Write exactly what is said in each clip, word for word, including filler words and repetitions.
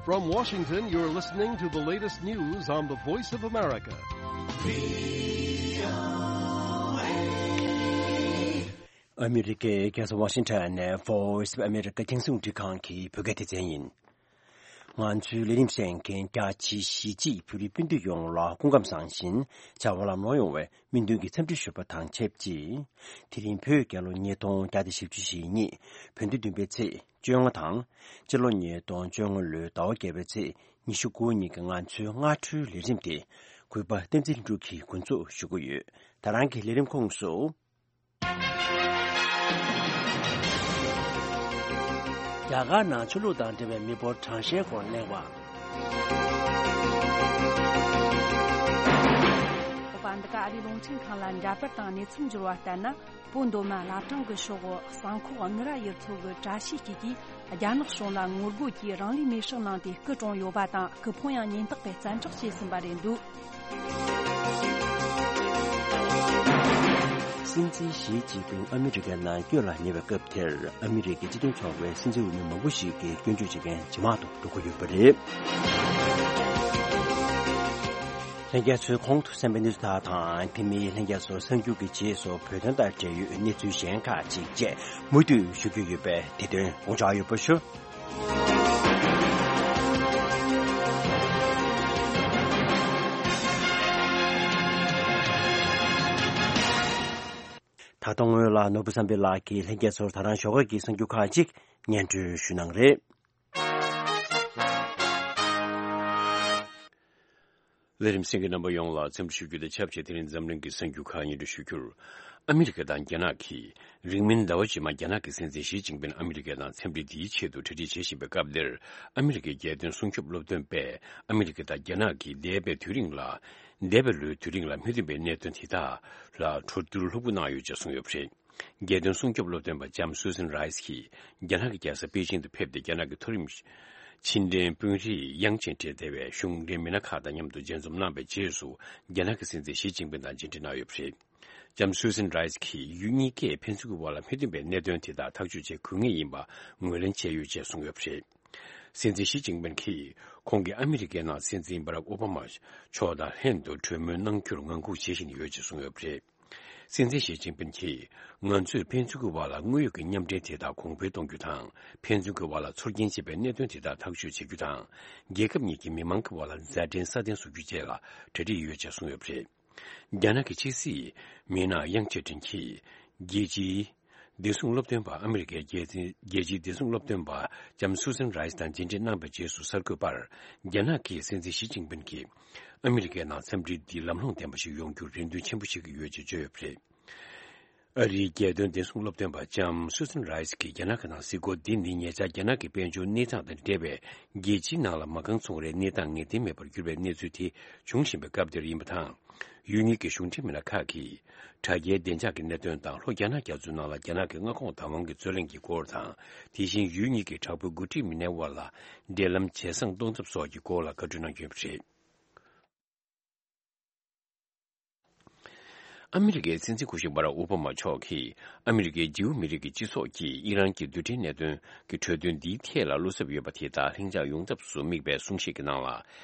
From Washington, you're listening to the latest news on the Voice of America. ཨ་མི་རི་ཀའི་རྒྱལ་ས་ཝ་ཤིང་ཊོན་ནས་Voice of America རྒྱང་སྲིང་རླུང་འཕྲིན་ཁང་གི་བོད་སྐད་སྡེ་ཚན་ཡིན། ང་ཚོའི་ལས་རིམ་གསན་མཁན་རྒྱ་ཆེའི་གཞིས་བྱེས་བོད་རིགས་སྤུན་ཟླ་ཡོངས་ལ་སྐུ་ཁམས་བཟང་ཞིང་བྱ་བ་ལམ་ལྷོང་ཡོང་བའི་སྨོན་འདུན་གྱི་འཚམས་འདྲི་ཞུ་བ་དང་ཆབས་ཅིག་དེ་རིང་བོད་རྒྱལ་ལོ་ཉིས་སྟོང་བརྒྱ་དང་བཞི་བཅུ་ཞེ་གཉིས་བོད་ཟླ་བདུན་པའི་ཚེས་བཅོ་ལྔ་དང་། སྤྱི་ལོ་ཉིས་སྟོང་བཅོ་ལྔ་ལོའི་ཟླ་བ་བརྒྱད་པའི་ཚེས་ཉི་ཤུ་དགུ་ཉིན་གྱི་ང་ཚོའི་སྔ་དྲོའི་ལས་རིམ་དེ་གུས་པ་བསྟན་འཛིན་ལྷུན་གྲུབ་ཀྱིས་འགོ་འཛུགས་ཞུ་གི་ཡོད། ད་རང་གི་ལས་རིམ་ཁོངས་སུ། རྒྱ་གར་ནང་ཆོས་ལུགས་དང་འབྲེལ་བའི་མི་འབོར་གྲངས་བཤེར་སྐོར་གནས་བབ། ཨོ་པ་འདི་ག་ཨ་རིའི་རླུང་འཕྲིན་ཁང་ལ་འདྲ་པར་དང་གནས་ཚུལ་འབྱོར་བ་ལྟར་ན། བོད་མདོ་སྨད་བླ་བྲང་གི་ཕྱོགས་གསང་ཁོག་དངུལ་རྭ་ཡུལ་ཚོ་གི་བཀྲ་ཤིས་སྐྱིད་ཀྱིས་རྒྱ་ནག་གཞུང་ལ་ངོ་རྒོལ་གྱིས་རང་ལུས་མེར་སྲེག་གནང་སྟེ་སྐུ་གྲོངས་ཡོད་པ་དང་། སྐུ་ཕུང་ཡང་ཉེན་རྟོག་པས་བཙན་འཕྲོག་བྱས་ཟིན་པ་རེད་འདུག་སྲིད་འཛིན་ཞི་ཅིན་ཕིང་ཨ་མི་རི་ཀའི་ནང་བསྐྱོད་ལ་ཉེ་བའི་སྐབས་དེར་ཨ་མི་རི་ཀའི་སྤྱི་མཐུན་ཚོགས་པའི་སྲིད་འཛིན་འོས་མི་མང་པོ་ཞིག་གིས་སྐྱོན་བརྗོད་བྱེད་མཁན་ཇེ་མང་དུ་འགྲོ་གི་ཡོད་པ་རེད། ལྷན་རྒྱས་ཚོས་གོང་དུ་གསན་པའི་གནས་ཚུལ་དག་དང་། དེ་མིན་ལྷན་རྒྱས་ཚོ་གསར་འགྱུར་གྱི་རྗེས་སུ་བོད་དོན་དང་འབྲེལ་ཡོད་གནས་ཚུལ་གཞན་ཁག་ཅིག་བཅས་མུ་མཐུད་ཞུ་རྒྱུ་ཡོད་པས། དེ་དོན་དགོངས་འཇགས་ཡོད་པ་ཞུ། ད་དུང་སྔོན་ལ་ནོར་བུ་བསམ་འཕེལ་ལགས་ཀྱིས་ལྷན་རྒྱས་ཚོར་ད་རང་ཞོགས་ཀས་ཀྱི་གསར་འགྱུར་ཁག་ཅིག་སྙན་སྒྲོན་ཞུ་གནང་རེད། ལས་རིམ་གསན་མཁན་རྣམ་པ་ཡོངས་ལ་འཚམས་འདྲི་ཞུ་རྒྱུ་དང་ཆབས་ཅིག་དེ་རིང་འཛམ་གླིང་གི་གསར་འགྱུར་ཁག་སྙན་སྒྲོན་ཞུ་རྒྱུར། ཨ་མི་རི་ཀ་དང་རྒྱ་ནག་གིས་རིང་མིན་ཟླ་བ་རྗེས་མ་རྒྱ་ནག་གི་སྲིད་འཛིན་ཞི་ཅིན་ཕིང་ཨ་མི་རི་ཀའི་ནང་འཚམས་འདྲི་འདིའི་ཆེད་དུ་གྲ་སྒྲིག་བྱེད་བཞིན་པའི་སྐབས་འདིར། ཨ་མི་རི་ཀའི་རྒྱལ་དོན་སྲུང་སྐྱོབ་སློབ་སྟོན་པས་ཨ་མི་རི་ཀ་དང་རྒྱ་ནག་གིས་འདས་པའི་དུས་རིང་ལ། འདས་པའི་ལོའི་དུས་རིང་ལ་མི་མཐུན་པའི་གནད་དོན་དེ་དག་ལ་གྲོས་བསྡུར་ལྷུག་པོ་གནང་ཡོད་ཅེས་གསུངས་ཡོད་པ་རེད། རྒྱལ་དོན་སྲུང་སྐྱོབ་སློབ་སྟོན་པ་ལྕམ་སུ་སན་རའི་སི་ཀྱིས་རྒྱ་ནག་གི་རྒྱལ་ས་པེ་ཅིང་དུ་ཕེབས་ཏེ། རྒྱ་ནག་གི་མཐོ་རིམ་ཕྱི་འབྲེལ་དཔོན་རིགས་དབྱང་ཅིན་ཀྲེ་ལྟེ་བའི་གཞུང་འབྲེལ་མི་སྣ་ཁག་དང་མཉམ་དུ་མཇལ་འཛོམས་གནང་བའི་རྗེས་སུ། རྒྱ་ནག་གི་སྲིད་འཛིན་ཞི་ཅིན་ཕིང་དང་མཇལ་འཕྲད་གནང་ཡོད་པ་རེད། ལྕམ་སུ་སན་རའི་སི་ཀྱིས་ཡུལ་གཉིས་ཀས་ཕན་ཚུན་གྱི་དབར་ལ་མི་མཐུན་པའི་གནད་དོན་དེ་དག་ཐག་གཅོད་བྱེད་དགོས་ངེས་ཡིན་པ་ངོས་ལེན་བྱས་ཡོད་ཅེས་གསུངས་ཡོད་པ་རེད། སྲིད་འཛིན་ཞི་ཅིན་ཕིང་གིས་ཁོང་གིས་ཨ་མི་རི་ཀའི་ནང་སྲིད་འཛིན་བྷ་རག་ཨོ་བྷ་མ་མཆོག་དང་ལྷན་དུ་གྲོས་མོལ་གནང་རྒྱུར་ངང་སྒུག་བྱེད་བཞིན་ཡོད་ཅེས་གསུངས་ཡོད་པ་རེད། སྲིད་འཛིན་ཞི་ཅིན་ཕིང་གིས། ང་ཚོས་ཕན་ཚུན་གྱི་དབར་ལ་དངོས་ཡོད་ཀྱི་མཉམ་འབྲེལ་དེ་དག་གོང་འཕེལ་གཏོང་རྒྱུ་དང་། ཕན་ཚུན་གྱི་དབར་ལ་ཚོར་སྐྱེན་བྱེད་པའི་གནད་དོན་དེ་དག་ཐག་གཅོད་བྱེད་རྒྱུ་དང་། རྒྱལ་ཁབ་གཉིས་ཀྱི་མི་མང་གི་དབར་ལ་མཛའ་འབྲེལ་སྲ་བརྟན་བཟོ་རྒྱུ་བཅས་ལ་གྲ་སྒྲིག་ཡོད་ཅེས་གསུངས་ཡོད་པ་རེད། རྒྱ་ནག་གི་ཕྱི་སྲིད་མི་སྣ་དབྱང་ཅེ་ཀྲིན་གྱིས། རྒྱལ་སྤྱིའི་བདེ་སྲུང་སློབ་སྟོན་པ། ཨ་མི་རི་ཀའི་རྒྱལ་སྤྱིའི་བདེ་སྲུང་སློབ་སྟོན་པ་ལྕམ་སུ་སན་རའི་སི་དང་མཇལ་འཕྲད་གནང་བའི་རྗེས་སུ་གསར་འགོད་པར། རྒྱ་ནག་གི་སྲིད་འཛིན་ཞི་ཅིན་ཕིང་གིས། ཨ་མི་རི་ཀའི་ནང་འཚམས་འདྲི་འདི་ལམ་ལྷོང་ལྡན་པ་ཞིག་ཡོང་རྒྱུར་རེ་འདུན་ཆེན་པོ་བྱེད་ཀྱི་ཡོད་ཅེས་བརྗོད་ཡོད་པ་རེད། ཨ་རིའི་རྒྱལ་དོན་བདེ་སྲུང་སློབ་སྟོན་པ་ལྕམ་སུ་སན་རའི་སི་ཀྱིས་རྒྱ་ནག་གི་ནང་གཟིགས་སྐོར་འདི་ནི། ཉེ་ཆར་རྒྱ་ནག་གི་དཔལ་འབྱོར་གནས་སྟངས་དང་འབྲེལ་བའི་རྒྱལ་སྤྱིའི་ནང་ལ་མ་རྐང་ཚོང་རའི་གནས་སྟངས་ངེས་གཏན་མེད་པར་གྱུར་པའི་གནས་ཚུལ་དེ་འབྱུང་བཞིན་པའི་སྐབས་དེར་ཡིན་པ་དང་། ཡུལ་གཉིས་ཀྱི་གཞུང་འབྲེལ་མི་སྣ་ཁག་གིས། དྲ་རྒྱའི་བདེ་འཇགས་ཀྱི་གནད་དོན་དང་། ལྷོ་རྒྱ་ནག་རྒྱ་མཚོའི་ནང་ལ་རྒྱ་ནག་གི་མངའ་ཁོངས་བདག་དབང་གི་རྩོད་གླེང་གི་སྐོར་དང་། དེ་བཞིན་ཡུལ་གཉིས་ཀྱི་དྲག་པོའི་འགོ་ཁྲིད་མི་སྣའི་དབར་ལ་འབྲེལ་ལམ་ཇེ་བཟང་གཏོང་ཐབས་སོགས་ཀྱི་སྐོར་ལ་བཀའ་འཁྲོལ་གནང་རྒྱུ་ཡིན་པ་རེད། ཨ་མི་རི་ཀའི་སྲིད་འཛིན་སྐུ་ཞབས་བྷ་རག་ཨོ་བྷ་མ་མཆོག་གིས། ཨ་མི་རི་ཀའི་ཇིའུ་མི་རིགས་ཀྱི་སྤྱི་ཚོགས་ཀྱིས་ཨི་རན་གྱི་རྡུལ་ཕྲན་གནད་དོན་གྱི་གྲོས་མཐུན་འདིའི་ཐད་ལ་བློ་འཚབ་ཡོད་པ་དེ་དག་ལྷིང་འཇགས་ཡོང་ཐབས་སུ་དམིགས་པའི་གསུང་བཤད་ཀྱི་ནང་ལ།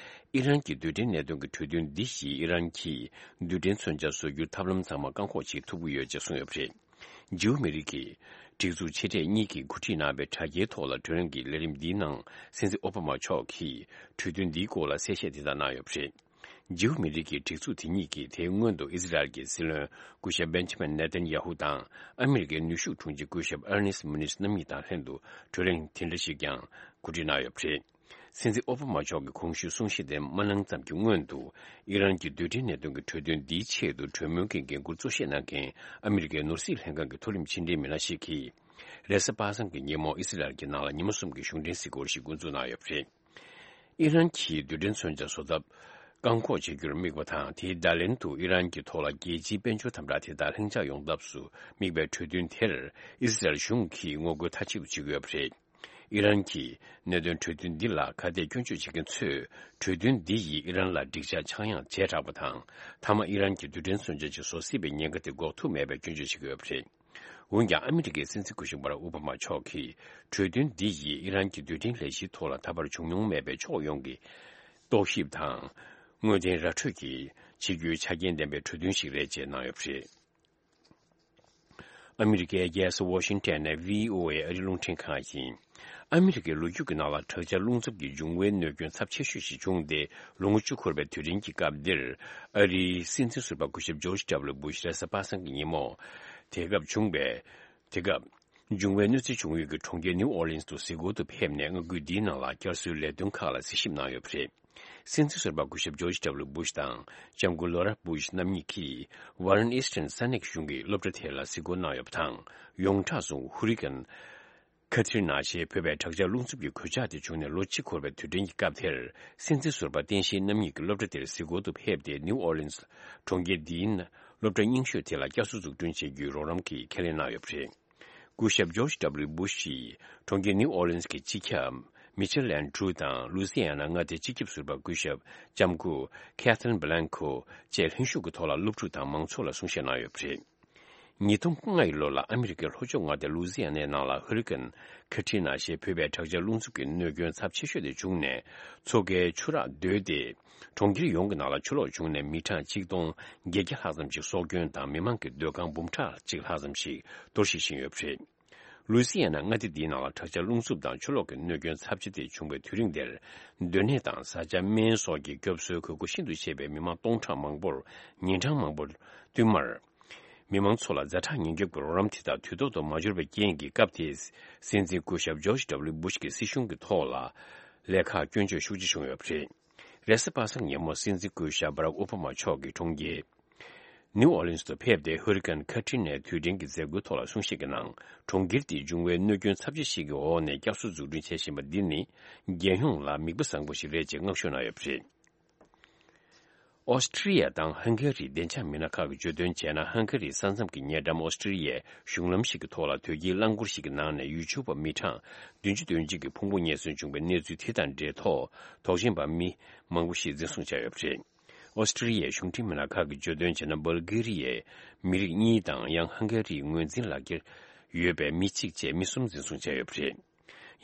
ཨི་རན་གྱི་རྡུལ་ཕྲན་གནད་དོན་གྱི་གྲོས་མཐུན་འདི་བཞིན་ཨི་རན་གྱིས་རྡུལ་ཕྲན་མཚོན་ཆ་བཟོ་རྒྱུའི་ཐབས་ལམ་ཚང་མ་བཀག་འགོག་བྱེད་ཐུབ་ཀྱི་ཡོད་ཅེས་གསུངས་ཡོད་པ་རེད། ཇིའུ་མི་རིགས་ཀྱི་སྒྲིག་འཛུགས་ཆེ་གྲས་གཉིས་ཀྱིས་གོ་སྒྲིག་གནང་བའི་དྲ་རྒྱའི་ཐོག་ལ་གྲོས་རིམ་གྱི་ལས་རིམ་འདིའི་ནང་། སྲིད་འཛིན་ཨོ་བྷ་མ་མཆོག་གིས་གྲོས་མཐུན་འདིའི་སྐོར་ལ་གསལ་བཤད་དེ་ལྟར་གནང་ཡོད་པ་རེད། ཇིའུ་མི་རིགས་ཀྱི་སྒྲིག་འཛུགས་དེ་གཉིས་ཀྱིས་དེའི་སྔོན་དུ་ཨི་ཟི་རལ་གྱི་སྲིད་བློན་སྐུ་ཞབས་བེན་ཇི་མིན་ནེ་ཐན་ཡ་ཧུ་དང་། ཨ་མི་རི་ཀའི་ནུས་ཤུགས་དྲུང་ཆེ་སྐུ་ཞབས་ཨར་ནེ་སི་མུ་ནིས་རྣམ་གཉིས་དང་ལྷན་དུ་གྲོས་རིམ་དེ་འདྲ་ཞིག་ཀྱང་གོ་སྒྲིག་གནང་ཡོད་པ་རེད། སྲིད་འཛིན་ཨོ་བྷ་མ་མཆོག་གིས་གོང་ཞུས་གསུང་བཤད་དེ་མ་གནང་ཙམ་གྱི་སྔོན་དུ། ཨི་རན་གྱི་རྡུལ་ཕྲན་གནད་དོན་གྱི་གྲོས་མཐུན་འདིའི་ཆེད་དུ་གྲོས་མོལ་གྱི་འགན་འཁུར་གཙོ་བཞེས་གནང་མཁན་ཨ་མི་རི་ཀའི་ནོར་སྲིད་ལྷན་ཁང་གི་མཐོ་རིམ་ཕྱི་འབྲེལ་མི་སྣ་ཞིག་གིས། རེས་གཟའ་པ་སངས་ཀྱི་ཉིན་མོ་ཨི་སི་རལ་གྱི་ནང་ལ་ཉི་མ་གསུམ་གྱི་གཞུང་འབྲེལ་གཟིགས་སྐོར་ཞིག་འགོ་འཛུགས་གནང་ཡོད་པ་རེད། ཨི་རན་གྱིས་རྡུལ་ཕྲན་མཚོན་ཆ་བཟོ་ཐབས་བཀག་འགོག་བྱེད་རྒྱུར་དམིགས་པ་དང་། དེའི་བརྡ་ལན་དུ་ཨི་རན་གྱི་ཐོག་ལ་རྒྱལ་སྤྱིའི་དཔལ་འབྱོར་དམ་དྲག་དེ་དག་ལྷིང་འཇགས་ཡོང་ཐབས་སུ་དམིགས་པའི་གྲོས་མཐུན་དེར་ཨི་སི་རལ་གཞུང་གིས་ངོ་རྒོལ་མཐའ་གཅིག་ཏུ་བྱེད་ཀྱི་ཡོད་པ་རེད། ཨི་རན་གྱི་གནད་དོན་གྲོས་མཐུན་འདི་ལ་ཁ་གཏད་སྐྱོན་བརྗོད་བྱེད་མཁན་ཚོས། གྲོས་མཐུན་འདི་ཡིས་ཨི་རན་ལ་འགྲིག་འཇགས་ཆག་ཡང་བྱས་དྲགས་པ་དང་། མཐའ་མ་ཨི་རན་གྱི་རྡུལ་ཕྲན་མཚོན་ཆ་ཅིག་བཟོ་སྲིད་པའི་ཉེན་ཁ་དེ་འགོག་ཐུབ་མེད་པའི་སྐྱོན་བརྗོད་བྱེད་ཀྱི་ཡོད་པ་རེད། འོན་ཀྱང་ཨ་མི་རི་ཀའི་སྲིད་འཛིན་སྐུ་ཞབས་བྷ་རག་ཨོ་བྷ་མ་མཆོག་གིས་གྲོས་མཐུན་འདི་ཡིས་ཨི་རན་གྱི་རྡུལ་ཕྲན་ལས་གཞིའི་ཐོག་ལ་ད་བར་བྱུང་མྱོང་མེད་པའི་ཕྱོགས་ཡོངས་ཀྱི་རྟོག་ཞིབ་དང་། དངོས་བདེན་ར་འཕྲོད་ཀྱིས་བྱེད་རྒྱུའི་ཆ་རྐྱེན་ལྡན་པའི་གྲོས་མཐུན་ཞིག་རེད་ཅེས་གནང་ཡོད་པ་རེད། ཨ་མི་རི་ཀའི་རྒྱལ་ས་ཝ་ཤིང་ཊོན་ནས་བྷི་ཨོ་ཨེ་ཨ་རིའི་རླུང་འཕྲིན་ཁང་ཡིན། ཨ་མི་རི་ཀའི་ལོ་རྒྱུས་ཀྱི་ནང་ལ་དྲག་ཆར་རླུང་འཚུབ་ཀྱི་འབྱུང་བའི་གནོད་སྐྱོན་ཚབས་ཆེ་ཤོས་ཤིག་བྱུང་སྟེ། ལོ་ངོ་བཅུ་འཁོར་བའི་དུས་དྲན་གྱི་སྐབས་འདིར། ཨ་རིའི་སྲིད་འཛིན་ཟུར་པ་སྐུ་ཞབས་ཇོརྗ་ཌབ་ལུ་སྦུ་ཤ་རེས་གཟའ་པ་སངས་ཀྱི་ཉིན་མོ། དེ་སྐབས་བྱུང་བའི། དེ་སྐབས། འབྱུང་བའི་གནོད་འཚེ་བྱུང་ཡུལ་གྱི་གྲོང་ཁྱེར་ནིའུ་ཨོར་ལིན་སི་དུ་གཟིགས་སྐོར་དུ་ཕེབས་ནས། མངའ་ཁུལ་འདིའི་ནང་ལ་བསྐྱར་གསོའི་ལས་དོན་ཁག་ལ་གཟིགས་ཞིབ་གནང་ཡོད་པ་རེད། སྲིད་འཛིན་ཟུར་པ་སྐུ་ཞབས་ཇོརྗ་ཌབ་ལུ་སྦུ་ཤ་དང་། ལྕམ་སྐུ་ལོ་ར་སྦུ་ཤ་རྣམ་གཉིས་ཀྱིས་ཝར་རན་ཨི་སི་ཊན་ས་གནས་ཀྱི་གཞུང་གི་སློབ་གྲྭ་དེ་ལ་གཟིགས་སྐོར་གནང་ཡོད་པ་དང་། ཡོངས་གྲགས་སུ་ཧུ་རི་ཀན་ཁ་ཐི་རི་ན་ཞེས་འབོད་པའི་དྲག་ཆར་རླུང་འཚུབ་ཀྱི་གོད་ཆག་དེ་བྱུང་ནས་ལོ་གཅིག་འཁོར་བའི་དུས་དྲན་གྱི་སྐབས་དེར། སྲིད་འཛིན་ཟུར་པ་བསྟན་ཤེས་རྣམ་གཉིས་ཀྱིས་སློབ་གྲྭ་དེར་གཟིགས་སྐོར་དུ་ཕེབས་ཏེ། ནིའུ་ཨོར་ལིན་སི་གྲོང་ཁྱེར་འདིའི་སློབ་གྲྭ་རྙིང་ཤོས་དེ་ལ་བསྐྱར་གསོ་འཛུགས་སྐྲུན་བྱེད་རྒྱུའི་རོགས་རམ་གྱི་ཁས་ལེན་གནང་ཡོད་པ་རེད། སྐུ་ཞབས་ཇོརྗ་ཌབ་ལུ་སྦུ་ཤ་ཡིས་གྲོང་ཁྱེར་ནིའུ་ཨོར་ལིན་སི་གི་སྤྱི་ཁྱབ་མི་ཆེལ་ལན་ཌྲུ་དང་། ལུའུ་སི་ཡ་ན་མངའ་སྡེའི་སྤྱི་ཁྱབ་ཟུར་པ་སྐུ་ཞབས་ལྕམ་སྐུ་ཁེ་ཐི་རིན་བྷི་ལན་ཁོ་བཅས་ལྷན་ཞུགས་ཀྱི་ཐོག་ལ་སློབ་ཕྲུག་དང་མང་ཚོགས་ལ་གསུང་བཤད་གནང་ཡོད་པ་རེད། ཉིས་སྟོང་ལྔ་ཡི་ལོ་ལ་ཨ་མི་རི་ཀའི་ལྷོ་ཕྱོགས་མངའ་སྡེ་ལུའུ་སི་ཡ་ནའི་ནང་ལ་ཧུ་རི་ཀན་ཁ་ཐི་རི་ན་ཞེས་འབོད་པའི་དྲག་ཆར་རླུང་འཚུབ་ཀྱི་གནོད་སྐྱོན་ཚབས་ཆེ་ཤོས་དེ་བྱུང་ནས། མཚོ་ཁའི་ཆུ་རགས་རྡོལ་ཏེ། གྲོང་ཁྱེར་ཡོངས་ཀྱི་ནང་ལ་ཆུ་ལོག་བྱུང་ནས། མི་གྲངས་ཆིག་སྟོང་བརྒྱད་བརྒྱ་ལྷག་ཙམ་ཞིག་སྲོག་སྐྱོན་དང་། མི་མང་གི་སྡོད་ཁང་འབུམ་ཕྲག་གཅིག་ལྷག་ཙམ་ཞིག་གཏོར་བཤིག་ཕྱིན་ཡོད་པ་རེད། ལུའུ་སི་ཡ་ན་མངའ་སྡེ་འདིའི་ནང་ལ་དྲག་ཆར་རླུང་འཚུབ་དང་ཆུ་ལོག་གི་གནོད་སྐྱོན་ཚབས་ཆེ་དེ་བྱུང་བའི་དུས་རིང་དེར། སྡོད་གནས་དང་བཟའ་བཅའ། སྨན་སོགས་ཀྱི་སྐྱོབ་གསོའི་དགོས་མཁོ་ཤིན་ཏུ་ཆེ་བའི་མི་མང་སྟོང་ཕྲག་མང་པོར་ཉིན་གྲངས་མང་པོར་བསྟུད་མར། མི་མང་ཚོ་ལ་ཛ་དྲག་ཉེན་སྐྱོབ་ཀྱི་རོགས་རམ་དེ་དག་དུས་ཐོག་ཏུ་མ་འབྱོར་བའི་རྐྱེན་གྱིས། སྐབས་དེའི་སྲིད་འཛིན་སྐུ་ཞབས་ཇོརྗ་ཌབ་ལུ་སྦུ་ཤ་གི་སྲིད་གཞུང་གི་ཐོག་ལ་ལས་ཀར་སྐྱོན་བརྗོད་ཤུགས་ཆེ་བྱུང་ཡོད་པ་རེད། རེས་གཟའ་པ་སངས་ཉིན་མོ་སྲིད་འཛིན་སྐུ་ཞབས་བྷ་རག་ཨོ་བྷ་མ་མཆོག་གིས་གྲོང་ཁྱེར་ནིའུ་ཨོར་ལིན་སི་དུ་ཕེབས་ཏེ། ཧུ་རི་ཀན་ཁ་ཐི་རི་ནའི་དུས་དྲན་གྱི་མཛད་སྒོའི་ཐོག་ལ་གསུང་བཤད་ཀྱི་ནང་། གྲོང་ཁྱེར་དེའི་འབྱུང་བའི་གནོད་སྐྱོན་ཚབས་ཆེ་ཞིག་གི་འོག་ནས་བསྐྱར་གསོ་འཛུགས་སྐྲུན་བྱེད་བཞིན་པ་འདི་ནི། རྒྱལ་ཡོངས་ལ་མིག་དཔེ་བཟང་པོ་ཞིག་རེད་ཅེས་བསྔགས་བརྗོད་གནང་ཡོད་པ་རེད། ཨོ་སི་ཀྲི་ཡ་དང་ཧང་ག་རིའི་བདེ་འཇགས་མི་སྣ་ཁག་གིས་བརྗོད་དོན་བྱས་ན། ཧང་ག་རིའི་ས་མཚམས་ཀྱི་ཉེ་འགྲམ་ཨོ་སི་ཀྲི་ཡའི་གཞུང་ལམ་ཞིག་གི་ཐོག་ལ་དོས་སྐྱེལ་རླངས་འཁོར་ཞིག་གི་ནང་ནས་ཡུལ་ཆོས་པ་མི་གྲངས་བདུན་ཅུ་དོན་གཅིག་གི་ཕུང་པོ་རྙེད་སོན་བྱུང་བའི་གནས་ཚུལ་དེ་དང་འབྲེལ་ཐོག་དོགས་ཞེན་པ་མི་མང་པོ་ཞིག་འཛིན་བཟུང་བྱས་ཡོད་པ་རེད། ཨོ་སི་ཀྲི་ཡའི་གཞུང་འབྲེལ་མི་སྣ་ཁག་གིས་བརྗོད་དོན་བྱས་ན། སྦལ་གྷི་རི་ཡའི་མི་རིགས་གཉིས་དང་། ཡང་ཧང་ག་རིའི་ངོས་འཛིན་ལག་འཁྱེར་ཡོད་པའི་མི་གཅིག་བཅས་མི་གསུམ་འཛིན་བཟུང་བྱས་ཡོད་པ་རེད།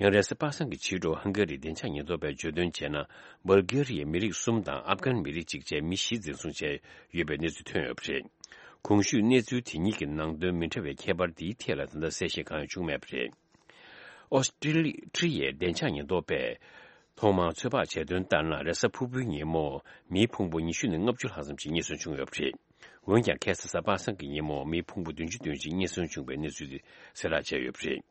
ཡང་རེས་གཟའ་པ་སངས་ཀྱི་ཕྱི་དྲོ་ཧང་ག་རིའི་བདེ་འཇགས་ཉེན་རྟོག་པས་བརྗོད་དོན་བྱས་ན། སྦལ་གྷི་རི་ཡའི་མི་རིགས་གསུམ་དང་ཨབ་གྷན་མི་རིགས་གཅིག་བཅས་མི་བཞི་འཛིན་བཟུང་བྱས་ཡོད་པའི་གནས་ཚུལ་ཐོན་ཡོད་པ་རེད། གོང་ཞུས་གནས་ཚུལ་དེ་གཉིས་ཀྱི་ནང་དོན་མི་འདྲ་བའི་ཁྱད་པར་དེའི་ཐད་ལ་ད་ལྟ་གསལ་བཤད་གང་ཡང་བྱུང་མེད་པ་རེད། ཨོ་སི་ཀྲི་ཡའི་བདེ་འཇགས་ཉེན་རྟོག་པས་ཐོག་མར་ཚོད་དཔག་བྱས་དོན་ལྟར་ན། རེས་གཟའ་ཕུར་བུའི་ཉིན་མོ་མིའི་ཕུང་པོ་ཉི་ཤུ་ནས་ལྔ་བཅུ་ལྷག་ཙམ་ཞིག་རྙེད་སོན་བྱུང་ཡོད་པ་རེད། འོན་ཀྱང་། ཁ་སང་གཟའ་པ་སངས་ཀྱི་ཉིན་མོ་མིའི་ཕུང་པོ་བདུན་ཅུ་དོན་གཅིག་རྙེད་སོན་བྱུང་བའི་གནས་ཚུལ་དེ་གསལ་བསྒྲགས་བྱས་ཡོད་པ་རེད།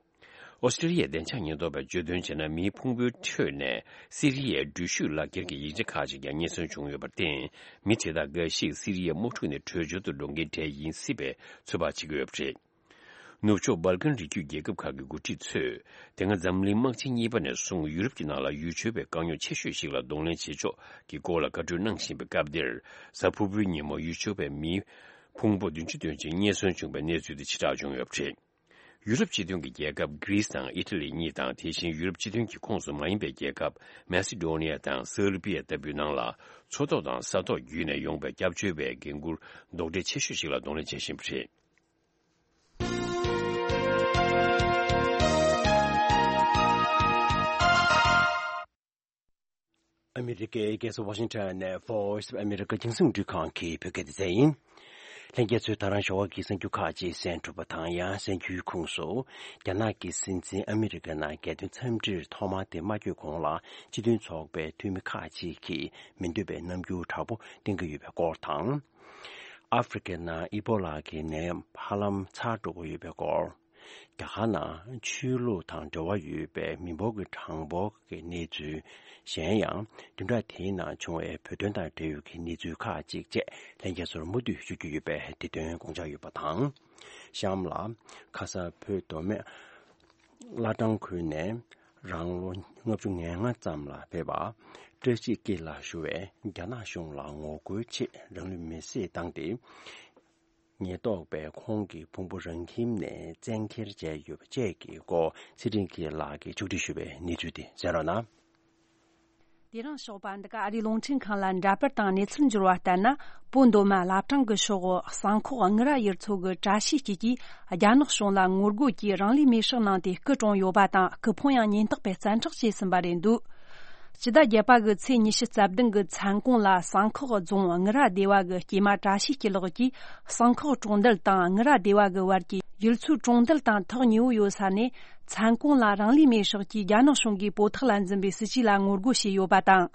ཨོ་སི་ཀྲི་ཡའི་བདེ་འཇགས་ཉེན་རྟོག་པས་བརྗོད་དོན་བྱས་ན། མིའི་ཕུང་པོའི་ཁྲོད་ནས་སི་རི་ཡའི་འགྲུལ་བཞུད་ལག་འཁྱེར་གྱི་ཡིག་ཆ་ཁག་ཅིག་ཀྱང་རྙེད་སོན་བྱུང་ཡོད་པར་བརྟེན། མི་དེ་དག་འགའ་ཞིག་སི་རི་ཡའི་དམག་འཁྲུག་ནས་བྲོས་བྱོལ་དུ་འགྲོ་མཁན་གྲས་ཡིན་སྲིད་པའི་ཚོད་དཔག་བྱེད་ཀྱི་ཡོད་པ་རེད། ནུབ་ཕྱོགས་སྦལ་ཀན་རི་རྒྱུད་རྒྱལ་ཁབ་ཁག་གི་འགོ་ཁྲིད་ཚོས། དེ་སྔ་འཛམ་གླིང་དམག་ཆེན་གཉིས་པ་ནས་བཟུང་ཡུ་རོབ་ཀྱི་ནང་ལ་ཡུལ་ཆོས་པའི་དཀའ་རྙོག་ཆེ་ཤོས་ཤིག་ལ་གདོང་ལེན་བྱེད་ཕྱོགས་ཀྱི་སྐོར་ལ་བཀའ་གྲོས་གནང་བཞིན་པའི་སྐབས་འདིར། གཟའ་ཕུར་བུའི་ཉིན་མོ་ཡུལ་ཆོས་པའི་མིའི་ཕུང་པོ་བདུན་ཅུ་དོན་གཅིག་རྙེད་སོན་བྱུང་བའི་གནས་ཚུལ་དེ་ཕྱིར་བསྒྲགས་བྱུང་ཡོད་པ་རེད། ཡུ་རོབ་སྤྱི་མཐུན་གྱི་རྒྱལ་ཁབ་གྷི་རི་སི་དང་ཨི་ཊ་ལི་གཉིས་དང་། དེ་བཞིན་ཡུ་རོབ་སྤྱི་མཐུན་གྱི་ཁོངས་སུ་མ་ཡིན་པའི་རྒྱལ་ཁབ་མེ་སི་ཌོ་ནི་ཡ་དང་སར་བི་ཡ་ལྟ་བུའི་ནང་ལ། མཚོ་ཐོག་དང་ས་ཐོག་བརྒྱུད་ནས་ཡོང་པའི་སྐྱབས་བཅོལ་བའི་འགན་འཁུར་རྡོག་ཁྲེས་ཆེ་ཤོས་ཤིག་ལ་གདོང་ལེན་བྱེད་བཞིན་པ་རེད། ཨ་མི་རི་ཀའི་རྒྱལ་ས་ཝ་ཤིང་ཊོན་ནས་Voice of America རྒྱང་སྲིང་རླུང་འཕྲིན་ཁང་གི་བོད་སྐད་སྡེ་ཚན་ཡིན། ལྷན་རྒྱས་ཚོས་ད་རང་ཞོགས་པ་གི་གསར་འགྱུར་ཁག་ཅིག་གསན་གྲུབ་པ་དང་། ཡང་གསར་འགྱུར་ཁོངས་སུ། རྒྱ་ནག་གི་སྲིད་འཛིན་ཨ་མི་རི་ཀའི་ནང་རྒྱལ་དོན་འཚམས་འདྲིར་ཐོག་མར་དེ་མ་བསྐྱོད་གོང་ལ། སྤྱི་མཐུན་ཚོགས་པའི་འཐུས་མི་ཁག་ཅིག་གིས་མི་འདོད་པའི་རྣམ་འགྱུར་དྲག་པོ་བསྟན་གྱི་ཡོད་པའི་སྐོར་དང་། ཨ་ཧྥེ་རི་ཁའི་ནང་ཨི་པོ་ལ་གི་ནད་ཧ་ལམ་ཚར་འགྲོ་གི་ཡོད་པའི་སྐོར། རྒྱ་གར་ནང་ཆོས་ལུགས་དང་འབྲེལ་བ་ཡོད་པའི་མི་འབོར་གྱི་གྲངས་འབོར་གྱི་གནས་ཚུལ། གཞན་ཡང་བདུན་ཕྲག་དེའི་ནང་བྱུང་བའི་བོད་དོན་དང་འབྲེལ་ཡོད་ཀྱི་གནས་ཚུལ་ཁག་ཅིག་བཅས་ལྷན་རྒྱས་ཚོར་མུ་མཐུད་ཞུ་རྒྱུ་ཡོད་པས། དེ་དོན་དགོངས་འཇགས་ཡོད་པ་དང་། གཤམ་ལ་ཁ་ས་བོད་མདོ་སྨད་བླ་བྲང་ཁུལ་ནས་རང་ལོ་ལྔ་བཅུ་ང་ལྔ་ཙམ་ལ་ཕེབས་པ་བཀྲ་ཤིས་སྐྱིད་ལགས་ཞུ་བས། རྒྱ་ནག་གཞུང་ལ་ངོ་རྒོལ་ཆེད་རང་ལུས་མེར་སྲེག་བཏང་སྟེ། ཉེན་རྟོག་པས་ཁོང་གི་ཕུང་པོ་རང་ཁྱིམ་ནས་བཙན་འཁྱེར་བྱས་ཡོད་པ་བཅས་ཀྱི་སྐོར་ཚེ་རིང་སྐྱིད་ལགས་ཀྱིས་ཕྱོགས་སྒྲིག་ཞུས་པའི་གནས་ཚུལ་དེ་གསན་རོགས་གནང་། དེ་རིང་ཞོགས་པ་འདི་ག་ཨ་རིའི་རླུང་འཕྲིན་ཁང་ལ་འདྲ་པར་དང་གནས་ཚུལ་འབྱོར་བ་ལྟར་ན། བོད་མདོ་སྨད་བླ་བྲང་གི་ཕྱོགས་སུ་གསང་ཁོག་དངུལ་རྭ་ཡུལ་ཚོ་གི་བཀྲ་ཤིས་སྐྱིད་ཀྱིས་རྒྱ་ནག་གཞུང་ལ་ངོ་རྒོལ་གྱིས་རང་ལུས་མེར་སྲེག་གནང་སྟེ་སྐུ་གྲོངས་ཡོད་པ་དང་། སྐུ་ཕུང་ཡང་ཉེན་རྟོག་པས་བཙན་འཕྲོག་བྱས་ཟིན་པ་རེད་འདུག་སྤྱི་ཟླ་བརྒྱད་པ་གི་ཚེས་ཉི་ཤུ་རྩ་བདུན་གྱི་མཚན་གུང་ལ་གསང་ཁོག་རྫོང་དངུལ་རྭ་སྡེ་བ་གི་སྐྱེས་མ་བཀྲ་ཤིས་སྐྱིད་ལགས་ཀྱིས་གསང་ཁོག་གྲོང་རྡལ་དང་དངུལ་རྭ་སྡེ་བ་གི་བར་གྱི་ཡུལ་ཚོའི་གྲོང་རྡལ་དང་ཐག་ཉེ་བོ་ཡོད་ས་ནས། མཚན་གུང་ལ་རང་ལུས་མེར་སྲེག་གིས་རྒྱ་ནག་གཞུང་གིས་བོད་ཐོག་ལ་འཛིན་པའི་སྲིད་ཇུས་ལ་ངོ་རྒོལ་བྱས་ཡོད་པ་དང་།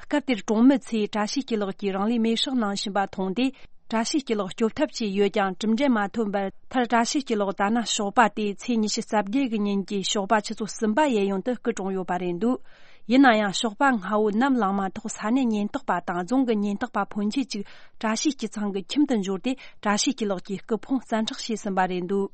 སྐབས་དེར་གྲོང་མི་ཚོས་བཀྲ་ཤིས་སྐྱིད་ལགས་ཀྱིས་རང་ལུས་མེར་སྲེག་གནང་བཞིན་པ་མཐོང་སྟེ། བཀྲ་ཤིས་སྐྱིད་ལགས་སྐྱོབ་ཐབས་བྱས་ཡོད་ཀྱང་གྲུབ་འབྲས་མ་ཐོན་པར། མཐར་བཀྲ་ཤིས་སྐྱིད་ལགས་ད་ནངས་ཞོགས་པ་སྟེ་ཚེས་ཉི་ཤུ་རྩ་བརྒྱད་ཀྱི་ཉིན་གྱི་ཞོགས་པ་ཆུ་ཚོད་གསུམ་པ་ཡན་ཡོང་དུ་སྐུ་གྲོངས་ཡོད་པ་རེད་འདུག་ཡིན་ན་ཡང་ཞོགས་པ་སྔ་བོ་ནམ་ལངས་མ་ཐག་ས་གནས་ཉེན་རྟོག་པ་དང་རྫོང་གི་ཉེན་རྟོག་པ་ཕོན་ཆེ་གཅིག་བཀྲ་ཤིས་སྐྱིད་ཚང་གི་ཁྱིམ་དུ་འབྱོར་ཏེ། བཀྲ་ཤིས་སྐྱིད་ལགས་ཀྱི་སྐུ་ཕུང་བཙན་འཕྲོག་བྱས་ཟིན་པ་རེད་འདུག་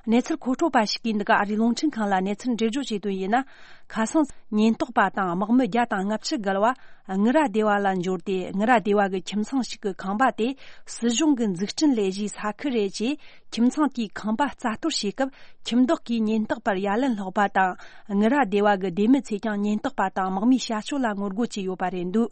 གནས་ཚུལ་མཁོ་སྤྲོད་པ་ཞིག་གིས་འདི་ག་ཨ་རིའི་རླུང་འཕྲིན་ཁང་ལ་གནས་ཚུལ་འགྲེལ་བརྗོད་བྱས་དོན་ཡིན་ན། ཁ་སང་ཉེན་རྟོག་པ་དང་དམག་མི་བརྒྱ་དང་ལྔ་བཅུ་བརྒལ་བ་དངུལ་རྭ་སྡེ་བ་ལ་འབྱོར་ཏེ། དངུལ་རྭ་སྡེ་བ་གི་ཁྱིམ་ཚང་ཞིག་གི་ཁང་པ་དེ་སྲིད་གཞུང་གི་འཛུགས་སྐྲུན་ལས་གཞིའི་ས་ཁུལ་རེད་ཅེས། ཁྱིམ་ཚང་དེའི་ཁང་པ་རྩ་གཏོར་བྱེད་སྐབས། ཁྱིམ་བདག་གིས་ཉེན་རྟོག་པར་ཡ་ལན་སློག་པ་དང་། དངུལ་རྭ་སྡེ་བ་གི་སྡེ་མི་ཚོས་ཀྱང་ཉེན་རྟོག་པ་དང་དམག་མིའི་བྱ་སྤྱོད་ལ་ངོ་རྒོལ་བྱས་ཡོད་པ་རེད་འདུག་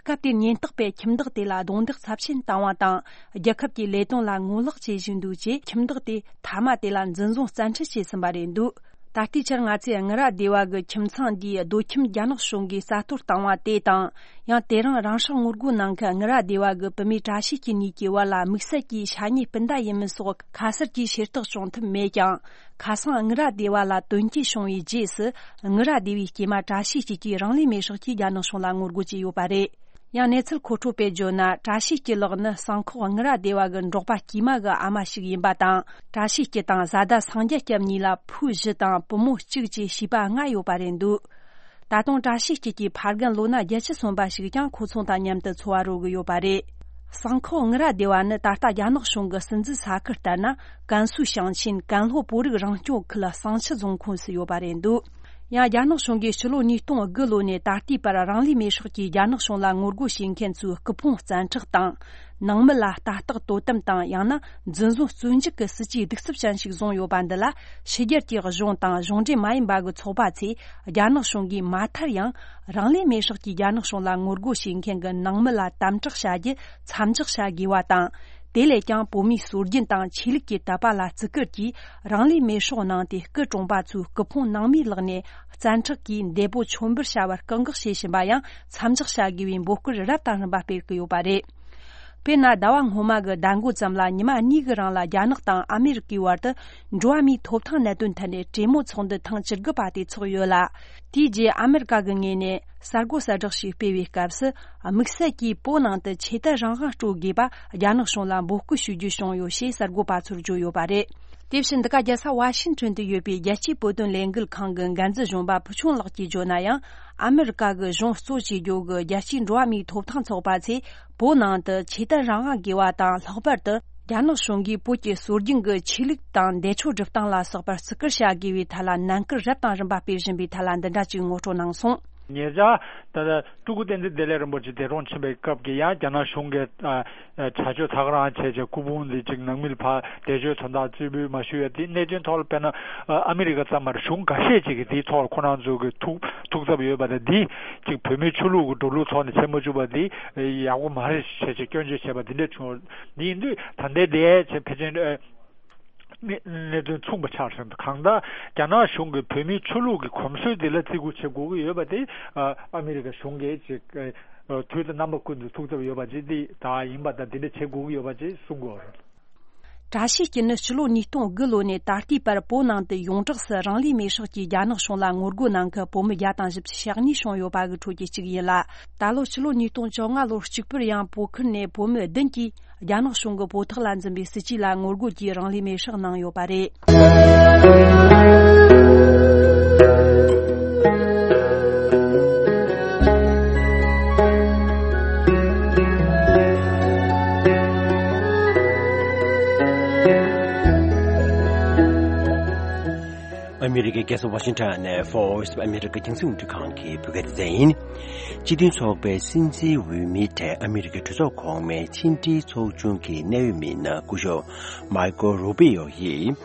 སྐབས་དེར་ཉེན་རྟོག་པས་ཁྱིམ་བདག་དེ་ལ་རྡུང་རྡེག་ཚབས་ཆེན་བཏང་བ་དང་། རྒྱལ་ཁབ་ཀྱི་ལས་དོན་ལ་ངོ་ལོག་བྱེད་བཞིན་འདུག་ཅེས། ཁྱིམ་བདག་དེ་མཐའ་མ་དེ་ལ་འཛིན་བཟུང་བཙན་ཁྲིད་བྱས་ཟིན་པ་རེད་འདུག་ད་ལྟའི་ཆར་ང་ཚོས་དངུལ་རྭ་སྡེ་བ་གི་ཁྱིམ་ཚང་འདིའི་རྡོ་ཁྱིམ་རྒྱ་ནག་གཞུང་གིས་རྩ་གཏོར་བཏང་བ་དེ་དང་། ཡང་དེ་རིང་རང་སྲོག་ངོ་རྒོལ་གནང་མཁན་དངུལ་རྭ་སྡེ་བ་གི་བུད་མེད་བཀྲ་ཤིས་སྐྱིད་གཉིས་ཀྱི་བར་ལ་དམིགས་བསལ་གྱི་ཤ་ཉེ་སྤུན་ཟླ་ཡིན་མིན་སོགས་ཁ་གསལ་གྱི་ཤེས་རྟོགས་བྱུང་ཐུབ་མེད་ཀྱང་། ཁ་སང་དངུལ་རྭ་སྡེ་བ་ལ་དོན་རྐྱེན་བྱུང་བའི་རྗེས་སུ། དངུལ་རྭ་སྡེ་བའི་སྐྱེས་མ་བཀྲ་ཤིས་སྐྱིད་ཀྱིས་རང་ལུས་མེར་སྲེག་གིས་རྒྱ་ནག་གཞུང་ལ་ངོ་རྒོལ་བྱས་ཡོད་པ་རེད། ཡང་གནས་ཚུལ་མཁོ་སྤྲོད་པས་བརྗོད་ན། བཀྲ་ཤིས་སྐྱིད་ལགས་ནི་གསང་ཁོག་དངུལ་རྭ་སྡེ་བ་གི་འབྲོག་པ་དཀྱུས་མ་གི་ཨ་མ་ཞིག་ཡིན་པ་དང་། བཀྲ་ཤིས་སྐྱིད་དང་བཟའ་ཟླ་སངས་རྒྱས་སྐྱབས་གཉིས་ལ་བུ་བཞི་དང་བུ་མོ་གཅིག་བཅས་བྱིས་པ་ལྔ་ཡོད་པ་རེད་འདུག་ད་དུང་བཀྲ་ཤིས་སྐྱིད་ཀྱི་ཕ་རྒན་ལོ་ན་བརྒྱད་ཅུ་སོན་པ་ཞིག་ཀྱང་ཁོ་ཚོ་དང་མཉམ་དུ་འཚོ་བ་རོལ་གི་ཡོད་པ་རེད། གསང་ཁོག་དངུལ་རྭ་སྡེ་བ་ནི་ད་ལྟ་རྒྱ་ནག་གཞུང་གི་སྲིད་འཛིན་ས་ཁུལ་ལྟར་ན། ཀན་སུའུ་ཞིང་ཆེན་ཀན་ལྷོ་བོད་རིགས་རང་སྐྱོང་ཁུལ་གསང་ཆུ་རྫོང་ཁོངས་སུ་ཡོད་པ་རེད་འདུག་ཡང་རྒྱ་ནག་གཞུང་གིས་ཕྱི་ལོ་ཉིས་སྟོང་དགུ་ལོ་ནས་ད་ལྟའི་བར་རང་ལུས་མེར་སྲེག་གིས་རྒྱ་ནག་གཞུང་ལ་ངོ་རྒོལ་བྱེད་མཁན་ཚོའི་སྐུ་ཕུང་བཙན་འཕྲོག་དང་། ནང་མི་ལ་ལྟ་རྟོག་དོ་དམ་དང་། ཡང་ན་འཛིན་བཟུང་བཙོན་འཇུག་གི་སྲིད་ཇུས་གདུག་རྩུབ་ཅན་ཞིག་བཟུང་ཡོད་པ་འདི་ལ། ཕྱི་རྒྱལ་གྱི་གཞུང་དང་གཞུང་འབྲེལ་མ་ཡིན་པ་གི་ཚོགས་པ་ཚོས་རྒྱ་ནག་གཞུང་གིས་མ་མཐར་ཡང་རང་ལུས་མེར་སྲེག་གིས་རྒྱ་ནག་གཞུང་ལ་ངོ་རྒོལ་བྱེད་མཁན་གྱི་ནང་མི་ལ་དམ་དྲག་བྱ་རྒྱུ་མཚམས་འཇོག་བྱ་དགོས་པ་དང་། དེ་ལས་ཀྱང་བོད་མིའི་སྲོལ་རྒྱུན་དང་ཆོས་ལུགས་ཀྱི་དད་པ་ལ་བརྩི་བཀུར་གྱིས་རང་ལུས་མེར་སྲེག་གནང་སྟེ་སྐུ་གྲོངས་པ་ཚོའི་སྐུ་ཕུང་ནང་མིའི་ལག་ནས་བཙན་འཕྲོག་གིས་འདས་པོ་མཆོད་འབུལ་བྱ་བར་བཀག་འགོག་བྱེད་བཞིན་པ་ཡང་མཚམས་འཇོག་བྱ་དགོས་པའི་འབོད་སྐུལ་རབ་དང་རིམ་པ་སྤེལ་གྱི་ཡོད་པ་རེད། དཔེར་ན། ཟླ་བ་སྔོན་མ་གི་ཟླ་མགོ་ཙམ་ལ་ཉི་མ་གཉིས་ཀྱི་རིང་ལ་རྒྱ་ནག་དང་ཨ་མེ་རི་ཀའི་བར་དུ་འགྲོ་བ་མིའི་ཐོབ་ཐང་གནད་དོན་ཐད་ནས་གྲོས་མོལ་ཚོགས་འདུ་ཐེངས་བཅུ་དགུ་པ་དེ་ཚོགས་ཡོད་ལ། དེའི་རྗེས་ཨ་མེ་རི་ཀ་གི་ངོས་ནས་གསར་འགོད་གསལ་བསྒྲགས་ཤིག་སྤེལ་བའི་སྐབས་སུ། དམིགས་བསལ་གྱིས་བོད་ནང་དུ་ཆོས་དད་རང་དབང་སྤྲོད་དགོས་པ་རྒྱ་ནག་གཞུང་ལ་འབོད་སྐུལ་ཞུ་རྒྱུ་བྱུང་ཡོད་ཞེས་གསར་འགོད་པ་ཚོར་བརྗོད་ཡོད་པ་རེད། དེ་བཞིན་འདི་ག་རྒྱལ་ས་ཝ་ཤིང་ཊོན་དུ་ཡོད་པའི་རྒྱལ་སྤྱིའི་བོད་དོན་ལས་འགུལ་ཁང་གི་འགན་འཛིན་གཞོན་པ་ཕུ་ཆུང་ལགས་ཀྱིས་བརྗོད་ན་ཡང་། ཨ་མེ་རི་ཀ་གི་གཞུང་གཙོ་བྱེད་རྒྱུ་གི་རྒྱལ་སྤྱིའི་འགྲོ་བ་མིའི་ཐོབ་ཐང་ཚོགས་པ་ཚོས་བོད་ནང་དུ་ཆོས་དད་རང་དབང་དགོས་པ་དང་། ལྷག་པར་དུ་རྒྱ་ནག་གཞུང་གིས་བོད་ཀྱི་སྲོལ་རྒྱུན་གྱི་ཆོས་ལུགས་དང་འདས་མཆོད་སྒྲུབ་སྟངས་ལ་སོགས་པར་བརྩི་བཀུར་བྱ་དགོས་པའི་ཐད་ལ་ནན་སྐུལ་རབ་དང་རིམ་པ་སྤེལ་བཞིན་པའི་ཐད་ལ་འདི་འདྲ་ཅིག་ངོ་སྤྲོད་གནང་སོང་། ཉེ་ཆར་ད་ལྟ་སྤྲུལ་སྐུ་བསྟན་འཛིན་བདེ་ལེགས་རིན་པོ་ཆེ་འདས་གྲོངས་ཕྱིན་པའི་སྐབས་ཀྱི་ཡང་རྒྱ་ནག་གཞུང་གིས་ཨ་ཨ་བྱ་སྤྱོད་ཚ་ག་རང་བྱས་བྱས་སྐུ་ཕུང་འདི་ཅིག་ནང་མི་ལ་ཕར་འདས་མཆོད་དོན་དག་རྩིས་འབུལ་མ་ཞུས་ཡ་དེ་གནད་དོན་ཐོག་ལ་དཔེར་ན་ཨ་ཨ་མི་རི་ཀ་ཙམ་མ་རེད། གཞུང་འགའ་ཤས་ཅིག་གིས་དེའི་ཐོག་ལ་ཁོ་རང་ཚོ་གི་ཐུགས་ཐུགས་འཚབ་ཡོད་པ་དང་། འདི་ཅིག་བོད་མིའི་ཆོས་ལུགས་ཀྱི་འགྲོ་ལུགས་ཐོག་ནས་བྱེད་མ་བཅུག་པ་འདི་ཡག་པོ་མ་རེད་བྱས་བྱས་སྐྱོན་བརྗོད་བྱས་པ་འདི་འདྲ་བྱུང་། འདི་ཡིན་དུས་ད་ལྟའི་འདས་བྱས་ཕལ་ཆེར་ཨ། གནས་གནས་དོན་མཚུངས་པ་ཆགས་སོང་། གང་ལྟར་རྒྱ་ནག་གཞུང་གིས་བོད་མིའི་ཆོས་ལུགས་ཀྱི་གོམས་སྲོལ་འདི་ལ་བརྩི་བཀུར་བྱེད་དགོས་ཀྱི་ཡོད་པ་དེ་ཨ་ཨ་མི་རི་ཀ་གཞུང་གིས་ཅིག་ཨ་དུས་དང་རྣམ་པ་ཀུན་ཏུ་ཐུགས་འཚབ་ཡོད་པ་ཅིག་འདི་ད་ཡིན་པ་དང་། འདི་འདྲ་བྱེད་དགོས་ཀྱི་ཡོད་པ་ཅིག་གསུང་གི་ཡོད་རེད། བཀྲ་ཤིས་སྐྱིད་ནི་ཕྱི་ལོ་ཉིས་སྟོང་དགུ་ལོ་ནས་ད་ལྟའི་བར་བོད་ནང་དུ་ཡོངས་གྲགས་སུ་རང་ལུས་མེར་སྲེག་གིས་རྒྱ་ནག་གཞུང་ལ་ངོ་རྒོལ་གནང་མཁན་བོད་མི་བརྒྱ་དང་བཞི་བཅུ་ཞེ་གཉིས་བྱུང་ཡོད་པ་གི་ཁྲོད་ཀྱི་གཅིག་ཡིན་ལ། ད་ལོ་ཕྱི་ལོ་ཉིས་སྟོང་བཅོ་ལྔ་ལོར་གཅིག་པུར་ཡང་བོད་ཁུལ་ནས་བོད་མི་བདུན་གྱིས་རྒྱ་ནག་གཞུང་གི་བོད་ཐོག་ལ་འཛིན་པའི་སྲིད་ཇུས་ལ་ངོ་རྒོལ་གྱིས་རང་ལུས་མེར་སྲེག་གནང་ཡོད་པ་རེད། ཨ་མི་རི་ཀའི་རྒྱལ་ས་ཝ་ཤིང་ཊོན་ནས་Voice of America རྒྱང་སྲིང་རླུང་འཕྲིན་ཁང་གི་བོད་སྐད་སྡེ་ཚན་ཡིན། སྤྱི་མཐུན་ཚོགས་པའི་སྲིད་འཛིན་འོས་མི་གྲས་ཨ་མི་རི་ཀའི་གྲོས་ཚོགས་གོང་མའི་ཕྱི་འབྲེལ་ཚོགས་ཆུང་གི་གནད་ཡོད་མི་སྣ་སྐུ་ཞབས་མཱ་ཀོ་རུ་པི་ཡོ་ཡིས།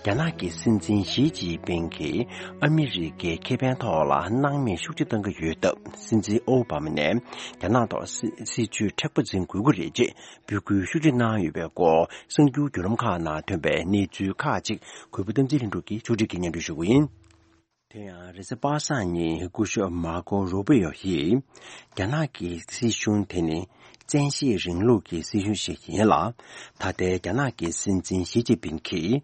རྒྱ་ནག་གི་སྲིད་འཛིན་ཞི་ཅིན་ཕིང་གིས་ཨ་མི་རི་ཀའི་ཁེ་ཕན་ཐོག་ལ་སྣང་མེད་ཤུགས་ཆེ་གཏང་གི་ཡོད་སྟབས། སྲིད་འཛིན་ཨོ་བྷ་མ་ནས་རྒྱ་ནག་ཐོག་སྲིད་སྲིད་ཇུས་མཁྲེགས་པོ་འཛིན་དགོས་ཀྱི་རེད་ཅེས་འབོད་སྐུལ་ཤུགས་ཆེ་གནང་ཡོད་པའི་སྐོར། གསར་འགྱུར་བརྒྱུད་ལམ་ཁག་ནང་ཐོན་པའི་གནས་ཚུལ་ཁག་ཅིག་གུས་པ་བསྟན་འཛིན་ལྷུན་གྲུབ་ཀྱིས་ཕྱོགས་སྒྲིག་གིས་སྙན་སྒྲོན་ཞུ་གི་ཡིན། དེ་ཡང་རེས་གཟའ་པ་སངས་ཉིན་སྐུ་ཞབས་མཱ་ཀོ་རུ་པི་ཡོ་ཡིས། རྒྱ་ནག་གི་སྲིད་གཞུང་དེ་ནི་བཙན་ཤེད་རིང་ལུགས་ཀྱི་སྲིད་གཞུང་ཞིག་ཡིན་ལ། ད་ལྟའི་རྒྱ་ནག་གི་སྲིད་འཛིན་ཞི་ཅིན་ཕིང་གིས་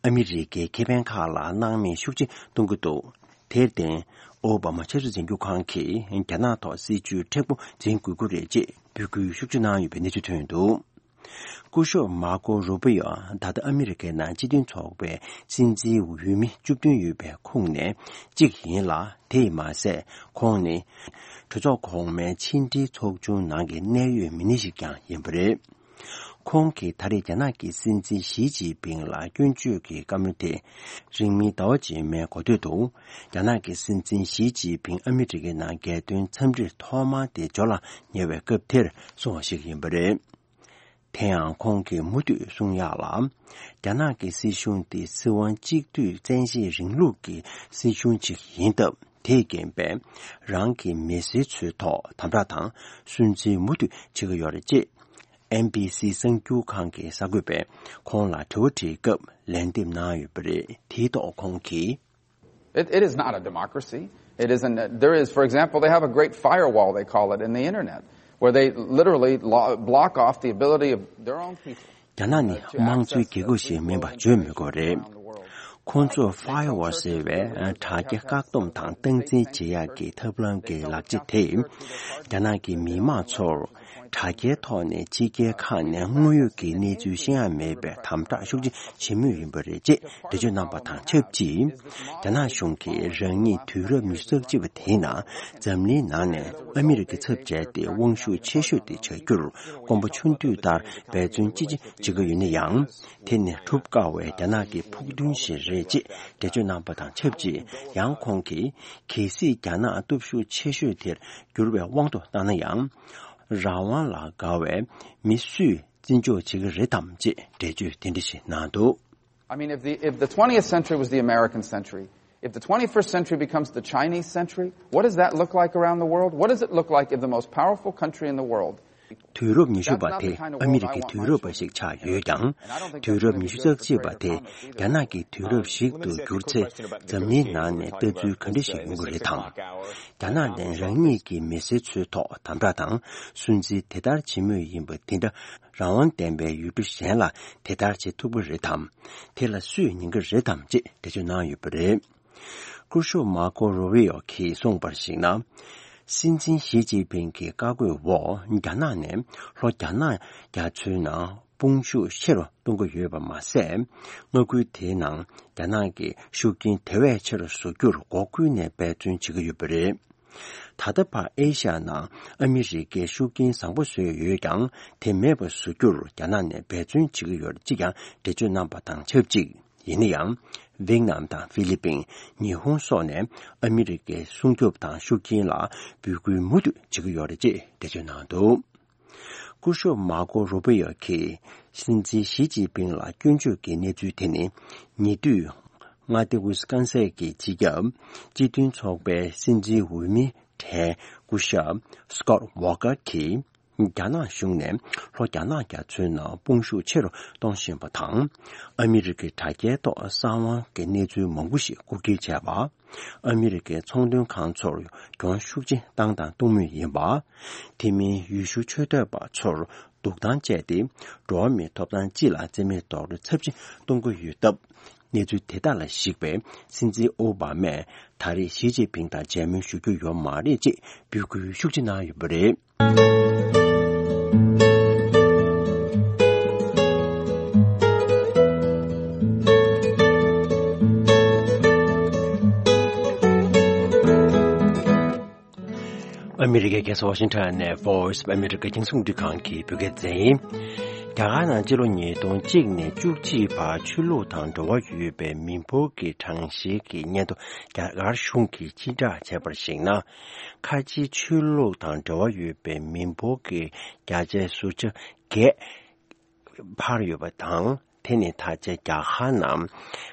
ཨ་མི་རི་ཀའི་ཁེ་ཕན་ཁག་ལ་སྣང་མེད་ཤུགས་ཆེ་གཏོང་གི་འདུག་དེར་བརྟེན། ཨོ་བྷ་མ་ཆབ་སྲིད་འཛིན་སྐྱོང་ཁང་གིས་རྒྱ་ནག་ཐོག་སྲིད་ཇུས་མཁྲེགས་པོ་འཛིན་དགོས་ཀྱི་རེད་ཅེས་འབོད་སྐུལ་ཤུགས་ཆེ་གནང་ཡོད་པའི་གནས་ཚུལ་ཐོན་འདུག་སྐུ་ཞབས་མཱ་ཀོ་རུ་པི་ཡོ་ད་ལྟ་ཨ་མི་རི་ཀའི་ནང་སྤྱི་མཐུན་ཚོགས་པའི་སྲིད་འཛིན་འོས་མི་བཅུ་བདུན་ཡོད་པའི་ཁོངས་ནས་གཅིག་ཡིན་ལ། དེས་མ་ཟད་ཁོང་ནི་གྲོས་ཚོགས་གོང་མའི་ཕྱི་འབྲེལ་ཚོགས་ཆུང་ནང་གི་གནད་ཡོད་མི་སྣ་ཞིག་ཀྱང་ཡིན་པ་རེད། ཁོང་གིས་ད་རེས་རྒྱ་ནག་གི་སྲིད་འཛིན་ཞི་ཅིན་ཕིང་ལ་སྐྱོན་བརྗོད་ཀྱི་བཀའ་མོལ་དེ་རིང་མིན་ཟླ་བ་རྗེས་མའི་འགོ་སྟོད་དུ། རྒྱ་ནག་གི་སྲིད་འཛིན་ཞི་ཅིན་ཕིང་ཨ་མི་རི་ཀའི་ནང་རྒྱལ་དོན་འཚམས་འདྲིར་ཐོག་མ་དེ་འབྱོར་ལ་ཉེ་བའི་སྐབས་དེར་གསུངས་པ་ཞིག་ཡིན་པ་རེད། དེ་ཡང་ཁོང་གིས་མུ་མཐུད་གསུང་ཡག་ལ། རྒྱ་ནག་གི་སྲིད་གཞུང་དེ་སྲིད་དབང་གཅིག་སྡུད་བཙན་ཤེད་རིང་ལུགས་ཀྱི་སྲིད་གཞུང་ཅིག་ཡིན་སྟབས། དེས་རྐྱེན་པས་རང་གི་མི་སེར་ཚོའི་ཐོག་དམ་དྲག་དང་སུན་གཙེར་མུ་མཐུད་བྱེད་ཀྱི་ཡོད་རེད་ཅེས། ཨེན་བྷི་སི་གསར་འགྱུར་ཁང་གི་གསར་འགོད་པས་ཁོང་ལ་དྲི་བ་དྲིས་སྐབས་ལན་འདེབས་གནང་ཡོད་པ་རེད། དེའི་ཐོག་ཁོང་གིས། It, it is not a democracy. It isn't. There is, for example, they have a great firewall, they call it, in the internet, where they literally lo- block off the ability of their own people. རྒྱ་ནག་ནི་དམངས་གཙོའི་རྒྱལ་ཁབ་ཞིག་མིན་པ་བརྗོད་མི་དགོས་རེད། ཁོང་ཚོས་ཕ་ཡར་ཝོལ་ཟེར་བའི་དྲ་རྒྱའི་བཀག་སྡོམ་དང་སྟངས་འཛིན་བྱེད་ཡག་གི་ཐབས་ལམ་གྱི་ལག་ཆ་དེས། རྒྱ་ནག་གི་མི་མང་ཚོར་དྲ་རྒྱའི་ཐོག་ནས་ཕྱི་རྒྱལ་ཁག་ནས་དངོས་ཡོད་ཀྱི་གནས་ཚུལ་ཤེས་ཡ་མེད་པའི་དམ་དྲག་ཤུགས་ཆེ་བྱེད་མུས་ཡིན་པ་རེད་ཅེས་འགྲེལ་བརྗོད་གནང་པ་དང་ཆབས་ཅིག་རྒྱ་ནག་གཞུང་གིས་རང་ཉིད་དུས་རབས་ཉི་ཤུ་རྩ་གཅིག་པ་དེའི་ནང་འཛམ་གླིང་ནང་ནས་ཨ་མི་རི་ཀའི་ཚབ་བྱས་ཏེ་དབང་ཤུགས་ཆེ་ཤོས་དེ་བྱ་རྒྱུར་དཀོན་པོ་ཆུང་དུས་ལྟར་འབད་བརྩོན་ཅི་ཆེ་བྱེད་ཀྱི་ཡོད་ན་ཡང་། དེ་ནི་འགྲུབ་དཀའ་བའི་རྒྱ་ནག་གི་ཕུགས་འདུན་ཞིག་རེད་ཅེས་འགྲེལ་བརྗོད་གནང་པ་དང་ཆབས་ཅིག་ཡང་ཁོང་གིས། གལ་སྲིད་རྒྱ་ནག་སྟོབས་ཤུགས་ཆེ་ཤོས་དེར་འགྱུར་བའི་དབང་དུ་བཏང་ན་ཡང་། རང་དབང་ལ་དགའ་བའི་མི་སུས་བརྩི་འཇོག་བྱེད་ཀྱི་རེད་དམ་ཅེས་འགྲེལ་བརྗོད་དེ་འདྲ་ཞིག་གནང་འདུག I mean, if the, if the twentieth century was the American century, if the twenty-first century becomes the Chinese century, what does that look like around the world? What does it look like if the most powerful country in the world དུས་རབས་ཉི་ཤུ་པ་དེ་ཨ་མི་རི་ཀའི་དུས་རབས་པ་ཞིག་ཆགས་ཡོད་ཀྱང་། དུས་རབས་ཉི་ཤུ་རྩ་གཅིག་པ་དེ་རྒྱ་ནག་གི་དུས་རབས་ཤིག་ཏུ་གྱུར་ཚེ། འཛམ་གླིང་ནང་ནས་ལྟ་ཚུལ་ག་འདྲ་ཞིག་ཡོང་གི་རེད་དམ། རྒྱ་ནག་ནས་རང་ཉིད་ཀྱི་མི་སེར་ཚོའི་ཐོག་དམ་དྲག་དང་སུན་གཙེར་དེ་ལྟར་བྱེད་མུས་ཡིན་པ་དེ་འདྲ་རང་དབང་ལྡན་པའི་ཡུལ་གྲུ་གཞན་ལ་དེ་ལྟར་བྱེད་ཐུབ་ཀྱི་རེད་དམ། དེ་ལ་སུས་ཉན་གྱི་རེད་དམ་ཅེས་འགྲེལ་བརྗོད་གནང་ཡོད་པ་རེད། སྐུ་ཞབས་མཱ་ཀོ་རུ་བི་ཡོ་གིས་གསུངས་པར་གཞིགས་ན། སྲིད་འཛིན་ཞི་ཅིན་ཕིང་གི་བཀའ་བཀོད་འོག་རྒྱ་ནག་ནས་ལྷོ་རྒྱ་ནག་རྒྱ་མཚོའི་ནང་དཔུང་ཤུགས་ཆེ་རུ་གཏོང་གི་ཡོད་པ་མ་ཟད། མངའ་ཁུལ་དེའི་ནང་རྒྱ་ནག་གི་ཤུགས་རྐྱེན་དེ་བས་ཆེ་རུ་བཟོ་རྒྱུར་འགོ་ཁུལ་ནས་འབད་བརྩོན་བྱེད་ཀྱི་ཡོད་པ་རེད། ད་ལྟ་བར་ཨེ་ཤ་ཡ་ནང་ཨ་མི་རི་ཀའི་ཤུགས་རྐྱེན་བཟང་པོ་བཟོས་ཡོད་ཀྱང་། དེ་མེད་པ་བཟོ་རྒྱུར་རྒྱ་ནག་ནས་འབད་བརྩོན་བྱེད་ཀྱི་ཡོད་ཅེས་ཀྱང་འགྲེལ་བརྗོད་གནང་པ་དང་ཆབས་ཅིག་ཡིན་ན་ཡང་། ཝེ་ནམ་དང་ཧྥི་ལི་པིན། ཉི་ཧོང་སོགས་ནས་ཨ་མི་རི་ཀའི་སྲུང་སྐྱོབ་དང་ཤུགས་རྐྱེན་ལ་འབོད་སྐུལ་མུ་མཐུད་བྱེད་ཀྱི་ཡོད་རེད་ཅེས་འགྲེལ་བརྗོད་གནང་འདུག་སྐུ་ཞབས་མཱ་ཀོ་རུ་པི་ཡོ་གིས་སྲིད་འཛིན་ཞི་ཅིན་ཕིང་ལ་སྐྱོན་བརྗོད་ཀྱི་གནས་ཚུལ་དེ་ནི། ཉེ་དུས་མངའ་སྡེ་ཝི་སི་ཀོན་སིན་གྱི་སྤྱི་ཁྱབ་སྤྱི་མཐུན་ཚོགས་པའི་སྲིད་འཛིན་འོས་མི་གྲས་སྐུ་ཞབས་སི་ཀོད་ཝོ་ཀར་གྱིས། རྒྱ་ནག་གཞུང་ནས་ལྷོ་རྒྱ་ནག་རྒྱ་མཚོའི་ནང་དཔུང་ཤུགས་ཆེ་རུ་གཏོང་བཞིན་པ་དང་། ཨ་མི་རི་ཀའི་དྲ་རྒྱའི་ཐོག་གསང་བའི་གནས་ཚུལ་མང་པོ་ཞིག་རྐུ་འཁྱེར་བྱས་པ། ཨ་མི་རི་ཀའི་ཚོང་དོན་ཁང་ཚོར་གྱོང་ཤུགས་ཆེ་བཏང་དང་གཏོང་མུས་ཡིན་པ། དེ་མིན་ཡུལ་ཤུལ་འཆོལ་སྡོད་པ་ཚོར་སྡུག་ཐང་སྤྲད་དེ། འགྲོ་བ་མིའི་ཐོབ་ཐང་སྤྱི་ལ་བརྩི་མེད་རྡོག་རོལ་ཚབས་ཆེ་གཏོང་གི་ཡོད་སྟབས། གནས་ཚུལ་དེ་དག་ལ་གཞིགས་པའི་སྲིད་འཛིན་ཨོ་བྷ་མས་ད་རེས་ཞི་ཅིན་ཕིང་དང་མཇལ་མོལ་ཞུ་རྒྱུ་ཡོད་མ་རེད་ཅེས་འབོད་སྐུལ་ཤུགས་ཆེ་གནང་ཡོད་པ་རེད། ཨ་མི་རི་ཀའི་རྒྱལ་ས་ཝ་ཤིང་ཊོན་ནས་Voice of America རྒྱང་སྲིང་རླུང་འཕྲིན་ཁང་གི་བོད་སྐད་སྡེ་ཚན་ཡིན། རྒྱ་གར་ནང་སྤྱི་ལོ་ཉིས་སྟོང་གཅིག་ནས་བཅུ་གཅིག་བར་ཆོས་ལུགས་དང་འབྲེལ་བ་ཡོད་པའི་མི་འབོར་གྱི་གྲངས་བཤེར་གྱི་སྙན་ཐོ་རྒྱ་གར་གཞུང་གིས་སྤྱི་བསྒྲགས་བྱས་པར་གཞིགས་ན། ཁ་ཆེའི་ཆོས་ལུགས་དང་འབྲེལ་བ་ཡོད་པའི་མི་འབོར་གྱི་བརྒྱ་ཆའི་ཟུར་ཆ་བརྒྱད་འཕར་ཡོད་པ་དང་། དེ་ནི་ད་ཆ་རྒྱ་གར་ནང་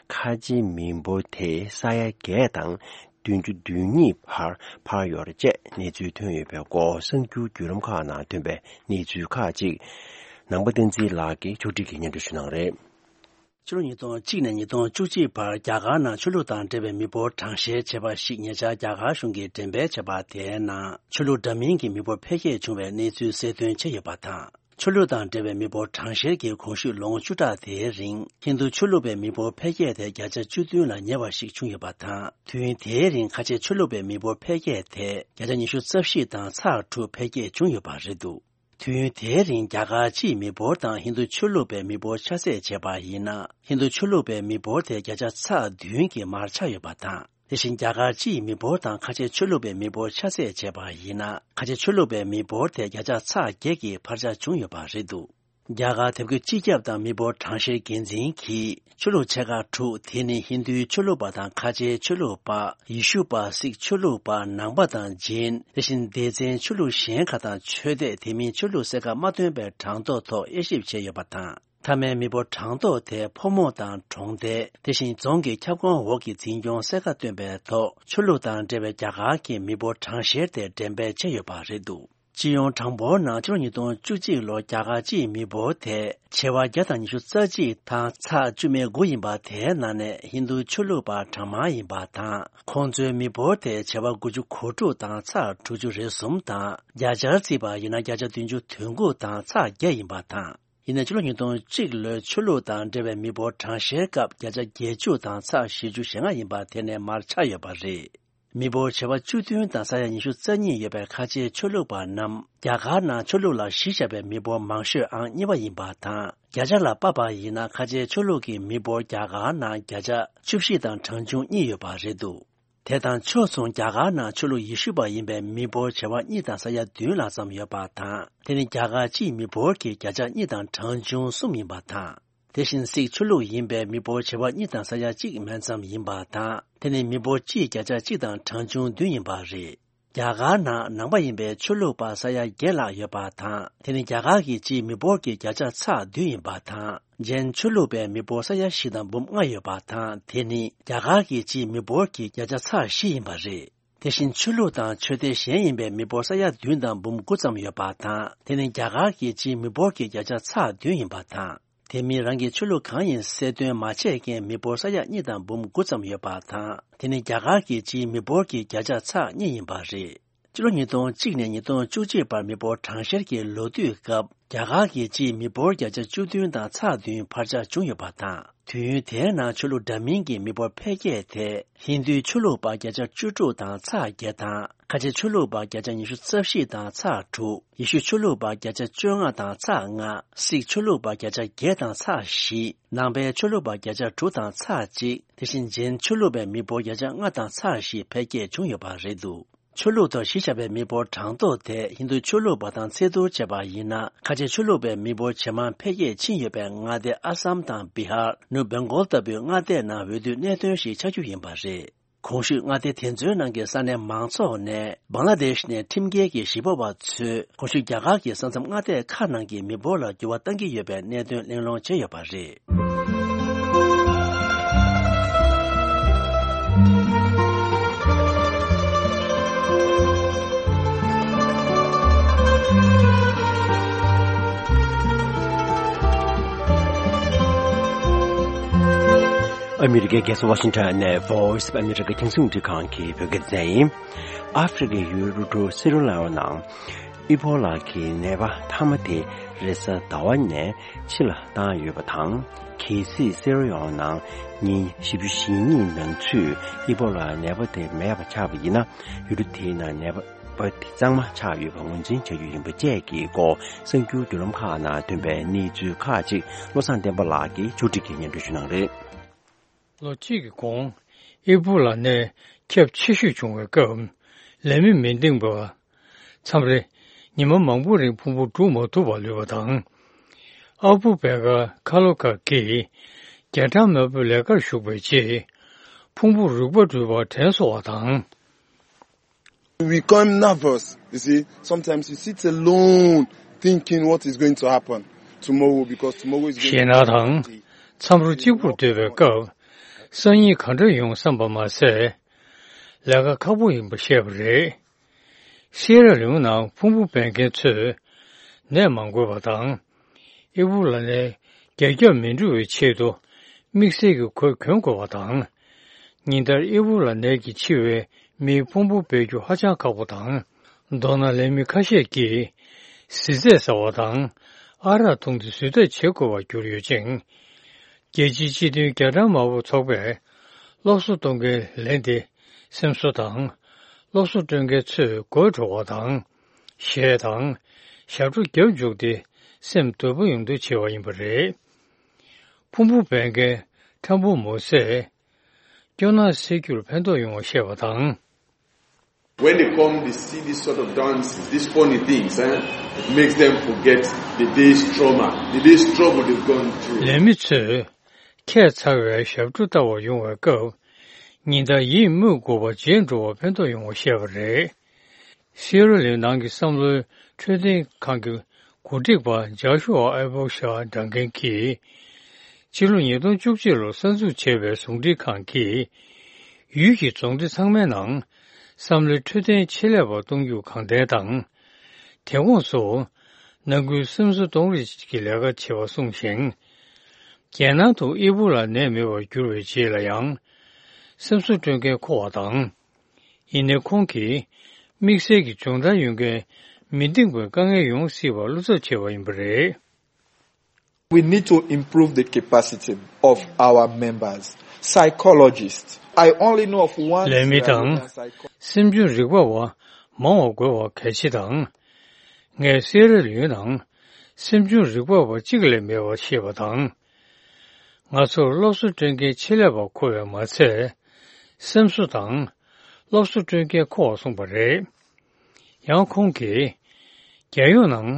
ཁ་ཆེའི་མི་འབོར་དེ་ས་ཡ་བརྒྱད་དང་བདུན་ཅུ་དོན་གཉིས་བར་འཕར་ཡོད་པ་བཅས་གནས་ཚུལ་ཐོན་ཡོད་པའི་སྐོར་གསར་འགྱུར་བརྒྱུད་ལམ་ཁག་ནང་ཐོན་པའི་གནས་ཚུལ་ཁག་ཅིག་ནང་པ་བསྟན་འཛིན་ལགས་ཀྱིས་ཕྱོགས་སྒྲིག་གིས་སྙན་སྒྲོན་ཞུ་གནང་རེད། ཕྱི་ལོ་ཉིས་སྟོང་གཅིག་ནས་ཉིས་སྟོང་བཅུ་གཅིག་བར་རྒྱ་གར་ནང་ཆོས་ལུགས་དང་འབྲེལ་བའི་མི་འབོར་གྲངས་བཤེར་བྱས་པ་ཞིག་ཉེ་ཆར་རྒྱ་གར་གཞུང་གིས་འགྲེམས་སྤེལ་བྱས་པ་དེའི་ནང་ཆོས་ལུགས་འདྲ་མིན་གྱི་མི་འབོར་འཕེལ་རྒྱས་བྱུང་བའི་གནས་ཚུལ་གསལ་སྟོན་བྱས་ཡོད་པ་དང་། ཆོས་ལུགས་དང་འབྲེལ་བའི་མི་འབོར་གྲངས་བཤེར་གྱི་གོང་ཞུས་ལོ་ངོ་བཅུ་ཕྲག་དེའི་རིང་ཧིན་རྡུ་ཆོས་ལུགས་པའི་མི་འབོར་འཕེལ་རྒྱས་དེ་བརྒྱ་ཆ་བཅུ་བདུན་ལ་ཉེ་བ་ཞིག་བྱུང་ཡོད་པ་དང་། དུས་ཡུན་དེའི་རིང་ཁ་ཆེ་ཆོས་ལུགས་པའི་མི་འབོར་འཕེལ་རྒྱས་དེ་བརྒྱ་ཆ་ཉི་ཤུ་རྩ་བཞི་དང་ཚེག་དྲུག་འཕེལ་རྒྱས་བྱུང་ཡོད་པ་རེད་འདུག་དུས་ཡུན་དེའི་རིང་རྒྱ་གར་སྤྱིའི་མི་འབོར་དང་ཧིན་རྡུ་ཆོས་ལུགས་པའི་མི་འབོར་ཆ་ཚད་བྱས་པ་ཡིན་ན། ཧིན་རྡུ་ཆོས་ལུགས་པའི་མི་འབོར་དེ་བརྒྱ་ཆ་ཚེག་བདུན་གྱིས་མར་ཆག་ཡོད་པ་དང་། དེ་བཞིན་རྒྱ་གར་སྤྱིའི་མི་འབོར་དང་ཁ་ཆེ་ཆོས་ལུགས་པའི་མི་འབོར་ཆ་ཚད་བྱས་པ་ཡིན་ན། ཁ་ཆེ་ཆོས་ལུགས་པའི་མི་འབོར་དེ་བརྒྱ་ཆ་ཚེག་བརྒྱད་ཀྱི་འཕར་ཆག་བྱུང་ཡོད་པ་རེད་འདུག་རྒྱ་གར་དེབ་སྐྱེལ་སྤྱི་ཁྱབ་དང་མི་འབོར་གྲངས་བཤེར་འགན་འཛིན་གྱིས་ཆོས་ལུགས་ཆེ་ཁག་དྲུག་དེ་ནི་ཧིན་རྡུའི་ཆོས་ལུགས་པ་དང་ཁ་ཆེའི་ཆོས་ལུགས་པ། ཡེ་ཤུ་པ། སིག་ཆོས་ལུགས་པ། ནང་པ་དང་ཇེན། དེ་བཞིན་སྡེ་ཚན་ཆོས་ལུགས་གཞན་ཁག་དང་ཆོས་དད་དེ་མིན་ཆོས་ལུགས་གསལ་ཁ་མ་སྟོན་པའི་གྲངས་ཐོ་ཐོག་དབྱེ་ཞིབ་བྱས་ཡོད་པ་དང་། མཐའ་མའི་མི་འབོར་གྲངས་ཐོ་དེ་ཕོ་མོ་དང་གྲོང་རྡལ། དེ་བཞིན་རྫོང་གི་ཁྱབ་ཁོངས་འོག་གི་འཛིན་སྐྱོང་གསལ་ཁ་བཏོན་པའི་ཐོག་ཆོས་ལུགས་དང་འབྲེལ་བའི་རྒྱ་གར་གྱི་མི་འབོར་གྲངས་བཤེར་དེ་འགྲེམས་སྤེལ་བྱས་ཡོད་པ་རེད་འདུག་སྤྱི་ཡོངས་གྲངས་འབོར་ནང་ཕྱི་ལོ་ཉིས་སྟོང་བཅུ་གཅིག་ལོར་རྒྱ་གར་སྤྱིའི་མི་འབོར་དེ་བྱེ་བ་བརྒྱ་དང་ཉི་ཤུ་རྩ་གཅིག་དང་ཚེག་བཅུ་མེད་དགུ་ཡིན་པ། དེའི་ནང་ནས་ཧིན་རྡུ་ཆོས་ལུགས་པ་གྲངས་མང་ཡིན་པ་དང་། ཁོང་ཚོའི་མི་འབོར་དེ་བྱེ་བ་དགུ་ཅུ་གོ་དྲུག་དང་ཚེག་དྲུག་ཅུ་རེ་གསུམ་དང་། བརྒྱ་ཆར་བརྩིས་པ་ཡིན་ན་བརྒྱ་ཆ་བདུན་ཅུ་དོན་དགུ་དང་ཚེག་བརྒྱད་ཡིན་པ་དང་། ཡིན་ན་ཕྱི་ལོ་ཉིས་སྟོང་གཅིག་ལོའི་ཆོས་ལུགས་དང་འབྲེལ་བའི་མི་འབོར་གྲངས་བཤེར་སྐབས་བརྒྱ་ཆ་བརྒྱད་ཅུ་དང་ཚེག་བཞི་བཅུ་ཞེ་ལྔ་ཡིན་པ་དེ་ནས་མར་ཆག་ཡོད་པ་རེད། མི་འབོར་བྱེ་བ་བཅུ་བདུན་དང་ས་ཡ་ཉི་ཤུ་རྩ་གཉིས་ཡོད་པའི་ཁ་ཆེའི་ཆོས་ལུགས་པ་རྣམས་རྒྱ་གར་ནང་ཆོས་ལུགས་ལ་གཞི་བཞག་པའི་མི་འབོར་མང་ཤོས་ཨང་གཉིས་པ་ཡིན་པ་དང་། བརྒྱ་ཆ་ལ་དཔག་པ་ཡིན་ན་ཁ་ཆེའི་ཆོས་ལུགས་ཀྱི་མི་འབོར་རྒྱ་གར་ནང་བརྒྱ་ཆ་བཅུ་བཞི་དང་གྲངས་ཆུང་གཉིས་ཡོད་པ་རེད་འདུག་དེ་དང་ཕྱོགས་མཚུངས་རྒྱ་གར་ནང་ཆོས་ལུགས་ཡེ་ཤུ་པ་ཡིན་པའི་མི་འབོར་བྱེ་བ་གཉིས་དང་ས་ཡ་བདུན་ལྷག་ཙམ་ཡོད་པ་དང་། དེ་ནི་རྒྱ་གར་སྤྱིའི་མི་འབོར་གྱི་བརྒྱ་ཆ་གཉིས་དང་གྲངས་ཆུང་གསུམ་ཡིན་པ་དང་། དེ་བཞིན་སིག་ཆོས་ལུགས་ཡིན་པའི་མི་འབོར་བྱེ་བ་གཉིས་དང་ས་ཡ་གཅིག་མན་ཙམ་ཡིན་པ་དང་། དེ་ནི་མི་འབོར་སྤྱིའི་བརྒྱ་ཆ་གཅིག་དང་གྲངས་ཆུང་བདུན་ཡིན་པ་རེད། རྒྱ་གར་ནང་ནང་པ་ཡིན་པའི་ཆོས་ལུགས་པ་ས་ཡ་བརྒྱད་ལྷག་ཡོད་པ་དང་། དེ་ནི་རྒྱ་གར་གྱི་སྤྱིའི་མི་འབོར་གྱི་བརྒྱ་ཆ་ཚེག་བདུན་ཡིན་པ་དང་། ཇེན་ཆོས་ལུགས་པའི་མི་འབོར་ས་ཡ་བཞི་དང་འབུམ་ལྔ་ཡོད་པ་དང་། དེ་ནི་རྒྱ་གར་གྱི་སྤྱིའི་མི་འབོར་གྱི་བརྒྱ་ཆ་ཚེག་བཞི་ཡིན་པ་རེད། དེ་བཞིན་ཆོས་ལུགས་དང་ཆོས་སྡེ་གཞན་ཡིན་པའི་མི་འབོར་ས་ཡ་བདུན་དང་འབུམ་དགུ་ཙམ་ཡོད་པ་དང་། དེ་ནི་རྒྱ་གར་གྱི་སྤྱིའི་མི་འབོར་གྱི་བརྒྱ་ཆ་ཚེག་བདུན་ཡིན་པ་དང་། དེ་མིན་རང་གི་ཆོས་ལུགས་གང་ཡིན་གསལ་སྟོན་མ་བྱས་མཁན་མི་འབོར་ས་ཡ་གཉིས་དང་འབུམ་དགུ་ཙམ་ཡོད་པ་དང་། དེ་ནི་རྒྱ་གར་གྱི་སྤྱིའི་མི་འབོར་གྱི་བརྒྱ་ཆ་ཚེག་གཉིས་ཡིན་པ་རེད། སྤྱི་ལོ་ཉིས་སྟོང་གཅིག་ནས་ཉིས་སྟོང་བཅུ་གཅིག་བར་མི་འབོར་གྲངས་བཤེར་གྱི་ལོ་དུས་སྐབས། རྒྱ་གར་གྱི་སྤྱིའི་མི་འབོར་བརྒྱ་ཆ་བཅུ་བདུན་དང་ཚེག་བདུན་འཕར་ཆག་བྱུང་ཡོད་པ་དང་། དུས་ཡུན་དེའི་ནང་ཆོས་ལུགས་འདྲ་མིན་གྱི་མི་འབོར་འཕེལ་རྒྱས་དེ། ཧིན་རྡུའི་ཆོས་ལུགས་པ་བརྒྱ་ཆ་བཅུ་དྲུག་དང་ཚེག་བརྒྱད་དང་། ཁ་ཆེ་ཆོས་ལུགས་པ་བརྒྱ་ཆ་ཉི་ཤུ་རྩ་བཞི་དང་ཚེག་དྲུག་ཡེ་ཤུ་ཆོས་ལུགས་པ་བརྒྱ་ཆ་བཅོ་ལྔ་དང་ཚེག་ལྔ་སིག་ཆོས་ལུགས་པ་བརྒྱ་ཆ་བརྒྱད་དང་ཚེག་བཞི་ནང་པའི་ཆོས་ལུགས་པ་བརྒྱ་ཆ་དྲུག་དང་ཚེག་གཅིག་དེ་བཞིན་ཇེན་ཆོས་ལུགས་པའི་མི་འབོར་བརྒྱ་ཆ་ལྔ་དང་ཚེག་བཞི་འཕེལ་རྒྱས་བྱུང་ཡོད་པ་རེད་འདུག་ཆོས་ལུགས་ཐོག་གཞི་བཞག་པའི་མི་འབོར་གྲངས་ཐོ་དེ་ཧིན་རྡུ་ཆོས་ལུགས་པ་དང་ཚད་བསྡུར་བྱས་པ་ཡིན་ན། ཁ་ཆེ་ཆོས་ལུགས་པའི་མི་འབོར་ཇེ་མང་འཕེལ་རྒྱས་ཕྱིན་ཡོད་པའི་མངའ་སྡེ་ཨ་སམ་དང་བི་ཧར། ནུབ་བེང་གོལ་ལྟ་བུའི་མངའ་སྡེའི་ནང་འོས་བསྡུའི་གནད་དོན་ཞིག་ཆགས་རྒྱུ་ཡིན་པ་རེད། གོང་ཞུས་མངའ་སྡེ་དེ་ཚོའི་ནང་གི་ས་གནས་མང་ཚོགས་ནས་བང་ལ་དེཤ་ནས་ཁྲིམས་འགལ་གྱི་གཞིས་སྤོ་བ་ཚོས་གོང་ཞུས་རྒྱ་གར་གྱི་ས་མཚམས་མངའ་སྡེ་ཁག་ནང་གི་མི་འབོར་ལ་འགྱུར་བ་གཏང་གི་ཡོད་པའི་གནད་དོན་གླེང་སློང་བྱས་ཡོད་པ་རེད། ཨ་མི་རི་ཀའི་རྒྱལ་ས་ཝ་ཤིང་ཊོན་ནས་Voice of America རྒྱང་སྲིང་རླུང་འཕྲིན་ཁང་གི་བོད་སྐད་སྡེ་ཚན་ཡིན། ཨ་ཧྥེ་རི་ཀའི་ཡུལ་རུ་ཀྲུག་སེ་ར་ལེ་ཨོ་ནང་ཨི་བྷོ་ལ་གི་ནད་པ་མཐའ་མ་དེ་རེས་གཟའ་ཟླ་བ་ནས་ཕྱི་ལ་བཏང་ཡོད་པ་དང་། གལ་སྲིད་སེ་ར་ལེ་ཨོ་ནང་ཉིན་བཞི་བཅུ་ཞེ་གཉིས་ནང་ཚུད་ཨི་བྷོ་ལ་ནད་པ་དེ་མེད་པ་ཆགས་པ་ཡིན་ན། ཡུལ་གྲུ་དེའི་ནང་ནད་པ་དེ་གཙང་མ་ཆགས་ཡོད་པ་ངོས་འཛིན་བྱ་རྒྱུ་ཡིན་པ་བཅས་ཀྱི་སྐོར་གསར་འགྱུར་བརྒྱུད་ལམ་ཁག་ནང་ཐོན་པའི་གནས་ཚུལ་ཁག་ཅིག་བློ་བཟང་བསྟན་པ་ལགས་ཀྱིས་ཕྱོགས་སྒྲིག་གིས་སྙན་སྒྲོན་ཞུ་གནང་རེད། ལོ་གཅིག་གི་གོང་ཨི་བྷོ་ལ་ནད་ཁྱབ་ཆེ་ཤོས་བྱུང་བའི་སྐབས་ལས་མི་མི་འདེང་བ། མཚམས་རེ་ཉི་མ་མང་པོ་རིང་ཕུང་པོ་སྒྲུག་མ་ཐུབ་པར་ལུས་པ་དང་། ཨ་བུ་བེ་ག་ཁ་ལོ་ཀ་གིས་རྒྱ་གྲམ་དམར་པོའི་ལས་ཀར་ཞུགས་པའི་རྗེས། ཕུང་པོ་རིག་པ་འགྲུལ་པར་དྲན་གསོ་བ་དང་། We become nervous. You see, sometimes you sit alone thinking what is going to happen tomorrow because tomorrow is going to be a bad day. ཞེད་སྣང་དང་མཚམས་རོ་གཅིག་པུར་སྡོད་པའི་སྐབས། སང་ཉིན་ག་འདྲ་ཡོང་བསམ་པ་མ་ཟད། ལས་ཀ་ཁག་པོ་ཡིན་པ་ཤེས་པ་རེད། སི་ཡེ་ར་ལེའོན་ནང་ཕུང་པོ་འབེན་མཁན་ཚོས་ནད་མ་འགོས་པ་དང་། ཨི་བུ་ལ་ནད་རྒྱ་ཁྱབ་མི་འགྲོ་བའི་ཆེད་དུ་དམིགས་བསལ་གྱི་གོས་གྱོན་དགོས་པ་དང་། ཉིན་ལྟར་ཨི་བུ་ལ་ནད་ཀྱིས་འཆི་བའི་མིའི་ཕུང་པོ་སྦས་རྒྱུ་ཧ་ཅང་ཁག་པོ་དང་། མདོར་ན་ལས་མི་ཁ་ཤས་ཀྱིས་བཟི་ཚད་ཟ་བ་དང་། ཨ་རག་འཐུང་སྟེ་གཟོད་ཐབས་བྱེད་དགོས་པར་གྱུར་ཡོད་ཅིང་། རྒྱལ་སྤྱིའི་སྤྱི་མཐུན་རྒྱ་གྲམ་དམར་པོ་ཚོགས་པས་སློབ་གསོ་གཏོང་མཁན་ལས་དེ་སེམས་གསོ་དང་། སློབ་གསོ་སྤྲོད་མཁན་ཚོས་དགོད་བྲོ་བ་དང་། གཞས་དང་། ཞབས་བྲོ་རྒྱབ་འཇུག་སྟེ་སེམས་དུལ་པོ་ཡོང་འདོད་བྱེད་པ་ཡིན་པ་རེད། ཕུང་པོ་འབེན་མཁན་ཁྲམ་བུ་མོ་སས་སྐྱོ་སྣང་སེལ་རྒྱུར་ཕན་ཐོགས་ཡོང་བ་བཤད་པ་དང་། When they come, they see these sort of dances, these funny things, eh? It makes them forget the day's trauma, the day's struggle they've gone through. ལས་མི་ཚོས་ཁྱད་མཚར་བའི་ཞབས་བྲོ་ལྟ་བར་ཡོང་བའི་སྐབས། ཉིན་ལྟར་ཡིད་མུག་དགོས་པ་བརྗེད་འགྲོ་བར་ཕན་ཐོགས་ཡོང་བ་བཤད་པ་རེད། སི་ཡེ་ར་ལེའོན་ནང་གི་བསམ་བློའི་འཕྲོད་བསྟེན་ཁང་གི་འགོ་ཁྲིད་པ་ཇཱ་ཤུ་ཨ་ཨེ་བོ་ཤ་སྒྲག་མཁན་གྱིས། ཕྱི་ལོ་ཉིས་སྟོང་བཅུ་གཅིག་ལོར་གསར་འཛུགས་བྱས་པའི་ཟུང་འབྲེལ་ཁང་གིས། ཡུལ་གྱི་རྫོང་སྡེ་ཚང་མའི་ནང་བསམ་བློའི་འཕྲོད་བསྟེན་ཆེད་ལས་པ་གཏོང་རྒྱུ་གང་དྲན་དང་། དེ་དགོངས་སུ། ནང་ཁུལ་སེམས་གསོ་གཏོང་རེས་ཀྱི་ལས་ཀ་བྱེད་པ་གསུངས་ཤིང་། རྒྱལ་ནང་དུ་ཨི་བུ་ལ་ནད་མེད་པར་གྱུར་བའི་རྗེས་ལ་ཡང་། སེམས་གསོ་སྤྲོད་མཁན་མཁོ་བ་དང་། ཡིན་ནའི་ཁོང་གིས་དམིགས་བསལ་གྱི་སྦྱོང་བརྡར་ཡོད་མཁན་མི་འདེང་བའི་དཀའ་ངལ་ཡོང་སྲིད་པར་བློ་འཚབ་བྱས་པ་ཡིན་པ་རེད། We need to improve the capacity of our members, psychologists. I only know of one. ལས་མི་དང་། སེམས་སྦྱོང་རིག་པ་བ་མང་བ་དགོས་པ་གལ་ཆེ་དང་། ངས་སི་ཡེ་ར་ལེའོན་ནང་སེམས་སྦྱོང་རིག་པ་བ་གཅིག་ལས་མེད་པ་ཤེས་པ་དང་། ང་ཚོར་སློབ་གསོ་སྤྲོད་མཁན་ཆེད་ལས་པ་མཁོ་བས་མ་ཚད། སེམས་གསོ་དང་སློབ་གསོ་སྤྲོད་མཁན་མཁོ་བ་གསུངས་པ་རེད། ཡང་ཁོང་གིས། རྒྱལ་ཡོངས་ནང་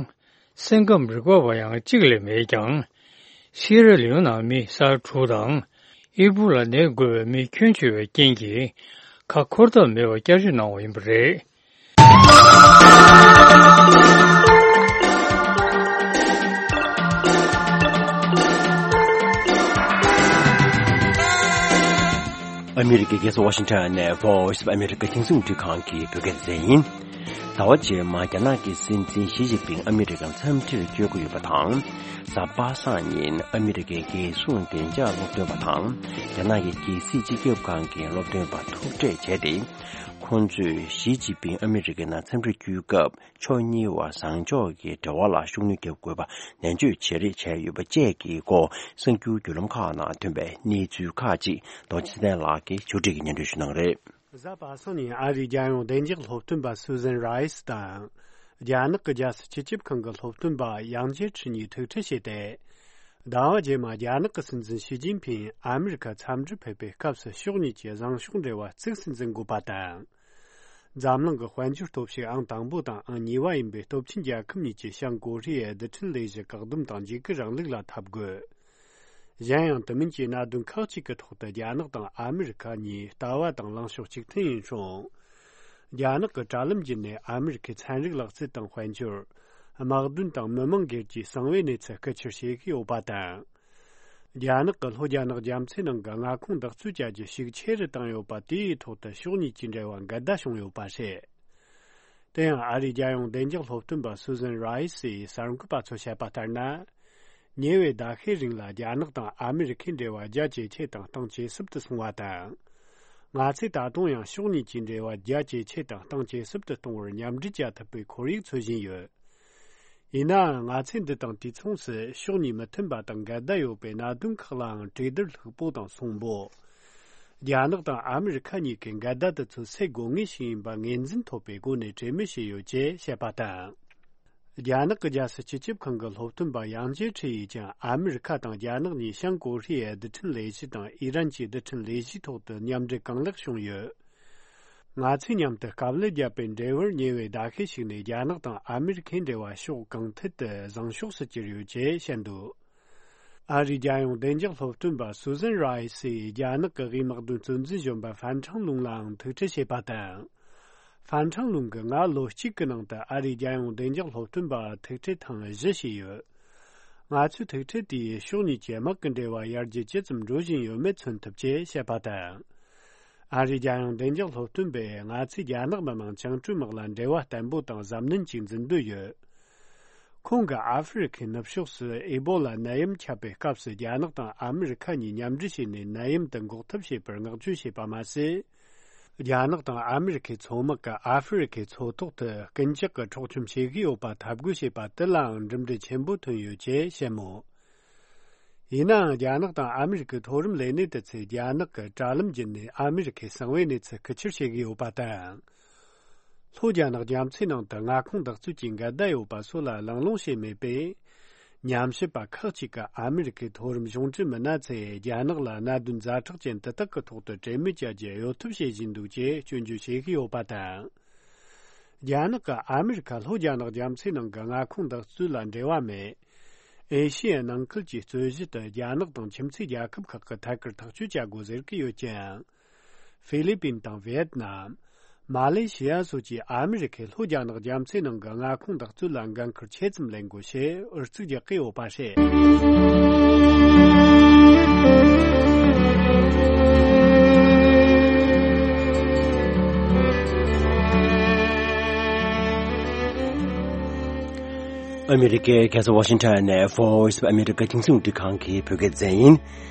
སེམས་ཁམས་རིག་པ་བ་ཡང་གཅིག་ལས་མེད་ཀྱང་། སི་ཡེ་ར་ལེའོན་ནང་མི་ས་ཡ་དྲུག་དང་། ཨི་བུ་ལ་ནད་འགོས་པའི་མི་ཁྱོན་ཆེ་བའི་རྐྱེན་གྱིས་ཁ་འཁོར་ཐབས་མེད་པར་བསྐྱར་བཅོས་གནང་བ་ཡིན་པ་རེད། ཨ་མི་རི་ཀའི་རྒྱལ་ས་ཝ་ཤིང་ཊོན་ནས་Voice of America་རྒྱང་སྲིང་རླུང་འཕྲིན་ཁང་གི་བོད་སྐད་སྡེ་ཚན་ཡིན། ཟླ་བ་རྗེས་མ་རྒྱ་ནག་གི་སྲིད་འཛིན་ཞི་ཅིན་ཕིང་ཨ་མི་རི་ཀར་འཚམས་འདྲིར་བསྐྱོད་ཀྱི་ཡོད་པ་དང་། གཟའ་པ་སངས་ཉིན་ཨ་མི་རི་ཀའི་རྒྱལ་སྲུང་བདེ་འཇགས་སློབ་སྟོན་པ་དང་རྒྱ་ནག་གི་རྒྱལ་སྲིད་སྤྱི་ཁྱབ་ཁང་གི་སློབ་སྟོན་པ་ཐུག་འཕྲད་བྱས་ཏེ། ཁོང་ཚོས་ཞི་ཅིན་ཕིང་ཨ་མི་རི་ཀའི་ནང་འཚམས་འདྲིར་བསྐྱོད་སྐབས་ཕྱོགས་གཉིས་བར་བཟང་ཕྱོགས་ཀྱི་འབྲེལ་བ་ལ་ཤུགས་སྣོན་རྒྱག་དགོས་པ་ནན་བརྗོད་བྱེད་རེས་བྱས་ཡོད་པ་བཅས་ཀྱི་སྐོར་གསར་འགྱུར་བརྒྱུད་ལམ་ཁག་ནང་ཐོན་པའི་གནས་ཚུལ་ཁག་ཅིག་རྡོ་རྗེ་ཚེ་བརྟན་ལགས་ཀྱིས་ཆུ་ཁྲིད་ཀྱིས་སྙན་སྒྲོན་ཞུ་གནང་རེད། གཟའ་པ་སངས་ཉིན་ཨ་རིའི་རྒྱལ་ཡོངས་བདེ་འཇགས་སློབ་སྟོན་པ་Susan Rice་དང་། རྒྱ་ནག་གི་རྒྱལ་སྲིད་སྤྱི་ཁྱབ་ཁང་གི་སློབ་སྟོན་པ་ཡང་ཇེ་ཁྲི་གཉིས་ཐུག་འཕྲད་བྱས་ཏེ། ཟླ་བ་རྗེས་མ་རྒྱ་ནག་གི་སྲིད་འཛིན་ཞི་ཅིན་ཕིང་ཨ་མི་རི་ཁར་འཚམས་འདྲིར་ཕེབས་པའི་སྐབས་སུ་ཕྱོགས་གཉིས་ཀྱི་བཟང་ཕྱོགས་འབྲེལ་བ་གཙིགས་སུ་འཛིན་དགོས་པ་དང་། འཛམ་གླིང་གི་དཔལ་འབྱོར་སྟོབས་ཤུགས་ཨང་དང་པོ་དང་ཨང་གཉིས་པ་ཡིན་པའི་སྟོབས་ཆེན་རྒྱལ་ཁབ་གཉིས་ཀྱིས་བྱང་ཀོ་རི་ཡའི་རྡུལ་ཕྲན་ལས་གཞི་བཀག་སྡོམ་དང་འཇིགས་སྐུལ་རིང་ལུགས་ལ་འཐབ་དགོས། གཞན་ཡང་དུ་མིན་གྱི་གནད་དོན་ཁག་ཅིག་གི་ཐོག་ཏུ་རྒྱ་ནག་དང་ཨ་མི་རི་ཁ་གཉིས་ལྟ་བ་དང་ལངས་ཕྱོགས་གཅིག་མཐུན་ཡིན་ཞིང་། རྒྱ་ནག་གི་དྲ་ལམ་བརྒྱུད་ནས་ཨ་མི་རི་ཁའི་ཚན་རིག་ལག་རྩལ་དང་དཔལ་འབྱོར། དམག་དོན་དང་མི་མང་སྒེར་གྱི་གསང་བའི་གནས་ཚུལ་རྐུ་འཁྱེར་བྱེད་ཀྱི་ཡོད་པ་དང་། རྒྱ་ནག་གིས་ལྷོ་རྒྱ་ནག་རྒྱ་མཚོའི་ནང་གི་མངའ་ཁོངས་འདེགས་འཛུགས་བྱ་རྒྱུ་ཤུགས་ཆེ་རུ་བཏང་ཡོད་པ་དེའི་ཐོག་ཏུ་ཕྱོགས་གཉིས་ཀྱི་འབྲེལ་བ་འགལ་ཟླ་བྱུང་ཡོད་པ་རེད། དེ་ཡང་ཨ་རིའི་རྒྱལ་ཡོངས་བདེ་འཇགས་སློབ་སྟོན་པ་Susan Rice་ཡིས་གསར་འགོད་པ་ཚོར་བཤད་པ་ལྟར་ན། ཉེ་བའི་ཟླ་ཤས་རིང་ལ་རྒྱ་ནག་དང་ཨ་མི་རི་ཁའི་འབྲེལ་བ་རྒྱ་ཇེ་ཆེ་དང་གཏིང་ཇེ་ཟབ་ཏུ་སོང་བ་དང་། ང་ཚོས་ད་དུང་ཡང་ཕྱོགས་གཉིས་ཀྱི་འབྲེལ་བ་རྒྱ་ཇེ་ཆེ་དང་གཏིང་ཇེ་ཟབ་ཏུ་གཏོང་བར་མཉམ་འབྲེལ་བྱ་ཐུབ་པའི་ཁོར་ཡུག་འཚོལ་བཞིན་ཡོད། ཡིན་ནའང་ང་ཚོས་འདི་དང་དུས་མཚུངས་སུ་ཕྱོགས་གཉིས་མི་མཐུན་པ་དང་འགལ་ཟླ་ཡོད་པའི་གནད་དོན་ཁག་ལའང་གྲོས་བསྡུར་ལྷུག་པོ་དང་གསོན་པོ། རྒྱ་ནག་དང་ཨ་མི་རི་ཁ་གཉིས་ཀས་འགལ་ཟླ་དེ་ཚོ་སེལ་དགོས་ངེས་ཤིག་ཡིན་པ་ངོས་འཛིན་ཐོབ་པའི་སྒོ་ནས་གྲོས་མོལ་བྱས་ཡོད་ཅེས་བཤད་པ་དང་། རྒྱ་ནག་གི་རྒྱལ་སྲིད་སྤྱི་ཁྱབ་ཁང་གི་སློབ་སྟོན་པ་ཡང་ཇེ་ཁྲི་ཡིས་ཀྱང་ཨ་མི་རི་ཁ་དང་རྒྱ་ནག་གཉིས་བྱང་ཀོ་རི་ཡའི་རྡུལ་ཕྲན་ལས་གཞི་དང་ཨི་རན་གྱི་རྡུལ་ཕྲན་ལས་གཞིའི་ཐོག་ཏུ་མཉམ་འབྲེལ་གང་ལེགས་བྱུང་ཡོད། ང་ཚོས་མཉམ་དུ་དཀའ་ལས་བརྒྱབ་པའི་འབྲས་བུར་ཉེ་བའི་ཟླ་ཤས་ཤིག་ནས་རྒྱ་ནག་དང་ཨ་མི་རི་ཁའི་འབྲེལ་བ་ཕྱོགས་གང་ཐད་དུ་བཟང་ཕྱོགས་སུ་གྱུར་ཡོད་ཅེས་བཤད་འདུག་ཨ་རིའི་རྒྱལ་ཡོངས་བདེ་འཇགས་སློབ་སྟོན་པ་སུ་ཟན་རའི་སིས་རྒྱ་ནག་གི་དབུས་དམག་དོན་གཙོ་འཛིན་གཞོན་པ་ཧྥན་ཁྲང་ལུང་ལའང་ཐུག་འཕྲད་བྱས་པ་དང་། ཧྥན་ཁྲང་ལུང་གིས་སྔ་ལོ་གཅིག་གི་ནང་དུ་ཨ་རིའི་རྒྱལ་ཡོངས་བདེ་འཇགས་སློབ་སྟོན་པ་ཐུག་འཕྲད་ཐེངས་བཞི་བྱས་ཡོད། ང་ཚོའི་ཐུག་འཕྲད་དེས་ཕྱོགས་གཉིས་ཀྱི་དམག་གི་འབྲེལ་བ་ཡར་རྒྱས་ཇི་ཙམ་འགྲོ་བཞིན་ཡོད་མེད་མཚོན་ཐུབ་ཅེས་བཤད་པ་དང་། ཨ་རིའི་རྒྱལ་ཡོངས་བདེ་འཇགས་སློབ་སྟོན་པས་ང་ཚོས་རྒྱ་ནག་མི་དམངས་བཅིངས་འགྲོལ་དམག་ལ་འབྲེལ་བ་བརྟན་པོ་དང་གཟབ་ནན་གྱིས་འཛིན་འདོད་ཡོད། ཁོང་གིས་ཨ་ཧྥེ་རི་ཁའི་ནུབ་ཕྱོགས་སུ་ཨེ་བོ་ལ་ནད་ཡམས་ཁྱབ་པའི་སྐབས་སུ་རྒྱ་ནག་དང་ཨ་མི་རི་ཁ་གཉིས་མཉམ་འབྲེལ་བྱས་ནས་ནད་ཡམས་དེ་འགོག་ཐབས་བྱེད་པར་བསྔགས་བརྗོད་བྱས་པ་མ་ཟད། རྒྱ་ནག་དང་ཨ་མི་རི་ཁའི་མཚོ་དམག་གིས་ཨ་ཧྥེ་རི་ཁའི་མཚོ་ཐོག་ཏུ་རྐུན་ཇག་གི་འཕྲོག་བཅོམ་བྱེད་ཀྱི་ཡོད་པ་འཐབ་རྒོལ་བྱས་པ་དེ་ལའང་གྲུབ་འབྲས་ཆེན་པོ་ཐོན་ཡོད་ཅེས་བཤད་མོད། ཡིན་ནའང་རྒྱ་ནག་དང་ཨ་མི་རི་ཀའི་མཐོ་རིམ་ལས་སྣེ་དེ་ཚོས་རྒྱ་ནག་གིས་དྲ་ལམ་བརྒྱུད་ནས་ཨ་མི་རི་ཁའི་གསང་བའི་གནས་ཚུལ་ཁུལ་ཆེར་བྱེད་ཀྱི་ཡོད་པ་དང་། ལྷོ་རྒྱ་ནག་རྒྱ་མཚོའི་ནང་དུ་མངའ་ཁོངས་འདེགས་འཛུགས་ཀྱི་འགལ་ཟླ་ཡོད་པ་སོགས་ལ་གླེང་སློང་བྱས་མེད་པས། ཉམས་ཞིབ་པ་ཁག་ཅིག་གིས་ཨ་མི་རི་ཀའི་མཐོ་རིམ་གཞུང་འབྲེལ་མི་སྣ་ཚོས་རྒྱ་ནག་ལ་གནད་དོན་ཛ་དྲག་ཅན་དེ་དག་གི་ཐོག་ཏུ་གྲོས་མོལ་བྱ་རྒྱུ་གཡོལ་ཐབས་བྱེད་བཞིན་འདུག་ཅེས་སྐྱོན་བརྗོད་བྱེད་ཀྱི་ཡོད་པ་དང་། རྒྱ་ནག་གིས་ཨ་མི་རི་ཁ་ལྷོ་རྒྱ་ནག་རྒྱ་མཚོའི་ནང་གི་མངའ་ཁོངས་འདེགས་འཛུགས་ལ་འབྲེལ་བ་མེད། ཨེ་ཤི་ཡའི་ནང་ཁུལ་གྱི་རྩོད་གཞི་དེ་རྒྱ་ནག་དང་ཁྱིམ་མཚེས་རྒྱལ་ཁབ་ཁག་གིས་ཐད་ཀར་ཐག་གཅོད་བྱ་དགོས་ཟེར་གྱི་ཡོད་ཀྱང་། ཧྥི་ལི་པིན་དང་ཝེ་ཏི་ནམ། མ་ལེ་ཤི་ཡ་སོགས་ཀྱིས་ཨ་མི་རི་ཁས་ལྷོ་རྒྱ་ནག་རྒྱ་མཚོའི་ནང་གི་མངའ་ཁོངས་འདེགས་འཛུགས་ལ་འགན་ཁུར་ཆེ་ཙམ་ལེན་དགོས་ཞེས་ཨུ་ཚུགས་རྒྱག་གི་ཡོད་པ་རེད། ཨ་མི་རི་ཀའི་རྒྱལ་ས་ཝ་ཤིང་ཊོན་ནས་Voice of America་རྒྱང་སྲིང་རླུང་འཕྲིན་ཁང་གི་བོད་སྐད་སྡེ་ཚན་ཡིན།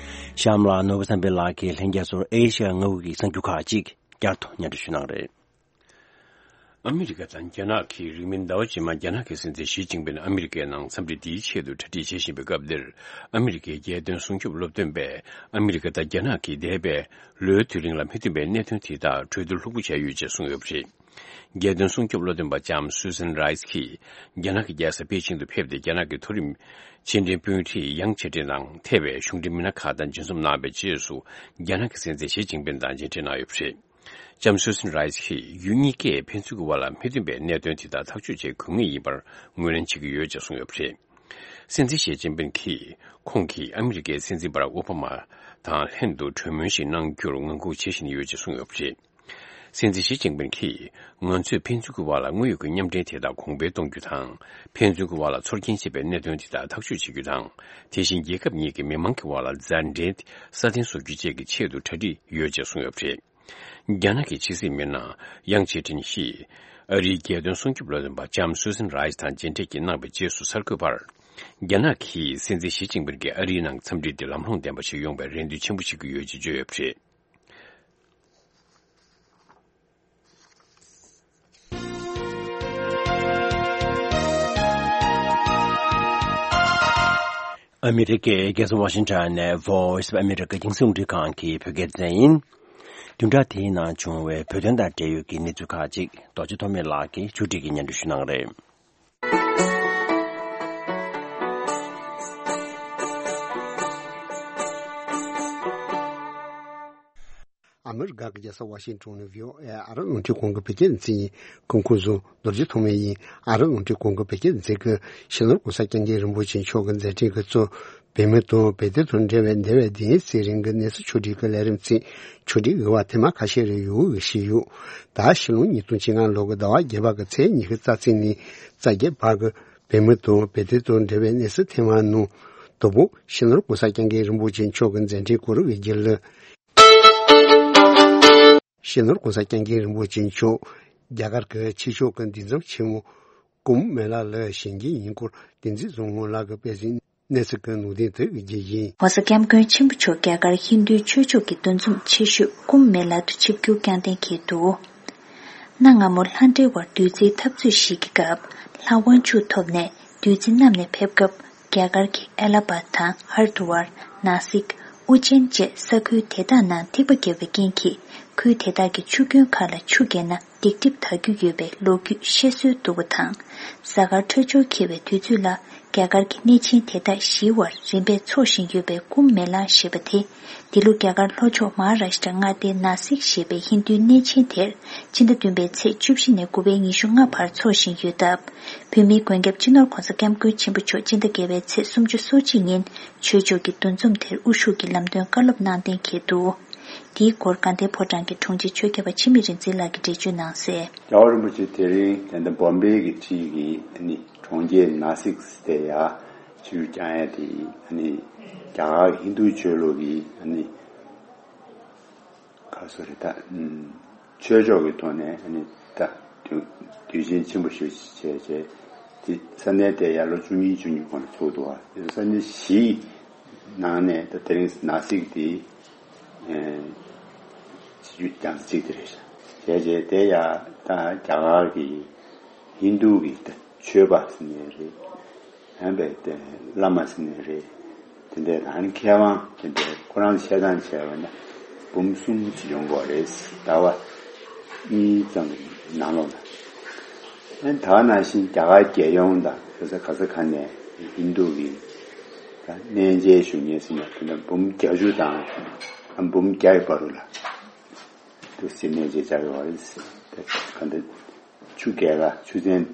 གཤམ་ལ་ནོར་བུ་བསམ་འཕེལ་ལགས་ཀྱིས་ལྷན་རྒྱས་ཚོར་ཨེ་ཤ་ཡ་མངའ་ཁུལ་གྱི་གསར་འགྱུར་ཁག་ཅིག་བསྐྱར་དུ་སྙན་སྒྲོན་ཞུ་གནང་རེད། ཨ་མི་རི་ཀ་དང་རྒྱ་ནག་གིས་རིང་མིན་ཟླ་བ་རྗེས་མ་རྒྱ་ནག་གི་སྲིད་འཛིན་ཞི་ཅིན་ཕིན་ཨ་མི་རི་ཀའི་ནང་འཚམས་འདྲི་འདིའི་ཆེད་དུ་གྲ་སྒྲིག་བྱེད་བཞིན་པའི་སྐབས་འདིར། ཨ་མི་རི་ཀའི་རྒྱལ་དོན་སྲུང་སྐྱོབ་སློབ་སྟོན་པས་ཨ་མི་རི་ཀ་དང་རྒྱ་ནག་གིས་འདས་པའི་ལོའི་དུས་རིང་ལ་མི་མཐུན་པའི་གནད་དོན་དེ་དག་གྲོས་བསྡུར་ལྷུག་པོ་བྱས་ཡོད་ཅེས་གསུངས་ཡོད་པ་རེད། རྒྱལ་དོན་སྲུང་སྐྱོབ་བློ་འདོན་པ་ལྕམ་Susan Rice་གྱིས་རྒྱ་ནག་གི་རྒྱལ་ས་པེ་ཅིང་དུ་ཕེབས་ཏེ་རྒྱ་ནག་གི་མཐོ་རིམ་ཕྱི་འབྲེལ་དཔོན་རིགས་ཡང་ཆེ་ཁྲིན་དང་ཐེ་བའི་གཞུང་འབྲེལ་མི་སྣ་ཁག་དང་མཇལ་འཛོམས་གནང་བའི་རྗེས་སུ་རྒྱ་ནག་གི་སྲིད་འཛིན་ཞི་ཅིན་ཕིན་དང་མཇལ་འཕྲད་གནང་ཡོད་པ་རེད། ལྕམ་Susan Rice་གྱིས་ཡུལ་གཉིས་ཀས་ཕན་ཚུན་གྱི་དབར་ལ་མི་མཐུན་པའི་གནད་དོན་དེ་དག་ཐག་གཅོད་བྱེད་དགོས་ངེས་ཡིན་པར་ངོས་ལེན་བྱེད་ཀྱི་ཡོད་ཅེས་གསུངས་ཡོད་པ་རེད། སྲིད་འཛིན་ཞི་ཅིན་ཕིན་་གྱིས་ཁོང་གིས་ཨ་མི་རི་ཀའི་སྲིད་འཛིན་བྷ་རག་ཨོ་བྷ་མ་དང་ལྷན་དུ་གྲོས་མོལ་ཞིག་གནང་རྒྱུར་ངང་སྒུག་བྱེད་བཞིན་ཡོད་ཅེས་གསུངས་ཡོད་པ་རེད། སྲིད་འཛིན་ཞི་ཅིན་ཕིན་གྱིས་ང་ཚོས་ཕན་ཚུན་གྱི་དབར་ལ་དངོས་ཡོད་ཀྱི་མཉམ་འབྲེལ་དེ་དག་གོང་འཕེལ་གཏོང་རྒྱུ་དང་། ཕན་ཚུན་གྱི་དབར་ལ་ཚོར་སྐྱེན་བྱེད་པའི་གནད་དོན་དེ་དག་ཐག་གཅོད་བྱེད་རྒྱུ་དང་། དེ་བཞིན་རྒྱལ་ཁབ་གཉིས་ཀྱི་མི་མང་གི་དབར་ལ་མཛའ་འབྲེལ་སྲ་བརྟན་བཟོ་རྒྱུ་བཅས་ཀྱི་ཆེད་དུ་གྲ་སྒྲིག་ཡོད་ཅེས་གསུངས་ཡོད་པ་རེད། རྒྱ་ནག་གི་ཕྱི་སྲིད་མི་སྣ་ཡང་ཆི་ཁྲིན་ཞིས་ཨ་རིའི་རྒྱལ་དོན་སྲུང་སྐྱོབ་བློ་འདོན་པ་ལྕམ་སུ་སན་རའི་སི་དང་མཇལ་འཕྲད་ཀྱིས་གནང་བའི་རྗེས་སུ་གསར་འགོད་པར། རྒྱ་ནག་གིས་སྲིད་འཛིན་ཞི་ཅིན་ཕིན་གྱིས་ཨ་རིའི་ནང་འཚམས་འདྲི་འདི་ལམ་ལྷོང་ལྡན་པ་ཞིག་ཡོང་བའི་རེ་འདུན་ཆེན་པོ་བྱེད་ཀྱི་ཡོད་ཅེས་བརྗོད་ཡོད་པ་རེད། ཨ་མི་རི་ཀའི་རྒྱལ་ས་ཝ་ཤིང་ཊོན་ནས་Voice of America་རྒྱང་སྲིང་རླུང་འཕྲིན་ཁང་གི་བོད་སྐད་སྡེ་ཚན་ཡིན། བདུན་ཕྲག་དེའི་ནང་བྱུང་བའི་བོད་དོན་དང་འབྲེལ་ཡོད་ཀྱི་གནས་ཚུལ་ཁག་ཅིག་རྡོ་རྗེ་ཐོགས་མེད་ལགས་ཀྱིས་ཕྱོགས་སྒྲིག་གིས་སྙན་སྒྲོན་ཞུ་གནང་གི་རེད། ཨ་མི་རི་ཀ་གི་རྒྱལ་ས་ཝ་ཤིང་ཊོན་ནས་བྷི་ཨོ་ཨེ་ཨ་རི་རླུང་འཕྲིན་ཁང་གི་བོད་སྐད་སྡེ་ཚན་ཡིན། སྐུ་ཁམས་བཟང་། རྡོ་རྗེ་ཐོགས་མེད་ཡིན། ཨ་རི་རླུང་འཕྲིན་ཁང་གི་བོད་སྐད་སྡེ་ཚན་གྱིས་སྤྱི་ནོར་༸གོང་ས་༸སྐྱབས་མགོན་རིན་པོ་ཆེ་མཆོག་གི་མཛད་འཕྲིན་གྱི་གཙོ། བོད་མི་དང་བོད་དོན་དང་འབྲེལ་བའི་འདས་པའི་དུས་ཡུན་ཚེ་རིང་གི་གནས་ཚུལ་ཕྱོགས་སྒྲིག་གི་ལས་རིམ་ཚིག་ཕྱོགས་སྒྲིག་ཡོད་པ་ཐེངས་མ་ཁ་ཤས་རེ་ཡོད་ཞུས་ཡོད། ད་ཕྱི་ལོ་ཉིས་སྟོང་བཅོ་ལྔ་ལོ་གི་ཟླ་བ་བརྒྱད་པ་གི་ཚེས་ཉི་ཤུ་རྩ་གཅིག་ནས་རྩ་བརྒྱད་བར་གྱི་བོད་མི་དང་བོད་དོན་དང་འབྲེལ་བའི་གནས་ཚུལ་ཐེངས་མ་ནང་དང་པོ་སྤྱི་ནོར་༸གོང་ས་༸སྐྱབས་མགོན་རིན་པོ་ཆེ་མཆོག་གི་མཛད་འཕྲིན་སྐོར་གྱི་རྒྱུན་ལས། སྤྱི་ནོར་༸གོང་ས་༸སྐྱབས་མགོན་རིན་པོ་ཆེ་མཆོག་རྒྱ་གར་གྱི་ཆོས་ཕྱོགས་ཀྱི་འདུས་འཛོམས་ཆེན་མོ་ཀུམ་མེ་ལ་ལ་ཞུགས་རྒྱུ་ཡིན་སྐོར་བསྟན་འཛིན་བཟང་མོ་ལགས་ཀྱིས་སྤེལ་གཟིགས་གནས་ཚུལ་གྱི་ནང་དོན་དེ་གི་རྒྱུ་ཡིན། ༸གོང་ས་༸སྐྱབས་མགོན་ཆེན་པོ་མཆོག་རྒྱ་གར་ཧིན་རྡུའི་ཆོས་ཕྱོགས་ཀྱི་འདུ་འཛོམས་ཆེ་ཤོས་ཀུམ་མེ་ལ་དུ་ཆིབས་བསྒྱུར་བསྐྱངས་གཏན་འཁེལ་འདུག་གནའ་སྔ་མོ་ལྷ་འབྲེལ་བར་བདུད་རྩིའི་འཐབ་རྩོད་ཞིག་གི་སྐབས་ལྷ་དབང་ཕྱུག་ཐོབ་ནས་བདུད་རྩི་བསྣམས་ནས་ཕེབས་སྐབས། རྒྱ་གར་གྱི་ཨེ་ལ་པཱད་དང་ཧར་དུ་ཝར། ནཱ་སིག་ཨུ་ཅན་བཅས་ས་ཁུལ་དེ་དག་ནང་ཐིགས་པ་བརྒྱབ་པའི་རྐྱེན་གྱིས་ ཁུལ་དེ་དག་གི་ཆུ་རྒྱུན་ཁག་ལ་ཆུ་བརྒལ་ན་སྡིག་སྒྲིབ་དག་རྒྱུ་ཡོད་པའི་ལོ་རྒྱུས་བཤད་སྲོལ་འདུག་པ་དང་། གཟའ་སྐར་འཕྲོད་སྦྱོར་འཁེལ་བའི་དུས་ཚོད་ལ་རྒྱ་གར་གྱི་གནས་ཆེན་དེ་དག་གཞིའི་བར་རིམ་པས་འཚོགས་བཞིན་ཡོད་པའི་ཀུམ་མེ་ལ་ཞེས་པ་དེ། འདི་ལོ་རྒྱ་གར་ལྷོ་ཕྱོགས་མ་ཧཱ་རཱ་ཤི་ཏྲ་མངའ་སྡེའི་ནཱ་སིག་ཞེས་པའི་ཧིན་རྡུའི་གནས་ཆེན་དེར་ཕྱི་ཟླ་བདུན་པའི་ཚེས་བཅུ་བཞི་ནས་དགུ་པའི་ཉི་ཤུ་ལྔ་བར་འཚོགས་བཞིན་ཡོད་སྟབས། བོད་མིའི་མགོན་སྐྱབས་སྤྱི་ནོར་༧གོང་ས་༧སྐྱབས་མགོན་ཆེན་པོ་མཆོག་སྤྱི་ཟླ་བརྒྱད་པའི་ཚེས་སུམ་ཅུ་སོ་གཅིག་ཉིན་ཆོས་ཕྱོགས་ཀྱི་འདུ་འཛོམས་དེར་དབུ་བཞུགས་ཀྱིས་ལམ་སྟོན་བཀའ་སློབ་གནང་གཏན་འཁེལ་འདུག། འདིའི་སྐོར་དགའ་ལྡན་ཕོ་བྲང་གི་དྲུང་ཆེ་ཆོས་སྐྱབས་པ་འཆི་མེད་རིག་འཛིན་ལགས་ཀྱིས་འགྲེལ་བརྗོད་གནང་གསལ། རྒྱལ་བ་རིན་པོ་ཆེ་དེ་རིང་ད་ལྟ་བོམ་བེ་གི་འཁྲིས་ཀྱི་ཨ་ནི་གྲོང་ཁྱེར་ནཱ་སིག་དེ་ཡ་ཆུ་རྐྱང་ཡ་དེ་ཨ་ནི་རྒྱ་གར་ཧིན་རྡུ་ཆོས་ལུགས་ཀྱི་ཨ་ནི་ག་སོ་རེད་ད། ཨུམ། ཆོས་ཕྱོགས་ཀྱི་ཐོག་ནས་ཨ་ནི་ད་དུས་དུས་ཆེན་ཆེན་པོ་ཞིག་བྱས་བྱས་དེ་ས་གནས་དེ་ཡར་ལོ་བཅུ་གཉིས་བཅུ་གཉིས་གོང་ལ་ཚུགས་འདུག་བ། དེ་ས་གནས་བཞིའི་ནང་ནས་ད་དེ་རིང་ནཱ་སིག་དེ་ཨེ་སྤྱི་རྒྱུ་རྒྱང་ས་གཅིག་དེ་རེད་ཤག། བྱས་བྱས་དེ་ཡ་ད་རྒྱ་གར་གྱི་ཧིན་རྡུ་གི་ད་ཆོས་པ་ཟེར་ནས་རེད། ཡང་པའི་དེ་བླ་མ་ཟེར་ནས་རེད། དེ་འདྲའི་ད་ནི་མཁས་དབང་དེ་འདྲའི་ཁོ་རང་བཤད་སྟངས་བྱས་པ་ན་འབུམ་གསུམ་ཅིག་ཡོང་གི་རེད། ཟླ་བ་གཉིས་ཙམ་གྱི་ནང་ལོགས་ལ། ཨ་ནི་ད་ག་ནང་བཞིན་རྒྱ་གར་རྒྱལ་ཡོངས་དང་ག་ས་ག་ས་ག་ནས་ཧིན་རྡུ་གི་ད་གནས་མཇལ་ཞུ་མཁན་ཟེར་ན་དེ་འདྲ་འབུམ་བརྒྱད་ཅུ་དང་ཨ་འབུམ་བརྒྱ་ཡི་བར་དུ་ལ་དུ་ཟེར་གནས་མཇལ་བྱ་ཡོད་རེད། དེ་ག་འདྲ། ཆུ་རྒྱལ་ཁ་ཆུ་ཚན་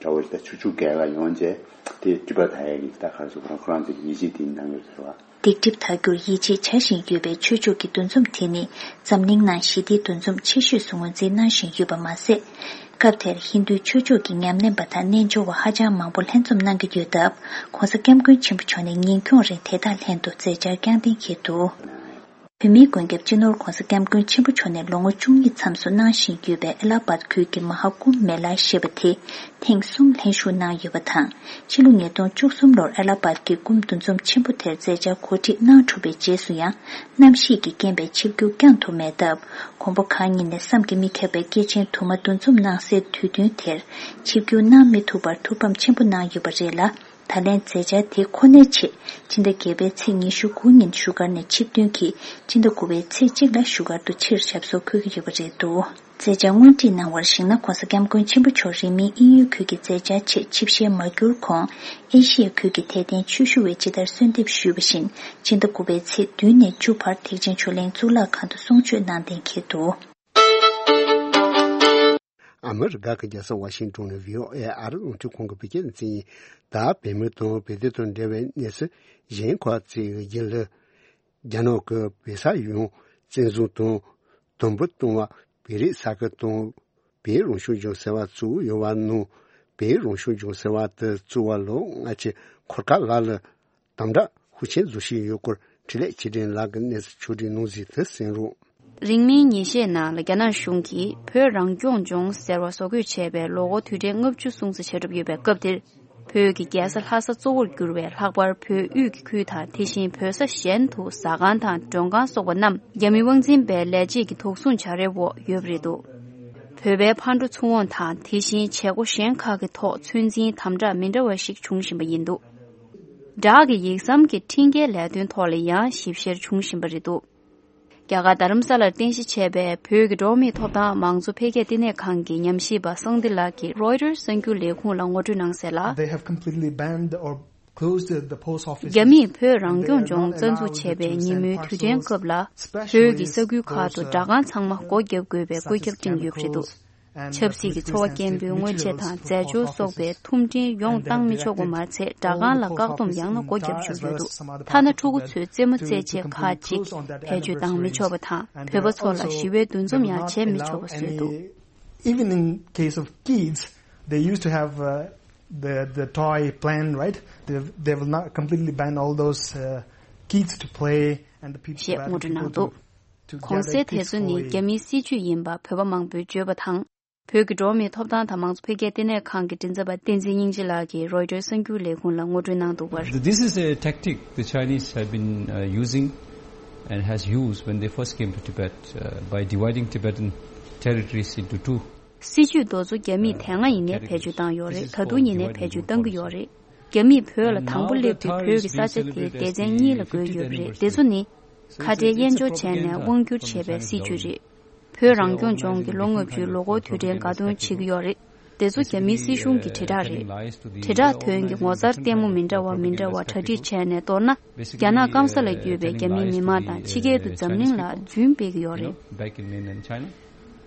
འདྲ་བོ་ཞིག་དང་ཆུ་ཆུ་རྒྱལ་ཁ་ཡོང་རྗེས་དེ་སྒྲིབ་པ་དག་ཡས་ཀྱི་ད་ག་རེ་ཟེར་ཁོ་རང་ཁོ་རང་ཚོ་གི་ཡིད་ཆེས་དེ་གནང་ཡོད་ཟེར་བ། སྡིག་སྒྲིབ་དག་རྒྱུར་ཡིད་ཆེས་བྱ་བཞིན་ཡོད་པའི་ཆོས་ཕྱོགས་ཀྱི་འདུ་འཛོམས་དེ་ནི་འཛམ་གླིང་ནང་ཞི་བདེའི་འདུ་འཛོམས་ཆེ་ཤོས་སུ་ངོས་འཛིན་གནང་བཞིན་ཡོད་པ་མ་ཟད། སྐབས་དེར་ཧིན་རྡུའི་ཆོས་ཕྱོགས་ཀྱི་ཉམས་ལེན་པ་དང་རྣལ་འབྱོར་བ་ཧ་ཅང་མང་པོ་ལྷན་འཛོམས་གནང་གི་ཡོད་སྟབས། ༸གོང་ས་༸སྐྱབས་མགོན་ཆེན་པོ་མཆོག་ནས་ཉིན་འཁྱོངས་རིང་དེ་དག་ལྷན་དུ་མཛད་འཆར་བསྐྱངས་གཏན་འཁེལ་འདུག། བོད་མིའི་མགོན་སྐྱབས་སྤྱི་ནོར་༸གོང་ས་༸སྐྱབས་མགོན་ཆེན་པོ་མཆོག་ནས་ལོ་ངོ་བཅུ་གཉིས་མཚམས་སུ་གནང་བཞིན་ཡོད་པའི་ཨེ་ལ་ཧ་བཱད་ཁུལ་གྱི་མ་ཧཱ་ཀུམ་མེ་ལ་ཞེས་པ་དེ་ཐེངས་གསུམ་ལྷན་ཞུགས་གནང་ཡོད་པ་དང་། ཕྱི་ལོ་ཉིས་སྟོང་བཅུ་གསུམ་ལོར་ཨེ་ལ་ཧ་བཱད་ཀྱི་ཀུམ་འདུ་འཛོམས་ཆེན་པོ་དེར་མཛད་འཆར་གོ་སྒྲིག་གནང་གྲུབ་པའི་རྗེས་སུ་ཡང་། གནམ་གཤིས་ཀྱི་རྐྱེན་པས་ཆིབས་བསྒྱུར་བསྐྱངས་ཐུབ་མེད་སྟབས། མགོན་པོ་གང་ཉིད་ནས་བསམ་གྱིས་མི་ཁྱབ་པའི་སྐྱེས་ཆེན་དུ་མ་འདུ་འཛོམས་གནང་སའི་དུས་སྟོན་དེར་ཆིབས་བསྒྱུར་གནང་མི་ཐུབ་པར་ཐུགས་ཕམ་ཆེན་པོ་གནང་ཡོད་པ་རེད་ལ། ད་ལན་མཛད་འཆར་དེ་ཁོ་ནའི་ཆེད་སྤྱི་ཟླ་བརྒྱད་པའི་ཚེས་ཉི་ཤུ་དགུ་ཉིན་བཞུགས་སྒར་ནས་ཆིབས་ཐོན་གྱིས་སྤྱི་ཟླ་དགུ་པའི་ཚེས་གཅིག་ལ་བཞུགས་སྒར་དུ་ཕྱིར་ཞབས་སོར་འཁོད་ཀྱི་ཡོད་པ་རེད་འདུག། མཛད་འཆར་སྔོན་སྒྲིག་གནང་བར་གཞིགས་ན། ༸གོང་ས་༸སྐྱབས་མགོན་ཆེན་པོ་མཆོག་རིང་མིན་དབྱིན་ཡུལ་ཁུལ་གྱི་མཛད་འཆར་ཆེད་ཆིབས་ཞལ་མ་བསྒྱུར་གོང་། ཨེ་ཤི་ཡ་ཁུལ་གྱི་དད་ལྡན་ཆོས་ཞུ་བས་ཇི་ལྟར་གསོལ་འདེབས་ཞུས་པ་བཞིན། སྤྱི་ཟླ་དགུ་པའི་ཚེས་བདུན་ནས་བཅུ་བར་ཐེག་ཆེན་ཆོས་གླིང་གཙུག་ལག་ཁང་དུ་གསུང་ཆོས་གནང་གཏན་འཁེལ་འདུག། ཨ་མི་རི་ཀ་གི་རྒྱལ་ས་ཝ་ཤིང་ཏོན་ནས་བྷི་ཨོ་ཨེ་ཨ་རི་རླུང་འཕྲིན་ཁང་གི་བོད་སྐད་སྡེ་ཚན་ཡིན། ད་བོད་མི་དང་བོད་དོན་དང་འབྲེལ་བའི་གནས་ཚུལ་གཞན་ཁག་ཅིག་ཡིན་ལ། རྒྱ་ནག་གི་བོད་ས་ཡོངས་བཙན་བཟུང་དང་དམ་འབུལ་གཏོང་བ། བོད་རིགས་ས་ཁུལ་དང་བོད་རང་སྐྱོང་ལྗོངས་ཟེར་བ་བཙུགས་ཡོད་པ་ནང་། བོད་རང་སྐྱོང་ལྗོངས་ཟེར་བ་དེ་བཙུགས་པ་ལོ་ལྔ་ཅིག་འཁོར་ཁ་ལ་ལ། དམ་དྲག་ཤུགས་ཆེན་བཟོ་བཞིན་ཡོད་སྐོར་འཕྲིན་ལས་ཆེད་སྒྲིག་ལགས་ཀྱིས་གནས་ཚུལ་ཕྱོགས་སྒྲིག་གནང་ཟིན་དེ་གསན་རོགས། རིང་མིན་ཉིན་ཤས་ནང་ལ་རྒྱ་ནག་གཞུང་གིས་བོད་རང་སྐྱོང་ལྗོངས་ཟེར་བ་བཟོ་འགོད་བྱས་པའི་ལོ་འཁོར་དུས་དྲན་ལྔ་བཅུ་སྲུང་བརྩི་བྱེད་གྲབས་ཡོད་པའི་སྐབས་འདིར། བོད་ཀྱི་རྒྱལ་ས་ལྷ་ས་གཙོ་བོར་གྱུར་བའི་ལྷག་པར་བོད་དབུས་ཀྱི་ཁུལ་དང་དེ་བཞིན་བོད་ས་གཞན་དུ་ཟ་ཁང་དང་མགྲོན་ཁང་སོགས་པ་རྣམས་རྒྱ་མི་དབང་འཛིན་པའི་ལས་བྱེད་ཀྱི་དོགས་ཟོན་བྱ་རའི་འོག་ཡོད་པ་རེད་འདུག། བོད་པའི་ཕར་འགྲོ་ཚུར་འོང་དང་དེ་བཞིན་བྱེད་སྒོ་གཞན་ཁག་གི་ཐོག་ཚོད་འཛིན་དམ་དྲག་མི་འདྲ་བ་ཞིག་འབྱུང་བཞིན་པ་ཡིན་འདུག། བྲག་གི་ཡིག་ཟམ་གྱི་འཕྲིན་སྐྱེལ་ལས་དོན་ཐོག་ལ་ཡང་ཞིབ་བཤེར་འབྱུང་བཞིན་པ་རེད་འདུག། རྒྱ་གར་རྡ་རམ་ས་ལར་རྟེན་གཞི་བྱས་པའི་བོད་ཀྱི་འགྲོ་བ་མིའི་ཐོབ་ཐང་མང་གཙོ་འཕེལ་རྒྱས་ལྟེ་གནས་ཁང་གི་ཉམས་ཞིབ་པ་སངས་ཏི་ལགས་ཀྱིས་རོའི་ཊར་གསར་འགྱུར་ལས་ཁུངས་ལ་ངོ་སྤྲོད་གནང་གསལ་ལ། They have completely banned or closed the post office. རྒྱ་མིས་བོད་རང་སྐྱོང་ལྗོངས་རྩ་འཛུགས་བྱས་པའི་ཉིན་མོའི་དུས་དྲན་སྐབས་ལ། བོད་ཀྱི་ས་ཁུལ་ཁག་ཏུ་སྦྲག་ཁང་ཚང་མ་སྒོ་བརྒྱབ་དགོས་པའི་བཀོད་ཁྱབ་བསྐྲུན་ཡོད་པ་རེད་འདུག། ཆབ་སྲིད་ཀྱི་འཚོ་བ་སྐྱེལ་འདོད་དངོས་ཆས་དང་རྫས་སྦྱོར་སོགས་པའི་ཐུམ་སྒྲིལ་ཡོངས་བཏང་མི་ཆོག་པ་མ་ཚད། སྦྲག་ཁང་ལ་བཀག་སྡོམ་ཡང་ན་སྒོ་བརྒྱབ་བཅུག་ཡོད་འདུག། ཐ་ན་ཕྲུ་གུ་ཚོའི་རྩེད་མོ་རྩེད་ཆས་ཁག་ཅིག་བེད་སྤྱོད་བཏང་མི་ཆོག་པ་དང་། བོད་པ་ཚོ་ལ་ཞི་བའི་འདུ་འཛོམས་ཡང་བྱེད་མི་ཆོག་པ་བཟོས་འདུག། Even in case of kids, they used to have uh, the the toy plan, right? They they will not completely ban all those uh, kids to play and the people, ཞེས་ངོ་སྤྲོད་གནང་འདུག། གོང་གསལ་དེ་ཚོ་ནི་རྒྱ་མིའི་སྲིད་ཇུས་ཡིན་པ་བོད་པ་མང་པོས་བརྗོད་པ་དང་། བོད་ཀྱི་འགྲོ་བ་མིའི་ཐོབ་ཐང་དང་མང་གཙོ་འཕེལ་རྒྱས་ལྟེ་གནས་ཁང་གི་མགྲིན་ཚབ་པ་བསྟན་འཛིན་སྙིང་རྗེ་ལགས་ཀྱིས་རོའི་ཊར་གསར་འགྱུར་ལས་ཁུངས་ལ་ངོ་སྤྲོད་གནང་འདུག་པར། This is a tactic the Chinese have been uh, using and has used when they first came to Tibet uh, by dividing Tibetan territories into two. སྲིད་ཇུས་དེ་ཚོ་རྒྱ་མིས་དེ་སྔ་ཡིན་ནའི་བེད་སྤྱོད་བཏང་ཡོད་རེད། ད་དུང་ཡིན་ནའི་བེད་སྤྱོད་གཏང་གི་ཡོད་རེད། རྒྱ་མིས་བོད་ལ་དང་པོ་སླེབས་དུས་བོད་ཀྱི་ས་ཆ་དེ་སྡེ་ཚན་གཉིས་ལ་བགོས་ཡོད་པ་རེད། དེ་ཚོ་ནི། ཁ་བྲལ་དབྱེན་སྦྱོར་བྱས་ནས་དབང་བསྒྱུར་བྱས་པའི་སྲིད་ཇུས་རེད། བོད་རང་སྐྱོང་ལྗོངས་ཀྱི་ལོ་ལྔ་བཅུའི་ལོ་འཁོར་དུས་དྲན་དགའ་སྟོན་བྱེད་ཀྱི་ཡོད་རེད། དེ་ཚོ་རྒྱ་མིའི་སྲིད་གཞུང་གི་དྲིལ་བསྒྲགས་རེད། དྲིལ་བསྒྲགས་དོན་གྱི་ངོ་མཚར་ལྟད་མོ་མི་འདྲ་བ་མི་འདྲ་བ་གྲ་སྒྲིག་བྱས་ནས་གཏོར་ན། རྒྱ་ནག་སྐམ་ས་ལ་ཡོད་པའི་རྒྱ་མིའི་མི་མང་དང་ཕྱི་རྒྱལ་དུ་འཛམ་གླིང་ལ་རྫུན་སྤེལ་གྱི་ཡོད་རེད།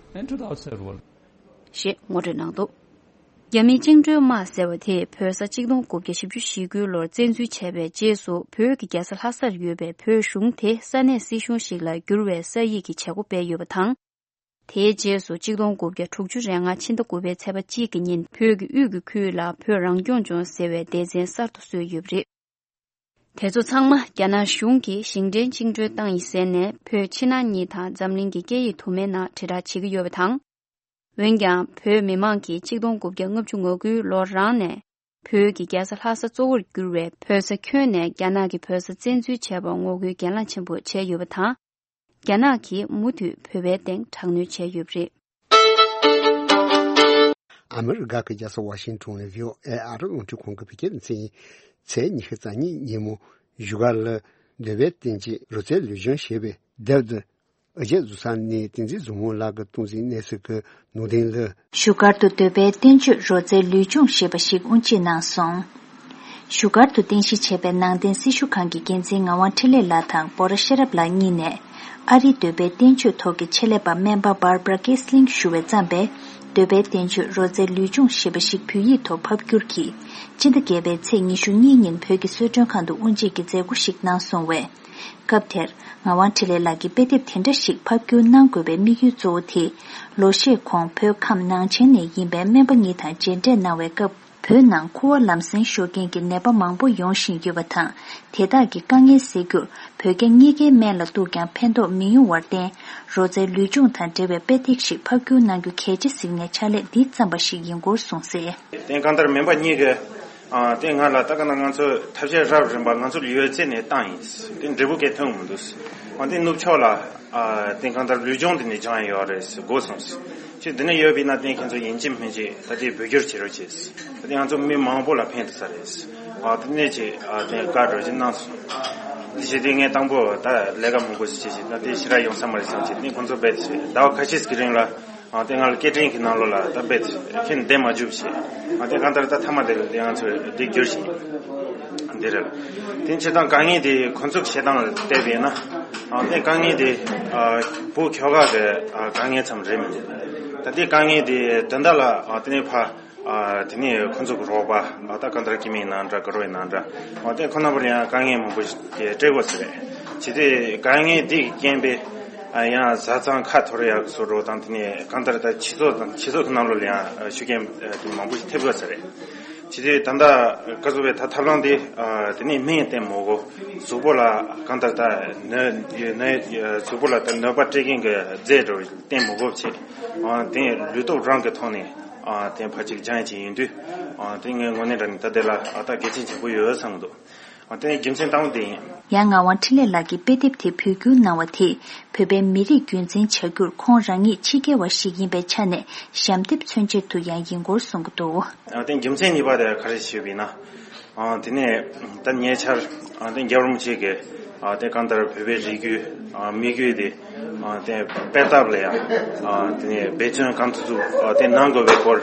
ཞེས་ངོ་སྤྲོད་གནང་འདུག་རྒྱ་མིའི་བཅིངས་འགྲོལ་དམག་ཟེར་བ་དེས་བོད་ས་གཅིག་སྟོང་དགུ་བརྒྱ་བཞི་བཅུ་ཞེ་དགུ་ལོར་བཙན་འཛུལ་བྱས་པའི་རྗེས་སུ་བོད་ཀྱི་རྒྱལ་ས་ལྷ་སར་ཡོད་པའི་བོད་གཞུང་དེ་ས་གནས་སྲིད་གཞུང་ཞིག་ལ་བསྒྱུར་བའི་ས་ཡིག་གི་བྱེད་སྒོ་སྤེལ་ཡོད་པ་དང་། དེའི་རྗེས་སུ་གཅིག་སྟོང་དགུ་བརྒྱ་དྲུག་ཅུ་རེ་ལྔ་ཕྱི་ཟླ་དགུ་པའི་ཚེས་པ་གཅིག་གི་ཉིན་བོད་ཀྱི་དབུས་ཀྱི་ཁུལ་ལ་བོད་རང་སྐྱོང་ལྗོངས་ཟེར་བའི་སྡེ་ཚན་གསར་དུ་བཟོས་ཡོད་པ་རེད། དེ་ཚོ་ཚང་མ་རྒྱ་ནག་གཞུང་གིས་ཞིང་བྲན་བཅིངས་འགྲོལ་བཏང་ཡིན་ཟེར་ནས་བོད་ཕྱི་ནང་གཉིས་དང་འཛམ་གླིང་གི་སྐད་ཡིག་དུ་མའི་ནང་དྲིལ་བསྒྲགས་བྱེད་ཀྱི་ཡོད་པ་དང་། འོན་ཀྱང་བོད་མི་མང་གིས་གཅིག་སྟོང་དགུ་བརྒྱ་ལྔ་བཅུ་ང་དགུའི་ལོ་རང་ནས་བོད་ཀྱི་རྒྱལ་ས་ལྷ་ས་གཙོ་བོར་གྱུར་བའི་བོད་ས་ཁྱོན་ནས་རྒྱ་ནག་གིས་བོད་ས་བཙན་འཛུལ་བྱས་པར་ངོ་རྒོལ་གྱེན་ལངས་ཆེན་པོ་བྱས་ཡོད་པ་དང་། རྒྱ་ནག་གིས་མུ་མཐུད་བོད་པའི་སྟེང་དྲག་གནོན་བྱས་ཡོད་པ་རེད། ཨ་མི་རི་ཀ་གི་རྒྱལ་ས་ཝ་ཤིང་ཊོན་ནས་བྷི་ཨོ་ཨེ་ཨ་རི་རླུང་འཕྲིན་ཁང་གི་བོད་སྐད་སྡེ་ཚན་ཡིན། ཚེས་ཉི་ཤུ་རྩ་གཉིས་ཉིན་མོ་བཞུགས་སྒར་ལ་འདོད་པའི་བསྟན་བཅོས་རོལ་རྩེད་ལུས་སྦྱོང་ཞེས་པའི་དེབ་འདི་ཨ་ཅེ་བཟོ་ཚང་ནས་བསྟན་འཛིན་བཟང་མོ་ལགས་ཀྱིས་གཏོང་ཟིན་གནས་ཚུལ་གྱི་ནང་དོན་ལ། བཞུགས་སྒར་དུ་འདོད་པའི་བསྟན་བཅོས་རོལ་རྩེད་ལུས་སྦྱོང་ཞེས་པ་ཞིག་དབུ་འབྱེད་གནང་སོང་། བཞུགས་སྒར་དུ་རྟེན་གཞི་བྱས་པའི་ནང་བསྟན་སྲི་ཞུ་ཁང་གི་འགན་འཛིན་ངག་དབང་འཕྲིན་ལས་ལགས་དང་འབོ་ར་ཤེས་རབ་ལགས་གཉིས་ནས། ཨ་རིའི་འདོད་པའི་བསྟན་བཅོས་ཐོག་གི་ཆེད་ལས་པ་སྨན་པ་Barbara Kiessling ཞུ་བས་བརྩམས་པའི་འདོད་པའི་བསྟན་བཅོས་རོལ་རྩེད་ལུས་སྦྱོང་ཞེས་པ་ཞིག་བོད་ཡིག་ཐོག་ཕབ་བསྒྱུར་གྱིས། སྤྱི་ཟླ་བརྒྱད་པའི་ཚེས་ཉི་ཤུ་གཉིས་ཉིན་བོད་ཀྱི་གསོལ་མགྲོན་ཁང་དུ་དབུ་འབྱེད་ཀྱི་མཛད་སྒོ་ཞིག་གནང་སོང་བས། སྐབས་དེར་ངག་དབང་འཕྲིན་ལས་ལགས་ཀྱིས་དཔེ་དེབ་དེ་འདྲ་ཞིག་ཕབ་བསྒྱུར་གནང་དགོས་པའི་དམིགས་ཡུལ་གཙོ་བོ་དེ། ལོ་ཤས་གོང་བོད་ཁམས་ནང་ཆེན་ནས་ཡིན་པའི་སྨན་པ་གཉིས་དང་མཇལ་འཕྲད་གནང་བའི་སྐབས། བོད་ནང་ཁུ་བ་ལམ་སེང་ཤོར་མཁན་གྱི་ནད་པ་མང་པོ་ཡོང་བཞིན་ཡོད་པ་དང་། དེ་དག་གི་དཀའ་ངལ་སེལ་རྒྱུར་བོད་རྒྱ་གཉིས་ཀའི་སྨན་ལ་གཏུགས་ཀྱང་ཕན་ཐོགས་མི་ཡོང་བར་བརྟེན། རོལ་རྩེད་ལུས་སྦྱོང་དང་འབྲེལ་བའི་དཔེ་དེབ་ཞིག་ཕབ་བསྒྱུར་གནང་རྒྱུ་གལ་ཆེ་གཟིགས་ནས་ཕྱག་ལས་འདི་བརྩམས་པ་ཞིག་ཡིན་སྐོར་གསུངས་གསལ། དེ་གང་ལྟར་སྨན་པ་གཉིས་ཀྱིས་ཨ་དེ་ང་ལ་ད་ག་ན་ང་ཚོ་ཐབས་ཤེས་རབ་རིམ་པ་ང་ཚོ་ལ་ཡོད་ཚད་ནས་བཏང་ཡིན། དེ་འབྲས་བུ་གས་ཐོན་མི་འདུག་ཨ་དེ་ནུབ་ཕྱོགས་ལ་ཨ་དེ་གང་ལྟར་ལུས་སྦྱོང་དེ་ནས་སྦྱང་ཡ་ཡོད་རེད་ཟེར་གོ་སོང་། ཅིག་འདི་ནས་ཡོད་པ་ཡིན་ན་དེ་ཁྱེད་ཚོ་ཡིན་གཅིག་མིན་གཅིག་ད་དེ་བོད་བསྒྱུར་བྱེད་རོགས་བྱེད། ད་དེ་ང་ཚོ་མི་མང་པོ་ལ་ཕན་ཐོགས་ས་རེད། ཨ་དེ་ནས་ཅིག་ཨ་དེ་བཀའ་འགྲོ་ཅིག་གནང་སོང་། དེ་བྱས་དུས་ངས་དང་པོ་ད་ལས་ཀ་མང་པོ་ཞིག་བྱེད་ཅིག་ད་དེ་ཞེ་དྲག་ཡོང་ས་མ་རེད་བསམ་ཅིག་དེ་ཁོང་ཚོ་རྦད་དེ་ཟླ་བ་ཁ་ཤས་ཀྱི་རིང་ལ། ཨ་དེ་ང་ལ་སྐད་འཕྲིན་གྱི་ནང་ལོགས་ལ་ད་རྦད་དེ་ཁྱེད་བསྡད་མ་བཅུག་བྱས། ཨ་དེ་གང་ལྟར་ད་མཐའ་མ་དེ་ལ་དེ་ང་ཚོས་དེ་བསྒྱུར་བཞིན་འདི་རེད། དེ་བྱས་ཙང་དཀའ་ངལ་དེ་ཁོང་ཚོ་གི་བྱེད་སྟངས་ལ་བལྟས་པས་ན། ཨ་དེ་དཀའ་ངལ་དེ་ཨ་བོད་ཁྱོ་ག་གི་ཨ་དཀའ་ངལ་ཙམ་རེད་མི་འདུག་ད་དེ་དཀའ་ངལ་དེ་དོན་དག་ལ་ཨ་དེ་ནས་ཕ། ཨ་དེ་ནས་ཁོང་ཚོ་གི་རོགས་པ་ཨ་ད་གང་ལྟར་སྐྱེ་དམན་ཡིན་ན་འདྲ་དགའ་རོགས་ཡིན་ན་འདྲ་ཨ་དེ་ཁོ་ན་བར་ཡང་དཀའ་ངལ་མང་པོ་ཞིག་སྤྲད་དགོས་ཟེར་རེད། བྱས་ཏེ་དཀའ་ངལ་དེ་གི་རྐྱེན་པས་ཨ་ཡང་བཟའ་ཚང་ཁ་འཐོར་ཡག་བཟོ་འདྲ་དང་དེ་ནས་གང་ལྟར་ད་སྤྱི་ཚོགས་དང་སྤྱི་ཚོགས་ཀྱི་ནང་ལོགས་ལ་ཡང་ཤུགས་རྐྱེན་དེ་མང་པོ་ཞིག་ཐེབས་དགོས་ཟེར་རེད། བྱས་ཏེ་ད་ལྟ་ག་ཚོད་བས་ད་ཐབས་ལམ་དེ་ཨ་དེ་ནས་སྨན་བསྟེན་མི་དགོས། གཟུགས་པོ་ལ་གང་ལྟར་ད་ནད་ནད་གཟུགས་པོ་ལ་ད་གནོད་པ་སྤྲད་མཁན་གྱི་རྫས་འདྲ་བསྟེན་མི་དགོས་བྱས། ཨ་དེ་ལུས་སྟོབས་རང་གི་ཐོག་ནས། ཨ་དེ་ཕལ་ཆེར་སྦྱང་ཡ་ཅིག་ཡིན་དུས། ཨ་དེ་ངའི་ངོས་ནས་དྲང་ནས་ད་དེ་ལ་ཨ་ད་གལ་ཆེན་ཆེན་པོ་ཡོད་བསམ་གྱི་འདུག་ཨ་དེ་རྒྱུ་མཚན་དང་པོ་དེ་ཡིན། ཡང་ངག་དབང་འཕྲིན་ལས་ལགས་ཀྱིས་དཔེ་དེབ་དེ་བོད་བསྒྱུར་གནང་བ་དེས་བོད་པའི་མི་རིགས་རྒྱུན་འཛིན་བྱ་རྒྱུར་ཁོང་རང་ཉིད་ཕྱི་རྒྱལ་བ་ཞིག་ཡིན་པའི་ཆ་ནས་ཞབས་འདེགས་མཚོན་ཆེད་དུ་ཡང་ཡིན་སྐོར་གསུང་གི་འདུག་ཨ་དེ་རྒྱུ་མཚན་གཉིས་པ་དེ་ག་རེ་ཞུས་པ་ཡིན་ན། ཨ་དེ་ནས་ད་ཉེ་ཆར་ཨ་དེ་རྒྱལ་བ་རིན་པོ་ཆེ་གིས་ཨ་དེ་གང་ལྟར་བོད་པའི་རིགས་རྒྱུད་ཨ་མི་རྒྱུད་དེ། ཨ་དེ་སྤེལ་ཐབས་ལ་ཡང་ཨ་དེ་ནས་འབད་བརྩོན་གང་ཐུབ་ཐུབ་ཨ་དེ་གནང་དགོས་པའི་སྐོར་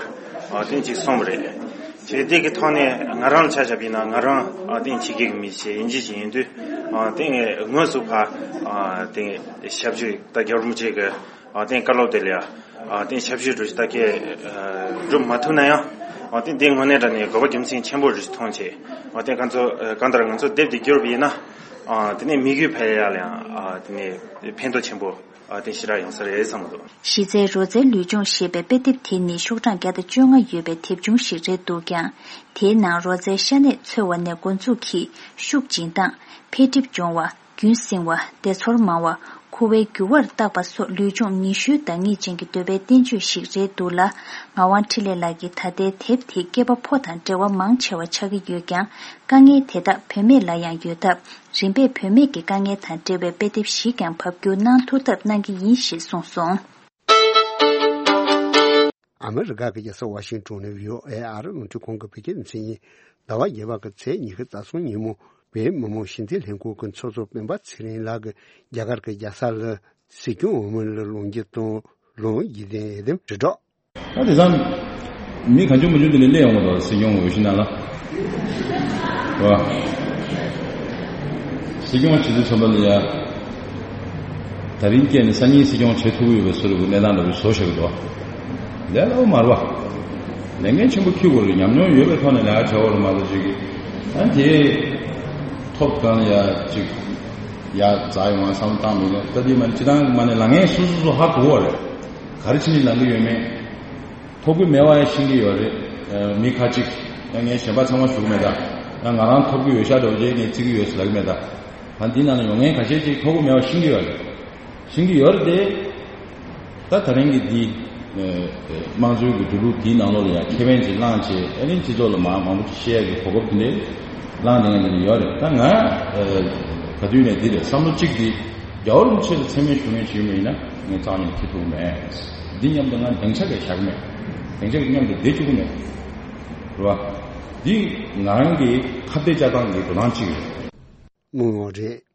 ཨ་དེ་ཅིག་གསུངས་པ་རེད། བྱས་དེ་གི་ཐོག་ནས་ང་རང་ལ་ཆ་བཞག་པ་ཡིན་ན་ང་རང་ཨ་དེ་ཕྱི་རྒྱལ་གྱི་མི་ཞིག་ཡིན་གཅིག་ཅིག་ཡིན་དུས་ཨ་དེ་ངས་དངོས་སུ་ཕ་ཨ་དེ་ཞབས་ཞུ་ད་རྒྱལ་བ་རིན་པོ་ཆེ་གི་ཨ་དེ་བཀའ་སློབ་དེ་ལ་ཡང་ཨ་དེ་ཞབས་ཞུ་འདྲ་ཞིག་ད་གས་སྒྲུབ་མ་ཐུབ་ན་ཡང་ཨ་དེ་དེ་དངོས་གནས་དྲང་གནས་དགོས་པ་རྒྱུ་མཚན་ཆེན་པོ་འདྲ་ཞིག་མཐོང་བྱས། ཨ་དེ་ང་ཚོ་གང་ལྟར་ང་ཚོ་དེབ་དེ་བསྒྱུར་བ་ཡིན་ན་ཨ་དེ་ནས་མི་རྒྱུད་འཕེལ་ཡག་ལ་ཡང་ཨ་དེ་ནས་ཕན་ཐོགས་ཆེན་པོ་ཨ་དེ་ཞེ་དྲག་ཡོང་ས་རེད་བསམ་གྱི་འདུག་གཞི་རྩའི་རོལ་རྩེད་ལུས་སྦྱོང་ཞེས་པའི་དཔེ་དེབ་དེ་ནི་ཤོག་གྲངས་བརྒྱ་དང་བཅོ་ལྔ་ཡོད་པའི་དེབ་ཆུང་ཞིག་རེད་འདུག་ཀྱང་། དེའི་ནང་རོལ་རྩེད་ཤ་གནད་འཚོལ་བ་ནས་འགོ་འཛུགས་ཀྱིས་ཤུགས་སྦྱིན་སྟངས། འཕེལ་འགྲིབ་སྦྱོང་བ། རྒྱུན་བསྲིང་བ། བདེ་ཚོར་མང་བ། ཁུ་བའི་རྒྱུ་བར་བརྟག་པ་སོགས་ལུས་སྦྱོང་ཉི་ཤུའི་བདག་ཉིད་ཅན་གྱི་འདོད་པའི་བསྟན་བཅོས་ཤིག་རེད་འདུག་ལ། ངག་དབང་འཕྲིན་ལས་ལགས་ཀྱིས་ད་ལྟའི་དེབ་དེ་སྐྱེས་པ་ཕོ་དང་འབྲེལ་བ་མང་ཆེ་བ་ཆགས་ཀྱི་ཡོད་ཀྱང་། དཀའ་ངལ་དེ་དག་བུད་མེད་ལ་ཡང་ཡོད་སྟབས། རིམ་པས་བུད་མེད་ཀྱི་དཀའ་ངལ་དང་འབྲེལ་བའི་དཔེ་དེབ་ཞིག་ཀྱང་ཕབ་བསྒྱུར་གནང་ཐུབ་ཐབས་གནང་གི་ཡིན་ཞེས་གསུངས་སོང་། ཨ་མི་རི་ཀ་གི་རྒྱལ་ས་ཝ་ཤིང་ཊོན་ནས་བྷི་ཨོ་ཨེ་ཨ་རི་རླུང་འཕྲིན་ཁང་གི་བོད་སྐད་སྡེ་ཚན་ཡིན། ཟླ་བ་བརྒྱད་པ་གི་ཚེས་ཉི་ཤུ་རྩ་གསུམ་ཉིན་མོ་བོད་མི་མང་སྤྱི་འཐུས་ལྷན་ཁང་གི་ཚོགས་གཙོ་སྤེན་པ་ཚེ་རིང་ལགས་ཀྱིས་རྒྱ་གར་གྱི་རྒྱལ་ས་ལ་སྲིད་སྐྱོང་འོས་མི་ལ་ལོངས་སྤྱོད་དང་ ལུང་འཇིག་རྟེན་ཡི་དམ་རི་གྲོགས། ད་དེང་སང་མི་གང་བྱུང་མང་བྱུང་དེ་ནས་སླེབས་ཡོང་གི་འདུག་སྲིད་སྐྱོང་འོས་གཞི་ནང་ལ། བ། སྲིད་སྐྱོང་བྱེད་དུས་ཙམ་པ་ལ་ཡ། ད་རིང་སྐྱེས་ནས་སང་ཉིན་སྲིད་སྐྱོང་བྱེད་ཐུབ་ཀྱི་ཡོད་པའི་བཟོ་འདྲ་གི་གནས་སྟངས་འདྲ་པོ་བཟོ་བཞག་གི་འདུག་ལས་སླ་པོ་མ་རེད་བ། ལས་འགན་ཆེན་པོ་འཁྱེར་དགོས་རེད། ཉམས་མྱོང་ཡོད་པའི་ཐོག་ནས་ལས་ཀ་བྱ་དགོས་རེད་མ་གཏོགས་ཅིག་ཨ་དེ། ཐོབ་གང་ལ་ཡ་ཅིག་ཡ་ཛ་ཡོང་བ་བསམ་བློ་བཏང་མི་འདུག་ད་དེ་མ་ནི་སྤྱི་བཏང་མ་ནི་ལས་འགན་སོ་སོ་སོ་ཧ་གོ་བ་རེད། ག་རེ་བྱས་ནས་ལངས་གི་ཡོད་མེད། ཐོབ་གི་མེད་པ་ཡང་ཤེས་ཀྱི་ཡོད་རེད། ཨ་མི་ཁ་ཅིག་ཡང་ངས་གཞན་པ་ཚང་མ་ཞུ་གི་མེད་ད། ཡང་ང་རང་ཐོབ་གི་ཡོད་ཤག་འདྲ་བོ་ཅིག་ངས་བརྩི་གི་ཡོད་ཟེར་ལབ་གི་མེད་ད། ད་འདི་ནང་ལ་ཡོང་མཁན་ཁ་ཤས་ཅིག་ཐོབ་གི་མེད་པ་ཤེས་ཀྱི་ཡོད་རེད། ཤེས་ཀྱི་ཡོད་རེད་དེ། ད་ད་རིང་གི་འདི་ཨ་དམངས་གཙོའི་གི་འགྲོ་ལུགས་འདིའི་ནང་ལོགས་ལ་ཡང་ཁེ་ཕན་ཅིག་བླངས་བྱས། ཨ་ནི་སྤྱི་ཚོགས་ལ་མང་མང་པོ་ཅིག་བཤད་ཡག་གི་གོ་སྐབས་དེ་འདྲ་བླངས་བསྡད་མཁན་དེ་འདྲ་ཡོད་རེད། ད་ང་ཨ་ག་དུས་ནས་འདི་རེད། བསམ་བློ་གཅིག་འདི་རྒྱལ་བ་རིན་པོ་ཆེ་ལ་མཚན་སྨད་ཞུ་མཁན་ཞིག་ཡིན་པ་ཡིན་ན་ངས་རྩ་བ་ནས་འཁྱེར་ཐུབ་ཀྱི་མེད། འདི་མཉམ་དུ་ང་སྡིངས་ཆ་གས་བཞག་གི་མེད། སྡིངས་ཆ་གས་མཉམ་དུ་བསྡད་བཅུག་གི་མེད། རེད་བ། འདི་ང་རང་གི་ཁ་གཏད་བཅག་སྟངས་ཀྱི་འགྲོ་སྟངས་གཅིག་རེད། དངོས་ཡོད་རེད།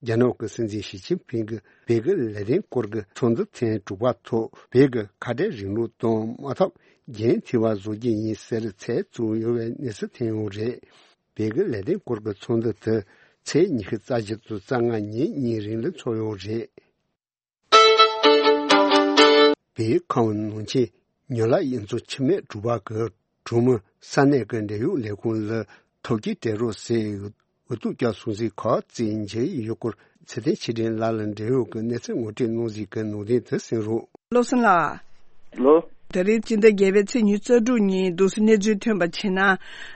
རྒྱ་ནག་གི་སྲིད་འཛིན་ཞི་ཅིན་ཕིང་གིས་བོད་ཀྱི་ལས་དོན་སྐོར་གྱི་ཚོགས་འདུ་ཐེངས་དྲུག་པ་ཐོག་བོད་ཀྱི་ཁ་བྲལ་རིང་ལུགས་དང་མ་ཐག་འགན་འཁྱེར་བ་བཟོ་རྒྱུ་ཡིན་ཟེར་ཚད་བཙུགས་ཡོད་པའི་གནས་ཚུལ་ཐོན་ཡོད་རེད། བོད་ཀྱི་ལས་དོན་སྐོར་གྱི་ཚོགས་འདུ་དེ་ཚེས་ཉི་ཤུ་རྩ་བཞི་དང་རྩ་ལྔ་ཉིན་གཉིས་རིང་ལ་འཚོགས་ཡོད་རེད། བོད་ཁམས་ནང་ཆེན་ཉོ་ལ་གཡུ་མཚོ་འཆི་མེད་སྒྲུབ་པ་གི་གྲོང་མི་ས་གནས་ཀྱི་འབྲེལ་ཡོད་ལས་ཁུངས་ལ་ཐོབ་སྐྱེལ་སྤྲད་རོགས་ཟེར་འུ་ཐུག་རྒྱག་སོང་ཟིག་ཁག་བརྩིས་མཇལ་ཡོད་སྐོར་ཚེ་བརྟན་ཆོས་སྒྲོན་ལགས་ལ་འབྲེལ་ཡོད་ཀྱི་གནས་ཚུལ་ངོ་སྤྲོད་གནང་ཟིག་གི་ནང་དོན་དེ་གསན་རོགས། བློ་བཟང་ལགས། ལོ། ད་རེས་སྤྱི་ཟླ་བརྒྱད་པའི་ཚེས་ཉི་ཤུ་རྩ་དྲུག་ཉིན་འདུག་སེ་གནས་ཚུལ་ཐོན་པ་བྱས་ན།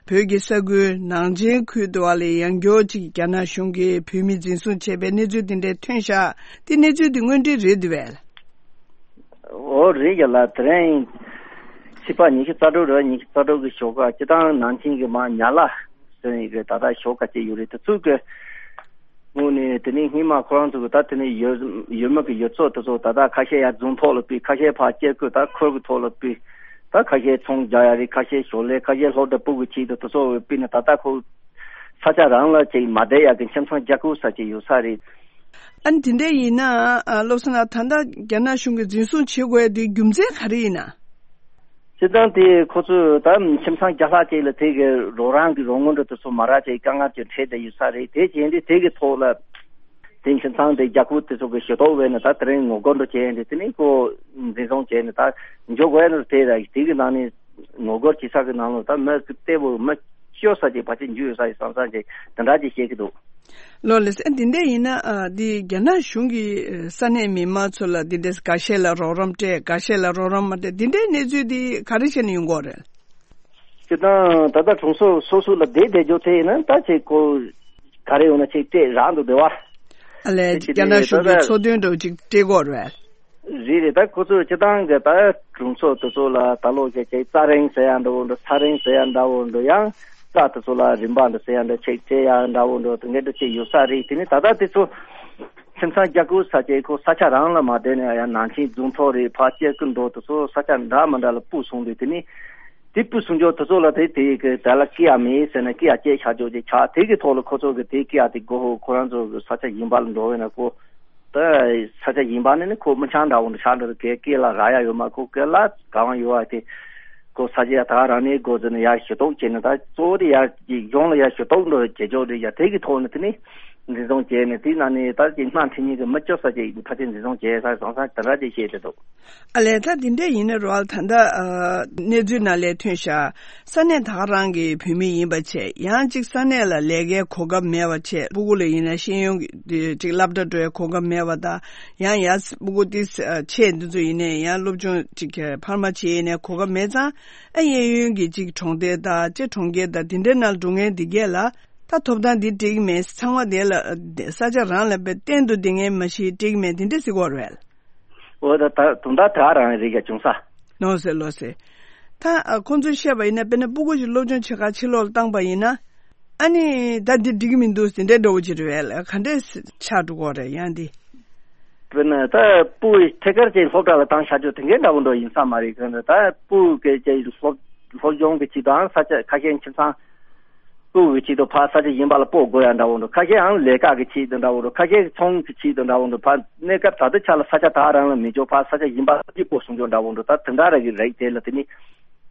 བོད་ཀྱི་ས་ཁུལ་ནང་ཆེན་ཁུལ་དུ་བ་ལས་ཡང་བསྐྱར་ཅིག་རྒྱ་ནག་གཞུང་གིས་བོད་མི་འཛིན་བཟུང་བྱས་པའི་གནས་ཚུལ་དེ་འདྲ་ཐོན་ཤག་དེ་གནས་ཚུལ་དེ་དངོས་འབྲེལ་རེད་འདུག་བས། འོ་རེད་ཡ་ལ། དེ་རིང་ཕྱི་པ་ཉི་ཤུ་རྩ་དྲུག་རེད། ཉི་ཤུ་རྩ་དྲུག་གི་ཞོགས་ཀ་སྤྱི་བཏང་ནང་ཆེན་གྱི་མ་ཉ་ལ་ཟེར་ཡི་གི་ད་ལྟ་ཞོགས་ཀ་སྐྱེས་ཡོད་རེད། དེ་ཚོ་གི་དངོས་གནས་དེ་ནས་སྔོན་མ་ཁོ་རང་ཚོ་གི་ད་དེ་ནས་ཡུལ་ཡུལ་མི་གི་ཡུལ་ཚོ་དེ་ཚོ་ད་ལྟ་ཁ་ཤས་ཡར་རྫོང་ཐོག་ལ་སྤོས། ཁ་ཤས་ཕར་སྐྱེ་རྒུ་ད་ཁུལ་གི་ཐོག་ལ་སྤོས། ད་ཁ་ཤས་ཚོང་རྒྱག་ཡ་རེད། ཁ་ཤས་ཞོར་ལས། ཁ་ཤས་སློབ་གྲྭ་སྤོ་གི་ཆེད་དུ་དེ་ཚོ་སྤོས་ནས་ད་ལྟ་ཁོ་ས་ཆ་རང་ལ་ཅིག་མ་བསྡད་ཡ་གི་ཁྱིམ་ཚང་རྒྱག་དགོས་ས་ཅིག་ཡོད་ས་རེད། ཨ་ནི་དེ་འདྲ་ཡིན་ན། ཨ། བློ་བཟང་ལགས། ད་ལྟ་རྒྱ་ནག་གཞུང་གིས་འཛིན་བཟུང་བྱེད་དགོས་དེའི་རྒྱུ་མཚན་ག་རེ་ཡིན་ན། སྤྱིར་བཏང་དེ་ཁོ་ཚོས་ད་ཁྱིམ་ཚང་བརྒྱ་ལྷག་ཅིག་ལ་དེ་གི་རོགས་རམ་གི་རོགས་དངུལ་འདྲ་དེ་ཚོ་མ་རག་ཅིག་དཀའ་ངལ་ཅིག་འཕྲད་བསྡད་ཡོད་ས་རེད། དེ་བྱས་ཏེ་དེ་གི་ཐོག་ལ་དེ་ཁྱིམ་ཚང་དེ་རྒྱ་ཁུལ་དེ་ཚོ་གི་ཞུ་གཏུག་བྱས་ནས་ད་དེ་རིང་ངོ་རྒོལ་འདྲ་བྱས་ཏེ་དེ་ནས་ཁོ་འཛིན་བཟུང་བྱས་ནས་ད་འཇུག་དགོས་ནི་དེ་རེད། དེ་གི་ནང་ནས་ངོ་རྒོལ་བྱེད་ས་གི་ནང་ལ་ད་མི་གི་ལྟད་པོ་མི་སྐྱོ་ས་ཅིག་ཕལ་ཆེར་འཇུ་ཡོད་ས་ཡིན་བསམ་བསམ་ཅིག་དེ་འདྲ་ཅིག་བཤད་ཀྱི་འདུག་ལོ་ལེ་སེ། འདི་འདྲ་ཡིན་ན། ཨ། འདི་རྒྱ་ནག་གཞུང་གིས་ས་གནས་མི་མང་ཚོ་ལ་འདི་འདྲ་འགའ་ཤས་ལ་རོགས་རམ་སྤྲད། འགའ་ཤས་ལ་རོགས་རམ་མ་སྤྲད། འདི་འདྲའི་གནས་ཚུལ་འདི་ག་རེ་བྱས་ནས་ཡོང་གི་ཡོད་རེད། སྤྱིར་བཏང་ད་ལྟ་གྲོང་ཚོ་སོ་སོ་ལ་བསྡད་བསྡད་རྒྱུ་དེ་ཡིན་ན་ད་ཅིག་ཁོ་ག་རེ་ཡོང་ན་ཅིག་སྤྲད་རག་འདུག་བསྡད་པ། ཨ་ལས། དེ་རྒྱ་ནག་གཞུང་གིས་ད་ལྟ་འཚོ་དོན་འདྲ་བོ་ཅིག་སྤྲད་ཀྱི་ཡོད་རེད། རེད་རེད། ད་ཁོ་ཚོས་སྤྱིར་བཏང་གི་ད་གྲོང་ཚོ་དེ་ཚོ་ལ་ད་ལོ་ཞིག་ཅིག་རྩྭ་རིན་ཟེར་ཡ་འདྲ་བོ་འདྲ། ས་རིན་ཟེར་ཡ་འདྲ་བོ་འདྲ། ཡང་རྩྭ་དེ་ཚོ་ལ་རིན་པ་འདྲ་ཟེར་ཡ་འདྲ་ཅིག་སྤྲད་ཡ་འདྲ་བོ་འདྲ་དེ་འདྲ་ཅིག་ཡོད་ས་རེད། དེ་ནི་ད་ལྟ་དེ་ཚོ་ཁྱིམ་ཚང་རྒྱག་དགོས་ས་ཅིག་ཁོ་ས་ཆ་རང་ལ་མ་བསྡད་ནས་ཡང་ནང་ཆེན་རྫོང་ཐོག་རེད། ཕར་སྐྱེ་རྒུ་འགྲོ་དེ་ཚོ་ས་ཆ་འདྲ་མི་འདྲ་ལ་སྤོས་སོང་དུས། དེ་ནི་དེ་སྤོས་སོང་རྒྱུ་དེ་ཚོ་ལ་དེ་དེ་གི་དེ་ལ་སྐྱེ་ཡ་མེད་ཟེར་ནས་སྐྱེ་ཡ་བཅད་བཞག་རྒྱུ་ཅིག་ཆགས། དེ་གི་ཐོག་ལ་ཁོ་ཚོ་གི་དེ་སྐྱེ་ཡ་དེ་དགོས་ཧོ། ཁོ་རང་ཚོ་གི་ས་ཆ་གཞན་པ་ལ་འགྲོ་བས་ན་ཁོ། ད་ས་ཆ་གཞན་པ་ནས་ནི་ཁོ་མི་ཆང་འདྲ་བོ་འདྲ་ཆགས་འདྲ་གི་སྐེ་ལ་རག་ཡ་ཡོད་མ། ཁོ་སྐེ་ལ་གང་ཡོད་དེ་ཁོ་ས་ཆ་ཡ་ད་རང་ནས་སྒོ་ཟེར་ནས་ཡར་ཞུ་གཏུག་བྱས་ནས། ད་གཙོ་བོ་དེ་ཡར་གཞུང་ལ་ཡར་ཞུ་གཏུག་འགྲོ་བྱེད་ཆོག་རེད་ཡ། དེ་གི་ཐོག་ནས་དེ་ནི་འཛིན་བཟུང་བྱས་ནས་དེ་ན་ནི་ད་ཅིག་སྣ་འཁྲིད་མཁན་གི་མི་སྐྱོ་ས་ཅིག་ཕལ་ཆེར་འཛིན་བཟུང་བྱས་ས་བཟང་ས་དེ་འདྲ་ཅིག་བཤད་དེ་འདུག་ཨ་ལས། ད་འདི་འདྲ་ཡིན་ན་རོལ་ད་ལྟ་ཨ་གནས་ཚུལ་ནང་ལས་ཐོན་ཤག་ས་གནས་ད་ག་རང་གི་བོད་མི་ཡིན་པ་བྱས། ཡང་ཅིག་ས་གནས་ལ་ལས་ཀའི་གོ་སྐབས་མེད་པ་བྱས། སྤུ་གུ་ལ་ཡིན་ན་ཤེས་ཡོན་གྱི་ཅིག་སློབ་གྲྭ་འགྲོ་ཡའི་གོ་སྐབས་མེད་པ་དང་། ཡང་ཡར་སྤུ་གུ་དེ་ཆེ་འདི་ཚོ་ཡིན་ནའི་ཡང་སློབ་སྦྱོང་ཅིག་འཕར་མ་བྱེད་ཡས་ནས་གོ་སྐབས་མེད་ཙང་། ཨ་གཡས་གཡོན་གྱི་ཅིག་གྲོང་རྡལ་དང་ཅིག་གྲོང་ཁྱེར་དང་དེ་འདྲའི་ནང་འགྲོ་མཁན་འདི་གས་ལ་ད་ཐོབ་ཐང་འདི་སྤྲད་ཀྱི་མེད། ཚང་མ་དེ་ལ་ས་ཆ་རང་ལ་བས་གཏན་དུ་བསྡད་མཁན་མ་གཞི་སྤྲད་ཀྱི་མེད། དེ་འདྲ་ཟེར་གྱི་ཡོད་རེད། འོ་ད་ད་དུང་ད་དེ་ག་རང་རེད་ཀྱ་བྱུང་ས། ལགས་སེ་ལགས་སེ། ད་ཨ་ཁོང་ཚོས་བཤད་པ་ཡིན་ན། དཔེར་ན་སྤུ་གུ་ཞིག་སློབ་སྦྱོང་བྱེད་གར་ཕྱི་ལོགས་ལ་བཏང་པ་ཡིན་ན། ཨ་ནི་ད་འདི་འགྲིག་གི་མི་འདུག་ཟེར་འདྲ་འདྲ་བོ་ཅིག་རེད་པས། ག་འདྲས་ཆགས་འགྲོ་གི་རེད་ཡང་འདི། དཔེར་ན་ད་སྤུ་གུ་ཐད་ཀར་ཅིག་སློབ་གྲྭ་ལ་བཏང་བཞག་རྒྱུ་དེ་འདྲའི་འདྲ་བོ་འདྲ་ཡིན་ས་མ་རེད། གང་ལྟར་ད་སྤུ་གུ་གི་ཅིག་སློབ་སློབ་སྦྱོང་གི་ཅིག་དང་ས་ཆ་ཁ་ཤས་ཁྱིམ་ཚང་ སྤོ་གི་ཆེད་དུ་ཕར་ས་ཆ་གཞན་པ་ལ་སྤོ་དགོས་ཡ་འདྲ་བོ་འདུག་ཁ་ཤས་ཨང་ལས་ཀ་གི་ཆེད་དུ་འདྲ་བོ་འདུག་ཁ་ཤས་ཚོང་གི་ཆེད་དུ་འདྲ་བོ་འདུག་ཕར་གནས་སྐབས་ད་ལྟ་ཆ་ལ་ས་ཆ་ད་རང་ལ་མི་འཇོག་ཕར་ས་ཆ་གཞན་པ་ལ་སྤོ་སོང་འཇོག་འདྲ་བོ་འདུག་ད་དེ་འདྲ་ར་གི་རིགས་དེ་ལ་དེ་ནི་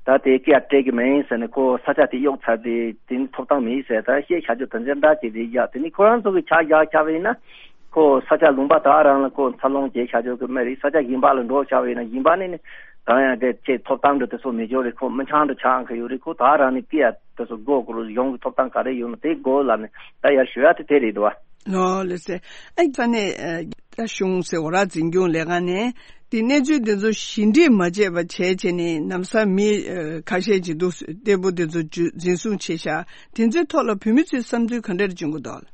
ད་དེ་སྐད་སྤྲད་གི་མིན་ཟེར་ནས་ཁོ་ས་ཆ་དེ་གཡོག་ཚར་དེ་དེ་ནི་ཐོབ་ཐང་མེད་ཟེར་ད་བཤད་བྱ་རྒྱུ་དོན་ཚན་འདྲ་ཅིག་རེད་ཡ། དེ་ནི་ཁོ་རང་ཚོ་གི་ཆ་བཞག་བྱ་བ་ཡིན་ན། ཁོ་ས་ཆ་ལུང་པ་དག་རང་ལ་ཁོ་འཚར་ལོངས་བྱེད་བྱ་ཆོག་གི་མ་རེད། ས་ཆ་གཞན་པ་ལ་འགྲོ་བྱ་བ་ཡིན་ན་གཞན་པ་ནས་ནི་གང་ཡང་དེ་ཆེ་ཐོབ་ཐང་འདྲ་དེ་ཚོ་མི་འབྱོར་རེད། ཁོ་མི་ཆང་འདྲ་ཆགས་ཁ་ཡོད་རེད། ཁོ་དག་རང་ནས་ཀི་ཡ་དེ་ཚོ་སྒོ་སྒོར་ཡོང་གི་ཐོབ་ཐང་ག་རེ་ཡོད་ན་དེ་སྒོ་ལ་ནི་ད་ཡར་ཞུ་ཡ་དེ་དེ་རེད་དོ། ལོ་ལེ་སེ་ཨ་ས་ནས་ད་གཞུང་སེ་འོ་ར་འཛིན་སྐྱོང་ལས་ཁང་ནས་དེ་གནས་ཚུལ་དེ་ཚོ་ཞི་འགྲིག་མ་བྱས་པ་བྱས་བྱས་ནས་ནམ་ས་མི་ཁ་ཤས་ཅིག་འདུག་སྟེ་བུ་དེ་ཚོ་འཛིན་བཟུང་བྱས་ཤག་དེ་ཚོའི་ཐོག་ལ་བོད་མི་ཚོའི་བསམ་ཚུལ་ག་འདྲར་བྱུང་གི་འདུག་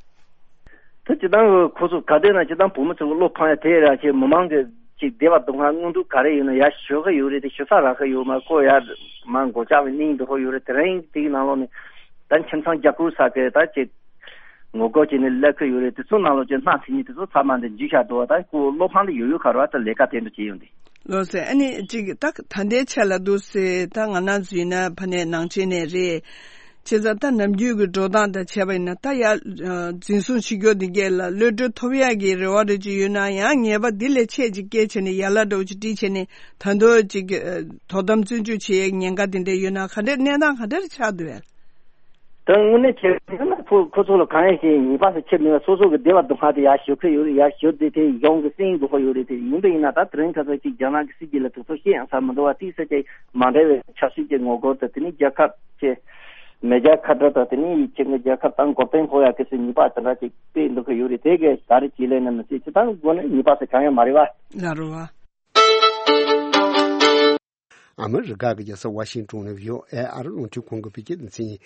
ད་སྤྱི་བཏང་གི་ཁོ་ཚོ་ག་དེ་ན་སྤྱི་བཏང་བུ་མོ་ཚོ་གི་བློ་ཕམ་ཡ་དེ་ར་ཆེ་མི་མང་གི་ཅིག་བདེ་བ་སྡུག་བསྔལ་མངོན་འདུག་ག་རེ་ཡོད་ན་ཡ་ཞུ་གི་ཡོད་རེད། དེ་ཞུ་ས་རག་གི་ཡོད་མ་ཁོ་ཡ་མ་མགོ་ལྕག་གི་སྙིང་འདུག་ཧོ་ཡོད་རེད། དེ་རིང་དེའི་ནང་ལོགས་ནས་ད་ཁྱིམ་ཚང་རྒྱ་བསྐུལ་ས་གི་ད་ཅིག་ངོ་རྒོལ་བྱས་ནས་སླེབས་གི་ཡོད་རེད། དེ་ཚོ་ནང་ལོགས་ཀྱི་སྣ་ཚིག་གཉིས་དེ་ཚོ་ཚང་མ་འདི་འཇུས་བཞག་འདུག་ད་ཁོ་བློ་ཕམ་དེ་ཡོད་ཡོད་ཁ་ར་ད་ལས་ཀ་དེ་འདྲ་བྱས་ཡོང་དེ། ལོ་སེ་ཨ་ནི་ཅིག་ད་ད་ལྟའི་ཆ་ལ་འདུག་སེ་ད་ང་རང་ཚོ་ཡིན་ན་ཕ་ནས་ནང་ཆེན་ནས་རེད། བྱས་ཙང་ད་ནམ་རྒྱུན་གྱི་འགྲོ་སྟངས་དང་བྱས་པ་ཡིན་ན་ད་ཡ་འཛིན་བཟུང་བྱེད་རྒྱུ་འདི་གས་ལ་གློད་གྲོལ་ཐོབ་ཡག་གི་རེ་བ་རེ་ཅིག་ཡོད་ན་ཡང་ངེས་པ་འདི་ལས་ཆེ་ཅིག་སྐྱེས་བྱས་ནས་ཡ་ལ་འདྲ་བོ་ཅིག་བྲིས་བྱས་ནས་ད་དུང་ཅིག་དོ་དམ་བཙོན་འཇུག་བྱེད་ཡག་ཉེན་ཁ་དེ་འདྲ་ཡོད་ན་ག་འདྲ་གནས་སྟངས་ག་འདྲ་ཆགས་འདུག་ཨེ། ད་དངོས་གནས་བྱས་ན་ཁོ་ཁོ་ཚོ་ལ་གང་ཡང་ཞིག་ཉེས་པ་སུ་ཁྱེར་མེད་པ་སོ་སོ་གི་བདེ་བ་སྡུག་བསྔལ་དེ་ཡར་ཞུ་གི་ཡོད་རེད། ཡར་ཞུ་དེ་དེ་ཡོང་གི་སེམས་དགོས་ཀྱི་ཡོད་རེད། དེ་ཡིན་པ་ཡིན་ན་ད་དེ་རིང་ཁ་སང་ཅིག་རྒྱ་ནག་གི་སྲིད་ཇུས་ལ་དེ་ཚོ་བཤད་ཡང་ས་མི་འདུག་བ། དེ་ས་དེ་མ་འདྲ་བའི་ཆབ་སྲིད་ཀྱི་ངོ་རྒོལ་དང་དེ་ནི་རྒྱལ་ཁབ་ཀྱི་མེ་རྒྱལ་ཁ་བྲལ་དང་དེ་ནི་ཡིད་ཆེས་ཀྱི་རྒྱལ་ཁབ་དང་འགོག་རྐྱེན་ཕོག་ཡག་གི་སྲིད་ཉེས་པ་དེ་འདྲ་ཅིག་སྤེལ་འདུག་གི་ཡོད་རེད། དེ་གས་ད་རེས་ཅིག་ལས་ན་མི་སྲིད་ཅི་ད་དངོས་གནས་ཉེས་པ་ཟེར་གང་ཡང་མ་རེད་བ། ལ་རུ་བ། ཨ་མི་རི་ཀ་གི་རྒྱལ་ས་ཝ་ཤིང་ཏོན་ནས་ཡོད་ཨེ་ཨར་རླུང་འཕྲིན་ཁང་གི་བོད་སྐད་སྡེ་ཚན།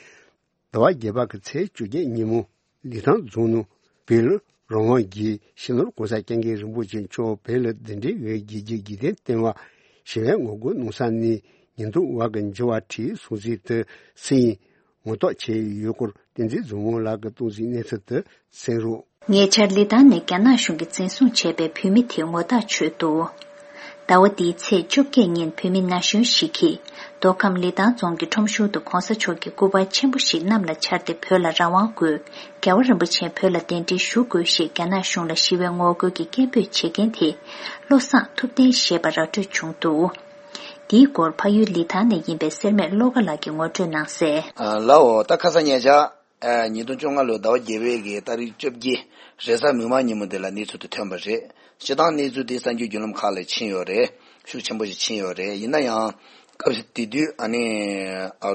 ཟླ་བ་བརྒྱད་པ་གི་ཚེས་བཅོ་བརྒྱད་ཉིན་མོ་ལི་ཐང་རྫོང་ནང་བོད་ལ་རང་དབང་གི་ཕྱི་ནང་གོང་ས་སྐྱབས་མགོན་རིན་པོ་ཆེ་མཆོག་བོད་ལ་གདན་འདྲེན་འོས་རྒྱལ་གྱི་རྒྱལ་དོན་བསྟན་པ་ཞི་བའི་ངོ་རྒོལ་གནང་ས་ནས་ཉེན་རྟོག་བ་གི་འགྱུར་བ་ཁྲིད་སོང་ཚུལ་དུ་སེམས་ངོ་རྟོགས་བྱས་ཡོད་སྐོར་བསྟན་འཛིན་བཟང་མོ་ལགས་ཀྱིས་གཏོང་ཟིན་གནས་ཚུལ་དུ་གསན་རོགས། ཉེ་ཆར་ལི་ཐང་ནས་རྒྱ་ནག་གཞུང་གིས་འཛིན་བཟུང་བྱས་པའི་བོད་མི་དེ་ངོ་རྟགས་ཆོད་འདུག་ཟླ་བ་འདིའི་ཚེས་བཅོ་བརྒྱད་ཉིན་བོད་མི་ན་གཞོན་ཞིག་གིས་མདོ་ཁམས་ལི་ཐང་རྫོང་གི་ཁྲོམ་གཞུང་དུ་གོང་ས་མཆོག་གི་སྐུ་པར་ཆེན་པོ་ཞིག་གནམ་ལ་འཕྱར་ཏེ་བོད་ལ་རང་དབང་དགོས། རྒྱལ་བ་རིན་པོ་ཆེ་བོད་ལ་གདན་འདྲེན་ཞུ་དགོས་ཞེས་རྒྱ་ནག་གཞུང་ལ་ཞི་བའི་ངོ་རྒོལ་གྱི་སྐད་འབོད་བྱེད་མཁན་དེ་བློ་བཟང་ཐུབ་བསྟན་ཞེས་པ་ར་སྤྲོད་བྱུང་འདུག་འདིའི་སྐོར་ཕ་ཡུལ་ལི་ཐང་ནས་ཡིན་པའི་སེར་སྨད་བློ་དགའ་ལགས་ཀྱིས་ངོ་སྤྲོད་གནང་གསལ། ལའོ་ད་ཁ་སང་ཉེ་ཆར། ཉིས་སྟོང་བཅོ་ལྔ་ལོའི་ཟླ་བ་བརྒྱད་པའི་གི་ཏ་རིག་བཅོ་བརྒྱད་རེས་གཟའ་མིག་དམར་ཉིན་མོ་དེ་ལ་གནས་ཚུལ་དེ་ཐོན་པ་རེད། སྤྱིར་བཏང་གནས་ཚུལ་དེ་གསར་འགྱུར་བརྒྱུད་ལམ་ཁག་ལ་ཕྱིན་ཡོད་རེད། ཤུགས་ཆེན་པོ་ཞིག་ཕྱིན་ཡོད་རེད། ཡིན་ན་ཡང་སྐབས་དེ་དུས་ཨ་ནི་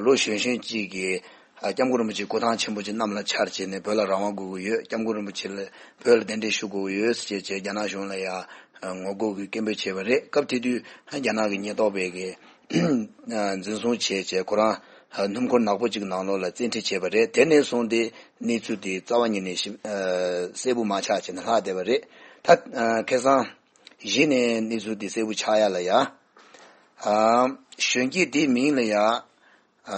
ལོ་གཞོན་གཞོན་གཅིག་གིས་སྐྱབས་མགོན་རིན་པོ་ཆེ་སྐུ་ཐང་ཆེན་པོ་ཅིག་གནམ་ལ་འཕྱར་བྱས་ནས་བོད་ལ་རང་དབང་དགོས་ཀྱི་ཡོད། སྐྱབས་མགོན་རིན་པོ་ཆེ་ལ་བོད་ལ་གདན་འདྲེན་ཞུ་དགོས་ཀྱི་ཡོད་ཟེར་བྱས་རྒྱ་ནག་གཞུང་ལ་ཡང་ངོ་རྒོལ་གྱི་སྐད་འབོད་བྱས་པ་རེད། སྐབས་དེ་དུས་རྒྱ་ནག་གི་ཉེན་རྟོག་པས་གི་འཛིན་བཟུང་བྱས་བྱས་ཁོ་རང་སྣུམ་འཁོར་ནག་པོ་གཅིག་ནང་ལོགས་ལ་བཙན་ཁྲིད་བྱས་པ་རེད། དེ་ནས་བཟུང་སྟེ་གནས་ཚུལ་དེ་རྩ་བ་ཉིད་ནས་ཞིབ་གསལ་པོ་མ་ཆགས་བྱས་ནས་ལྷག་བསྡད་པ་རེད། ད་ཁ་སང་གཞི་ནས་གནས་ཚུལ་དེ་གསལ་པོ་ཆགས་ཡ་ལ་ཡ་གཞོན་སྐྱེས་དེའི་མིང་ལ་ཡ་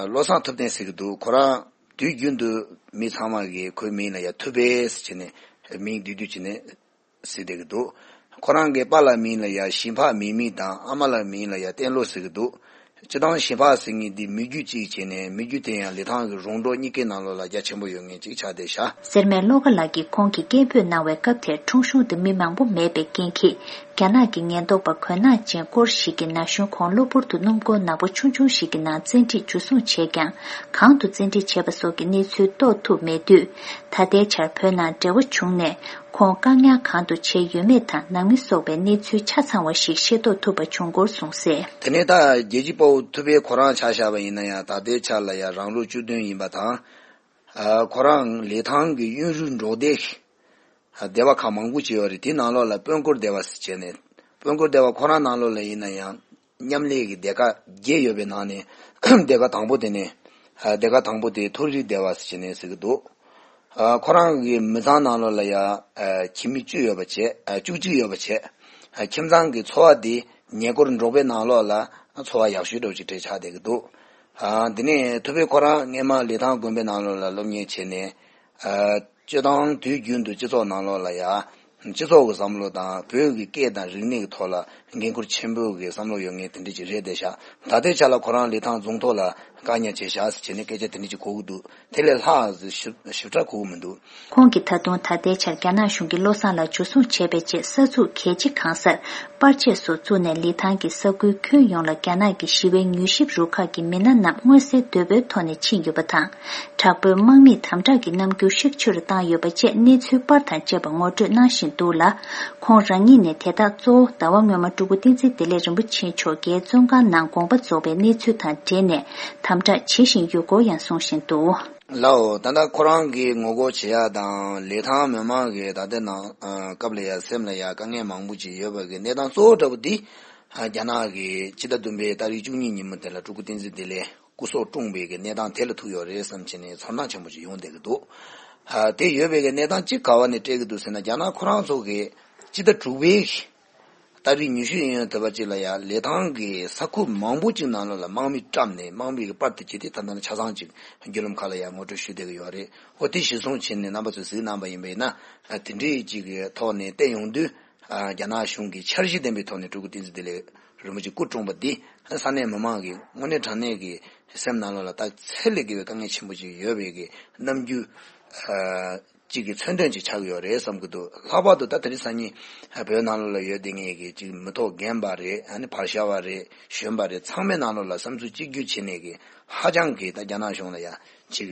བློ་བཟང་ཐུབ་བསྟན་ཟེར་གི་འདུག་ཁོ་རང་དུས་རྒྱུན་དུ་མི་ཚང་མ་གིས་ཁོའི་མིང་ལ་ཡ་ཐུབ་པས་ཟེར་བྱས་ནས་མིང་བསྡུས་བསྡུས་བྱས་ནས། ཟེར་བསྡད་ཀྱི་འདུག་ཁོ་རང་གི་པཱ་ལགས་མིང་ལ་ཡ་ཞིན་ཕག་མིག་མིག་དང་ཨ་མ་ལགས་མིང་ལ་ཡ་བསྟན་ལོ་ཟེར་གྱི་འདུག་སྤྱིར་བཏང་ཞིན་ཕག་ཟེར་མཁན་འདི་མི་རྒྱུད་གཅིག་བྱས་ནས་མི་རྒྱུད་དེ་ཡང་ལི་ཐང་གི་རོང་འབྲོག་གཉིས་ཀའི་ནང་ལོགས་ལ་རྒྱ་ཆེན་པོ་ཡོད་མཁན་གཅིག་ཆགས་བསྡད་ཤག་སེར་སྨད་བློ་དགའ་ལགས་ཀྱིས་ཁོང་གིས་སྐད་འབོད་གནང་བའི་སྐབས་དེར་ཁྲུང་ཤུང་དུ་མི་མང་པོ་མེད་པའི་རྐྱེན་གྱིས་རྒྱ་ནག་གི་ཉེན་རྟོག་པ་གོས་ནག་ཅན་སྐོར་ཞིག་གིས་ན་གཞོན་ཁོང་གློ་བུར་དུ་སྣུམ་འཁོར་ནག་པོ་ཆུང་ཆུང་ཞིག་གི་ནང་བཙན་ཁྲིད་འཇུ་བཟུང་བྱས་ཀྱང་གང་དུ་བཙན་ཁྲིད་བྱས་པ་སོགས་ཀྱི་གནས་ཚུལ་རྟོགས་ཐུབ་མེད་དུས་ད་ལྟའི་ཆར་བོད་ནང་འབྲེལ་བ་བྱུང་ནས། ཁོང་བཀག་ཉར་གང་དུ་བྱས་ཡོད་མེད་དང་ནང་མི་སོགས་པའི་གནས་ཚུལ་ཆ་ཚང་བ་ཞིག་ཤེས་རྟོགས་ཐུབ་པ་བྱུང་སྐོར་གསུངས་གསལ། དེ་ནས་ད་རྒྱལ་གཅེས་དཔའ་བོ་ཐུབ་པའི་ཁོ་རང་ཆ་བཞག་པ་ཡིན་ན་ཡང་ད་ལྟའི་ཆར་ལ་ཡང་རང་ལོ་བཅུ་བདུན་ཡིན་པ་དང་། ཁོ་རང་ལི་ཐང་གི་གཡོན་རུའི་འབྲོག་སྡེ་སྡེ་བ་ཁག་མང་པོ་ཅིག་ཡོད་རེད། དེའི་ནང་ལོགས་ལ་དཔོན་སྐོར་སྡེ་བ་ཟེར་བྱས་ནས་དཔོན་སྐོར་སྡེ་བ་ཁོ་རང་ནང་ལོགས་ལ་ཡིན་ན་ཡང་། མཉམ་ལས་ཀྱི་སྡེ་ཁག་བརྒྱད་ཡོད་པའི་ནང་ནས་སྡེ་ཁག་དང་པོ་དེ་ནས་སྡེ་ཁག་དང་པོ་དེ་མཐོ་རིས་སྡེ་བ་ཟེར་ནས་ཟེར་གྱི་འདུག་ཁོ་རང་གི་མི་ཚང་ནང་ལོགས་ལ་ཡ་ཁྱིམ་མི་བཅུ་ཡོད་པ་བྱས་བཅུ་གཅིག་ཡོད་པ་བྱས། ཁྱིམ་ཚང་གི་འཚོ་བ་དེ་ཉེ་འཁོར་འབྲོག་པའི་ནང་ལོགས་ལ་འཚོ་བ་ཡག་ཤོས་འདྲ་བོ་ཅིག་གྲས་ཆགས་བསྡད་ཀྱི་འདུག་དེ་ནས་ཐུབ་པའི་ཁོ་རང་སྔས་མ་ལི་ཐང་དགོན་པའི་ནང་ལོགས་ལ་སློབ་གཉེར་བྱས་ནས། སྤྱིར་བཏང་དུས་རྒྱུན་དུ་སྤྱི་ཚོགས་ནང་ལོགས་ལ་ཡ། སྤྱི་ཚོགས་ཀྱི་བསམ་བློ་དང་བོད་ཀྱི་སྐད་དང་རིག་གནས་ཀྱི་ཐོག་ལ་འགན་ཁུར་ཆེན་པོ་གི་བསམ་བློ་ཡོད་མཁན་དེ་འདྲ་ཅིག་རེད་བསྡད་ཤག་ད་ལྟའི་ཆ་ལ་ཁོ་རང་ལི་ཐང་རྫོང་ཐོག་ལ་ བཀག་ཉར་བྱས་བཞག་ཟེར་བྱས་ནས་སྐད་ཆ་དེ་འདྲ་ཅིག་གོ་གི་འདུག་དེ་ལས་ལྷག་ཞིབ་ཞིབ་ཕྲ་གོ་གི་མི་འདུག་ཁོང་གིས་ད་དུང་ད་ལྟའི་ཆར་རྒྱ་ནག་གཞུང་གིས་བློ་བཟང་ལགས་འཇུ་བཟུང་བྱས་པའི་རྗེས་ས་ཚུགས་གལ་ཆེ་གང་སར་པར་ཆས་སོགས་བཙུགས་ནས་ལི་ཐང་གི་ས་ཁུལ་ཁྱོན་ཡོངས་ལ་རྒྱ་ནག་གི་ཞི་བའི་མྱུལ་ཞིབ་རུ་ཁག་གི་མི་སྣ་རྣམས་མངོན་གསལ་དོད་པོའི་ཐོག་ནས་ཕྱིན་ཡོད་པ་དང་། དྲག་པོའི་དམག་མིས་དམ་དྲག་གི་རྣམ་འགྱུར་ཤུགས་ཆེ་རུ་བཏང་ཡོད་པ་བཅས་གནས་ཚུལ་པར་དང་བཅས་པ་ངོ་སྤྲོད་གནང་བཞིན་འདུག་ལ། ཁོང་རང་ཉིད་ནས་དེ་དག་གཙོ་བོ་ཟླ་བ་སྔོན་མ་སྤྲུལ་སྐུ་བསྟན་འཛིན་བདེ་ལེགས་རིན་པོ་ཆེ་མཆོག་རྒྱའི་བཙོན་ཁང་ནང་དགོངས་པ་རྫོགས་པའི་གནས་ཚུལ་དང་འབྲེལ་ནས་དམ་དྲག་བྱེད་བཞིན་ཡོད་སྐོར་ཡང་གསུངས་བཞིན་འདུག་ལའོ། ད་ལྟ་ཁོ་རང་གིས་ངོ་རྒོལ་བྱེད་ཡ་དང་ལི་ཐང་མི་མང་གི་ད་ལྟའི་ནང་ཨ་སྐབས་ལ་ཡ་སེམས་ལ་ཡ་དཀའ་ངལ་མང་པོ་ཅིག་ཡོད་པ་གི་གནས་སྟངས་གཙོ་བོ་འདྲ་པོ་འདི་ཨ་རྒྱ་ནག་གི་ཕྱི་ཟླ་བདུན་པའི་ཏ་རིག་བཅུ་གཉིས་ཉིན་མོ་དེ་ལ་སྤྲུལ་སྐུ་བསྟན་འཛིན་བདེ་ལེགས་སྐུ་སྲོག་བཀྲོངས་པའི་གི་གནས་སྟངས་དེ་ལ་ཐུག་ཡོད་རེད་བསམ་བྱས་ནས་ཚོར་སྣང་ཆེན་པོ་ཅིག་ཡོང་བསྡད་ཀྱི་འདུག་ཨ་དེ་ཡོད་པའི་གི་གནས་སྟངས་གཅིག་ག་བ་ནས་སྤྲད་ཀྱི་འདུག་ཟེར་ན་རྒྱ་ནག་ཁོ་རང་ཚོ་གི་ཕྱི་ཟླ་དྲུག་པའི་ཏ་རིག་ཉི་ཤུ་ཡིན་ཡང་དེ་བ་གཅིག་ལ་ཡང་ལི་ཐང་གི་ས་ཁུལ་མང་པོ་གཅིག་ནང་ལོགས་ལ་དམག་མི་བཀྲམ་ནས་དམག་མི་གི་པར་དེ་བྱས་ཏེ་ད་ལྟ་ཆ་ཚང་གཅིག་བརྒྱུད་ལམ་ཁག་ལ་ཡང་ངོ་སྤྲོད་ཞུས་བསྡད་ཀྱི་ཡོད་རེད། འོ་དེ་གཞིར་བཟུང་བྱས་ནས་རྣམ་པ་ཚོས་གཟིགས་གནང་པ་ཡིན་པ་ཡིན་ན་དེ་འདྲའི་གཅིག་གི་ཐོག་ནས་བལྟས་ཡོང་དུས་རྒྱ་ནག་གཞུང་གི་འཆར་གཞི་ལྡན་པའི་ཐོག་ནས་སྤྲུལ་སྐུ་བསྟན་འཛིན་བདེ་ལེགས་རིན་པོ་ཆེ་སྐུ་བཀྲོངས་པ་འདི་ས་གནས་མི་མང་གི་དངོས་གནས་དྲང་གནས་ཀྱི་སེམས་ནང་ལོགས་ལ་ད་ཚད་ལས་བརྒལ་བའི་དཀའ་ངལ་ཆེན་པོ་ཅིག་ཡོད་པའི་གི་རྣམ་འགྱུར། གཅིག་གི་མཚོན་དོན་ཅིག་ཆགས་ཀྱི་ཡོད་རེད་བསམ་གྱི་འདུག་ལྷག་པར་དུ་ད་དེ་རིང་སང་ཉིན་བོད་ནང་ལོགས་ལ་ཡོད་བསྡད་མཁན་གྱི་གཅིག་མི་ཐོག་རྒན་པ་རེད། ཨ་ནི་བར་ཤ་བ་རེད། གཞོན་པ་རེད། ཚང་མའི་ནང་ལོགས་ལ་བསམ་ཚུལ་གཅིག་གྱུར་བྱས་ནས་གི་ཧ་ཅང་གི་ད་རྒྱ་ནག་གཞུང་ལ་ཡང་གཅིག་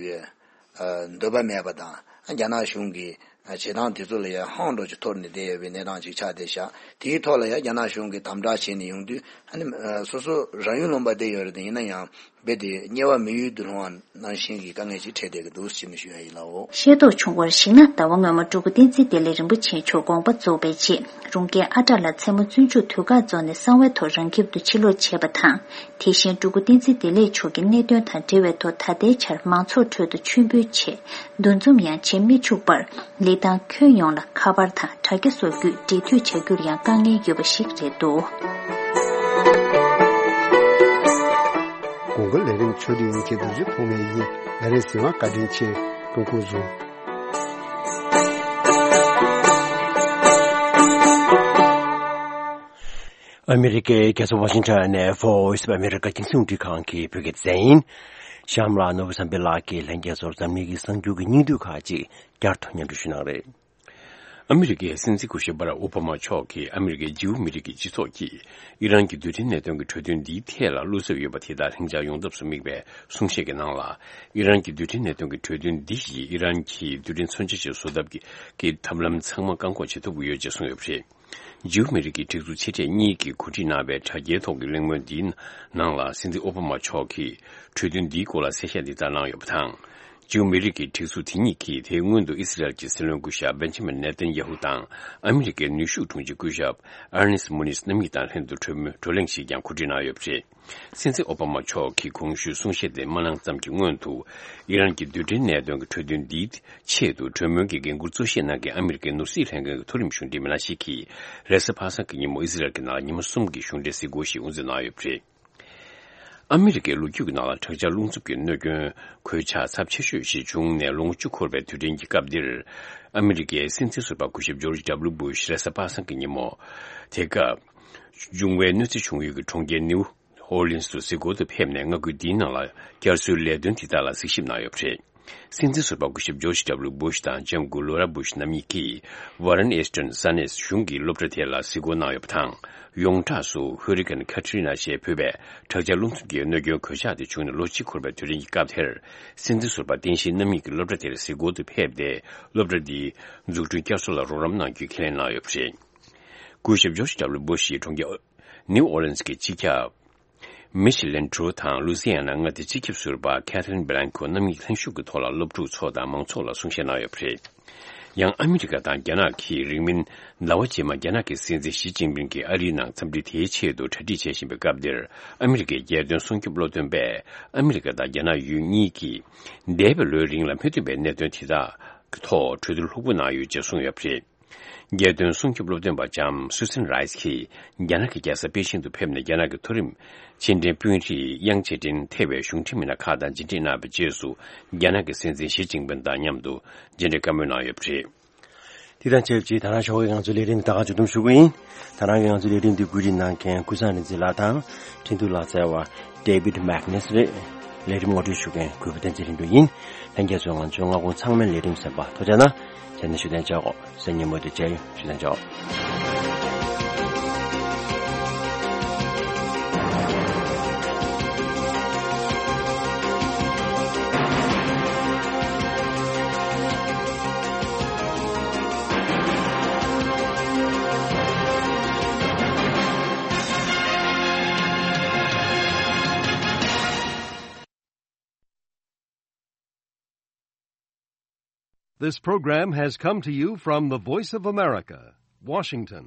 འདོད་པ་མེད་པ་དང་རྒྱ་ནག་གཞུང་གི་བྱེད་སྟངས་དེ་ཚོ་ལ་ཡང་ཧང་འགྲོ་ཅིག་འཐོར་ནས་བསྡད་ཡོད་པའི་གནས་སྟངས་ཅིག་ཆགས་བསྡད་ཤག་དེའི་ཐོག་ལ་ཡང་རྒྱ་ནག་གཞུང་གིས་དམ་དྲག་བྱས་ནས་ཡོང་དུས་ཨ་ནི་སོ་སོ་རང་ཡུལ་ལུང་པ་བསྡད་ཡོད་རེད་དེ་ཡིན་ན་ཡང་། རྦད་དེ་དམྱལ་བ་མི་ཡུལ་དུ་ལྷུང་བ་ནང་བཞིན་གྱི་དཀའ་ངལ་ཅིག་འཕྲད་བསྡད་ཀྱི་འདུག་ཅེས་ནས་ཞུ་ཡ་ཡིན་ལགས། ཤེས་རྟོགས་བྱུང་བར་གཞིགས་ན་ཟླ་བ་སྔོན་མ་སྤྲུལ་སྐུ་བསྟན་འཛིན་བདེ་ལེགས་རིན་པོ་ཆེ་མཆོག་དགོངས་པ་རྫོགས་པའི་རྗེས་རུང་རྒྱལ་ཨ་བྲག་ལ་མཚན་མོ་བཙུན་ཆུ་དུས་དཀར་རྫོང་ནས་གསང་བའི་ཐོག་རང་ཁྱིམ་དུ་ཕྱིར་ལོག་བྱས་པ་དང་དེ་བཞིན་སྤྲུལ་སྐུ་བསྟན་འཛིན་བདེ་ལེགས་མཆོག་གི་གནད་དོན་དང་འབྲེལ་བའི་ཐོག་ད་ལྟའི་ཆར་མང་ཚོགས་ཁྲོད་དུ་མཆོད་འབུལ་ཆེད་འདུ་འཛོམས་ཡང་བྱེད་མི་ཆུག་པར། ལི་ཐང་ཁྱོན་ཡོངས་ལ་ཁ་པར་དང་དྲ་རྒྱ་སོགས་བརྒྱུད་འབྲེལ་མཐུད་བྱ་རྒྱུར་ཡང་དཀའ་ངལ་ཡོད་པ་ཞིག་རེད་འདུག་གོང་གི་ལས་རིམ་ཆོས་སྒྲིག་ཡིན་གྱི་རྡོ་རྗེ་ཐོགས་མེད་ཡིན། ལས་རིམ་གསན་པར་བཀའ་དྲིན་ཆེ། སྐུ་ཁམས་བཟང་། ཨ་མི་རི་ཀའི་རྒྱལ་ས་ཝ་ཤིང་ཊོན་ནས་Voice of America་རྒྱང་སྲིང་རླུང་འཕྲིན་ཁང་གི་བོད་སྐད་སྡེ་ཚན་ཡིན། གཤམ་ལ་ནོར་བུ་བསམ་འཕེལ་ལགས་ཀྱིས་ལྷན་རྒྱས་ཚོར་འཛམ་གླིང་གི་གསར་འགྱུར་གྱི་སྙིང་བསྡུས་ཁག་ཅིག་བསྐྱར་དུ་སྙན་སྒྲོན་ཞུ་གནང་རེད། ཨ་མི་རི་ཀའི་སྲིད་འཛིན་སྐུ་ཞབས་བྷ་རག་ཨོ་བྷ་མ་མཆོག་གིས་ཨ་མི་རི་ཀའི་ཇིའུ་མི་རིགས་ཀྱི་སྤྱི་ཚོགས་ཀྱིས་ཨི་རན་གྱི་རྡུལ་ཕྲན་གནད་དོན་གྱི་གྲོས་མཐུན་འདིའི་ཐད་ལ་བློ་འཚབ་ཡོད་པ་དེ་དག་ལྷིང་འཇགས་ཡོང་ཐབས་སུ་དམིགས་པའི་གསུང་བཤད་ཀྱི་ནང་ལ། ཨི་རན་གྱི་རྡུལ་ཕྲན་གནད་དོན་གྱི་གྲོས་མཐུན་འདི་ཡིས་ཨི་རན་གྱི་རྡུལ་ཕྲན་མཚོན་ཆ་ཞིག་བཟོ་ཐབས་ཀྱི་ཐབས་ལམ་ཚང་མ་བཀག་འགོག་བྱེད་ཐུབ་ཀྱི་ཡོད་ཅེས་གསུངས་ཡོད་པ་རེད། ཇིའུ་མི་རིགས་ཀྱི་སྒྲིག་འཛུགས་ཆེ་གྲས་གཉིས་ཀྱིས་གོ་སྒྲིག་གནང་བའི་དྲ་རྒྱའི་ཐོག་གི་གླེང་མོལ་འདིའི་ནང་ལ་སྲིད་འཛིན་ཨོ་བྷ་མ་མཆོག་གིས་གྲོས་མཐུན་འདིའི་སྐོར་ལ་གསལ་བཤད་འདི་ལྟར་གནང་ཡོད་པ་དང་། ཇིའུ་མི་རིགས་ཀྱི་སྒྲིག་འཛུགས་དེ་གཉིས་ཀྱིས་དེའི་སྔོན་དུ་ཨི་སི་རལ་གྱི་སྲིད་བློན་སྐུ་ཞབས་བེན་ཇི་མིན་ནེ་ཐན་ཡ་ཧུ་དང་ཨ་མི་རི་ཀའི་ནུས་ཤུགས་དྲུང་ཆེ་སྐུ་ཞབས་ཨར་ནེ་སི་མུ་ནིས་རྣམ་གཉིས་དང་ལྷན་དུ་གྲོས་མོལ་བགྲོ་གླེང་ཞིག་ཀྱང་གོ་སྒྲིག་གནང་ཡོད་པ་རེད། སྲིད་འཛིན་ཨོ་བྷ་མ་མཆོག་གིས་གོང་ཞུས་གསུང་བཤད་དེ་མ་གནང་ཙམ་གྱི་སྔོན་དུ། ཨི་རན་གྱི་རྡུལ་ཕྲན་གནད་དོན་གྱི་གྲོས་མཐུན་འདིའི་ཆེད་དུ་གྲོས་མོལ་གྱི་འགན་འཁུར་གཙོ་བཞེས་གནང་མཁན་ཨ་མི་རི་ཀའི་ནོར་སྲིད་ལྷན་ཁང་གི་མཐོ་རིམ་གཞུང་འབྲེལ་མི་སྣ་ཞིག་གིས་རེས་གཟའ་པ་སངས་ཀྱི་ཉིན་མོ་ཨི་སི་རལ་གྱི་ནང་ལ་ཉི་མ་གསུམ་གྱི་གཞུང་འབྲེལ་གཟིགས་སྐོར་ཞིག་དབུ་འཛུགས་གནང་ཡོད་པ་རེད། ཨ་མི་རི་ཀའི་ལོ་རྒྱུས་ཀྱི་ནང་ལ་དྲག་ཆར་རླུང་འཚུབ་ཀྱི་གནོད་སྐྱོན་གོད་ཆག་ཚབས་ཆེ་ཤོས་ཤིག་བྱུང་ནས་ལོ་ངོ་བཅུ་འཁོར་བའི་དུས་དྲན་གྱི་སྐབས་འདིར། ཨ་མི་རི་ཀའི་སྲིད་འཛིན་ཟུར་པ་སྐུ་ཞབས་ཇོརྗ་ཌབ་ལུ་སྦུ་ཤ་རེས་གཟའ་པ་སངས་ཀྱི་ཉིན་མོ། དེ་སྐབས། འབྱུང་བའི་གནོད་འཚེ་བྱུང་ཡུལ་གྱི་གྲོང་ཁྱེར་ནིའུ་ཨོར་ལིན་སུ་གཟིགས་སྐོར་དུ་ཕེབས་ནས་མངའ་ཁུལ་འདིའི་ནང་ལ་བསྐྱར་གསོའི་ལས་དོན་དེ་དག་ལ་གཟིགས་ཞིབ་གནང་ཡོད་པ་རེད། སྲིད་འཛིན་ཟུར་པ་སྐུ་ཞབས་ཇོརྗ་ཌབ་ལུ་སྦུ་ཤ་དང་ལྕམ་སྐུ་ལོ་ར་སྦུ་ཤ་རྣམ་གཉིས་ཀྱིས་ཝ་རན་ཨེ་སི་ཊོན་ས་གནས་གཞུང་གི་སློབ་གྲྭ་དེ་ལ་གཟིགས་སྐོར་གནང་ཡོད་པ་དང་། ཡོངས་གྲགས་སུ་ཧུ་རི་ཀན་ཁ་ཏྲི་ན་ཞེས་འབོད་པའི་དྲག་ཆར་རླུང་འཚུབ་ཀྱི་གནོད་སྐྱོན་གོད་ཆག་དེ་བྱུང་ནས་ལོ་གཅིག་འཁོར་བའི་དུས་དྲན་གྱི་སྐབས་དེར། སྲིད་འཛིན་ཟུར་པ་བསྟན་བཤིག་རྣམ་གཉིས་ཀྱིས་སློབ་གྲྭ་དེར་གཟིགས་སྐོར་དུ་ཕེབས་ཏེ། སློབ་གྲྭ་འདིའི་འཛུགས་སྐྲུན་བསྐྱར་གསོ་ལ་རོགས་རམ་གནང་རྒྱུའི་ཁས་ལེན་གནང་ཡོད་པ་རེད། སྐུ་ཞབས་ཇོརྗ་ཌབ་ལུ་སྦུ་ཤ་ཡི་གྲོང་ཁྱེར་ནིའུ་ཨོ་ལིན་སི་གི་སྤྱི་ཁྱབ། མི་ཤི་ལན་ཁྲུའུ་དང་ལུ་སི་ཡ་ན་མངའ་སྡེའི་སྤྱི་ཁྱབ་ཟུར་པ་ཁེ་ཐི་རིན་བྷི་ལན་ཁོ་རྣམ་གཉིས་ལྷན་ཞུགས་ཀྱི་ཐོག་ལ་སློབ་ཕྲུག་ཚོ་དང་མང་ཚོགས་ལ་གསུང་བཤད་གནང་ཡོད་པ་རེད། ཡང་ཨ་མི་རི་ཀ་དང་རྒྱ་ནག་གིས་རིང་མིན་ཟླ་བ་རྗེས་མ་རྒྱ་ནག་གི་སྲིད་འཛིན་ཞི་ཅིན་ཕིང་གིས་ཨ་རིའི་ནང་འཚམས་འདྲི་དེའི་ཆེད་དུ་གྲ་སྒྲིག་བྱེད་བཞིན་པའི་སྐབས་འདིར། ཨ་མི་རི་ཀའི་རྒྱལ་དོན་སྲུང་སྐྱོབ་སློབ་སྟོན་པས་ཨ་མི་རི་ཀ་དང་རྒྱ་ནག་ཡུལ་གཉིས་ཀྱིས་འདས་པའི་ལོའི་རིང་ལ་མི་མཐུན་པའི་གནད་དོན་དེ་དག་གི་ཐོག་གྲོས་བསྡུར་ལྷུག་པོ་གནང་ཡོད་ཅེས་གསུངས་ཡོད་པ་རེད། རྒྱལ་དོན་སྲུང་སྐྱོབ་སློབ་སྟོན་པ་ལྕམ་སུ་སན་རའེ་སི་གིས་རྒྱ་ནག་གི་རྒྱལ་ས་པེ་ཅིང་དུ་ཕེབས་ནས་རྒྱ་ནག་གི་མཐོ་རིམ་ཕྱི་འབྲེལ་དཔོན་རིགས་དབྱང་ཅེ་ཀྲིན་ཐེ་བའི་གཞུང་འབྲེལ་མི་སྣ་ཁག་དང་མཇལ་འཕྲད་གནང་བའི་རྗེས་སུ། རྒྱ་ནག་གི་སྲིད་འཛིན་ཞི་ཅིན་ཕིང་དང་མཉམ་དུ་མཇལ་འཕྲད་བཀའ་མོལ་གནང་ཡོད་པ་རེད། དེ་དང་ཆབས་ཅིག་ད་རང་ཞོགས་ཀྱི་ང་ཚོའི་ལས་རིམ་ད་ག་མཇུག་སྡོམ་ཞུ་གི་ཡིན། ད་རང་གི་ང་ཚོའི་ལས་རིམ་འདི་གོ་སྒྲིག་གནང་མཁན་ཀུན་བཟང་རིག་འཛིན་ལགས་དང་འཕྲིན་ཐུང་ལག་རྩལ་བ་David Magnus་རེད། ལས་རིམ་ངོ་སྤྲོད་ཞུ་མཁན་གུས་པ་བསྟན་འཛིན་རིན་པོ་ཡིན། ལྷན་རྒྱས་ཚོས་ང་ཚོའི་སྔ་དགོང་ཚང་མའི་ལས་རིམ་གསན་པ་ཐུགས་རྗེ་གནང་། བྱས་ན་ཞུ་དན་ཅོག་གོ་སང་ཉིན་མོ་དེ་མཇལ་ཡོང་། ཞུ་དན་ཅོག This program has come to you from the Voice of America, Washington.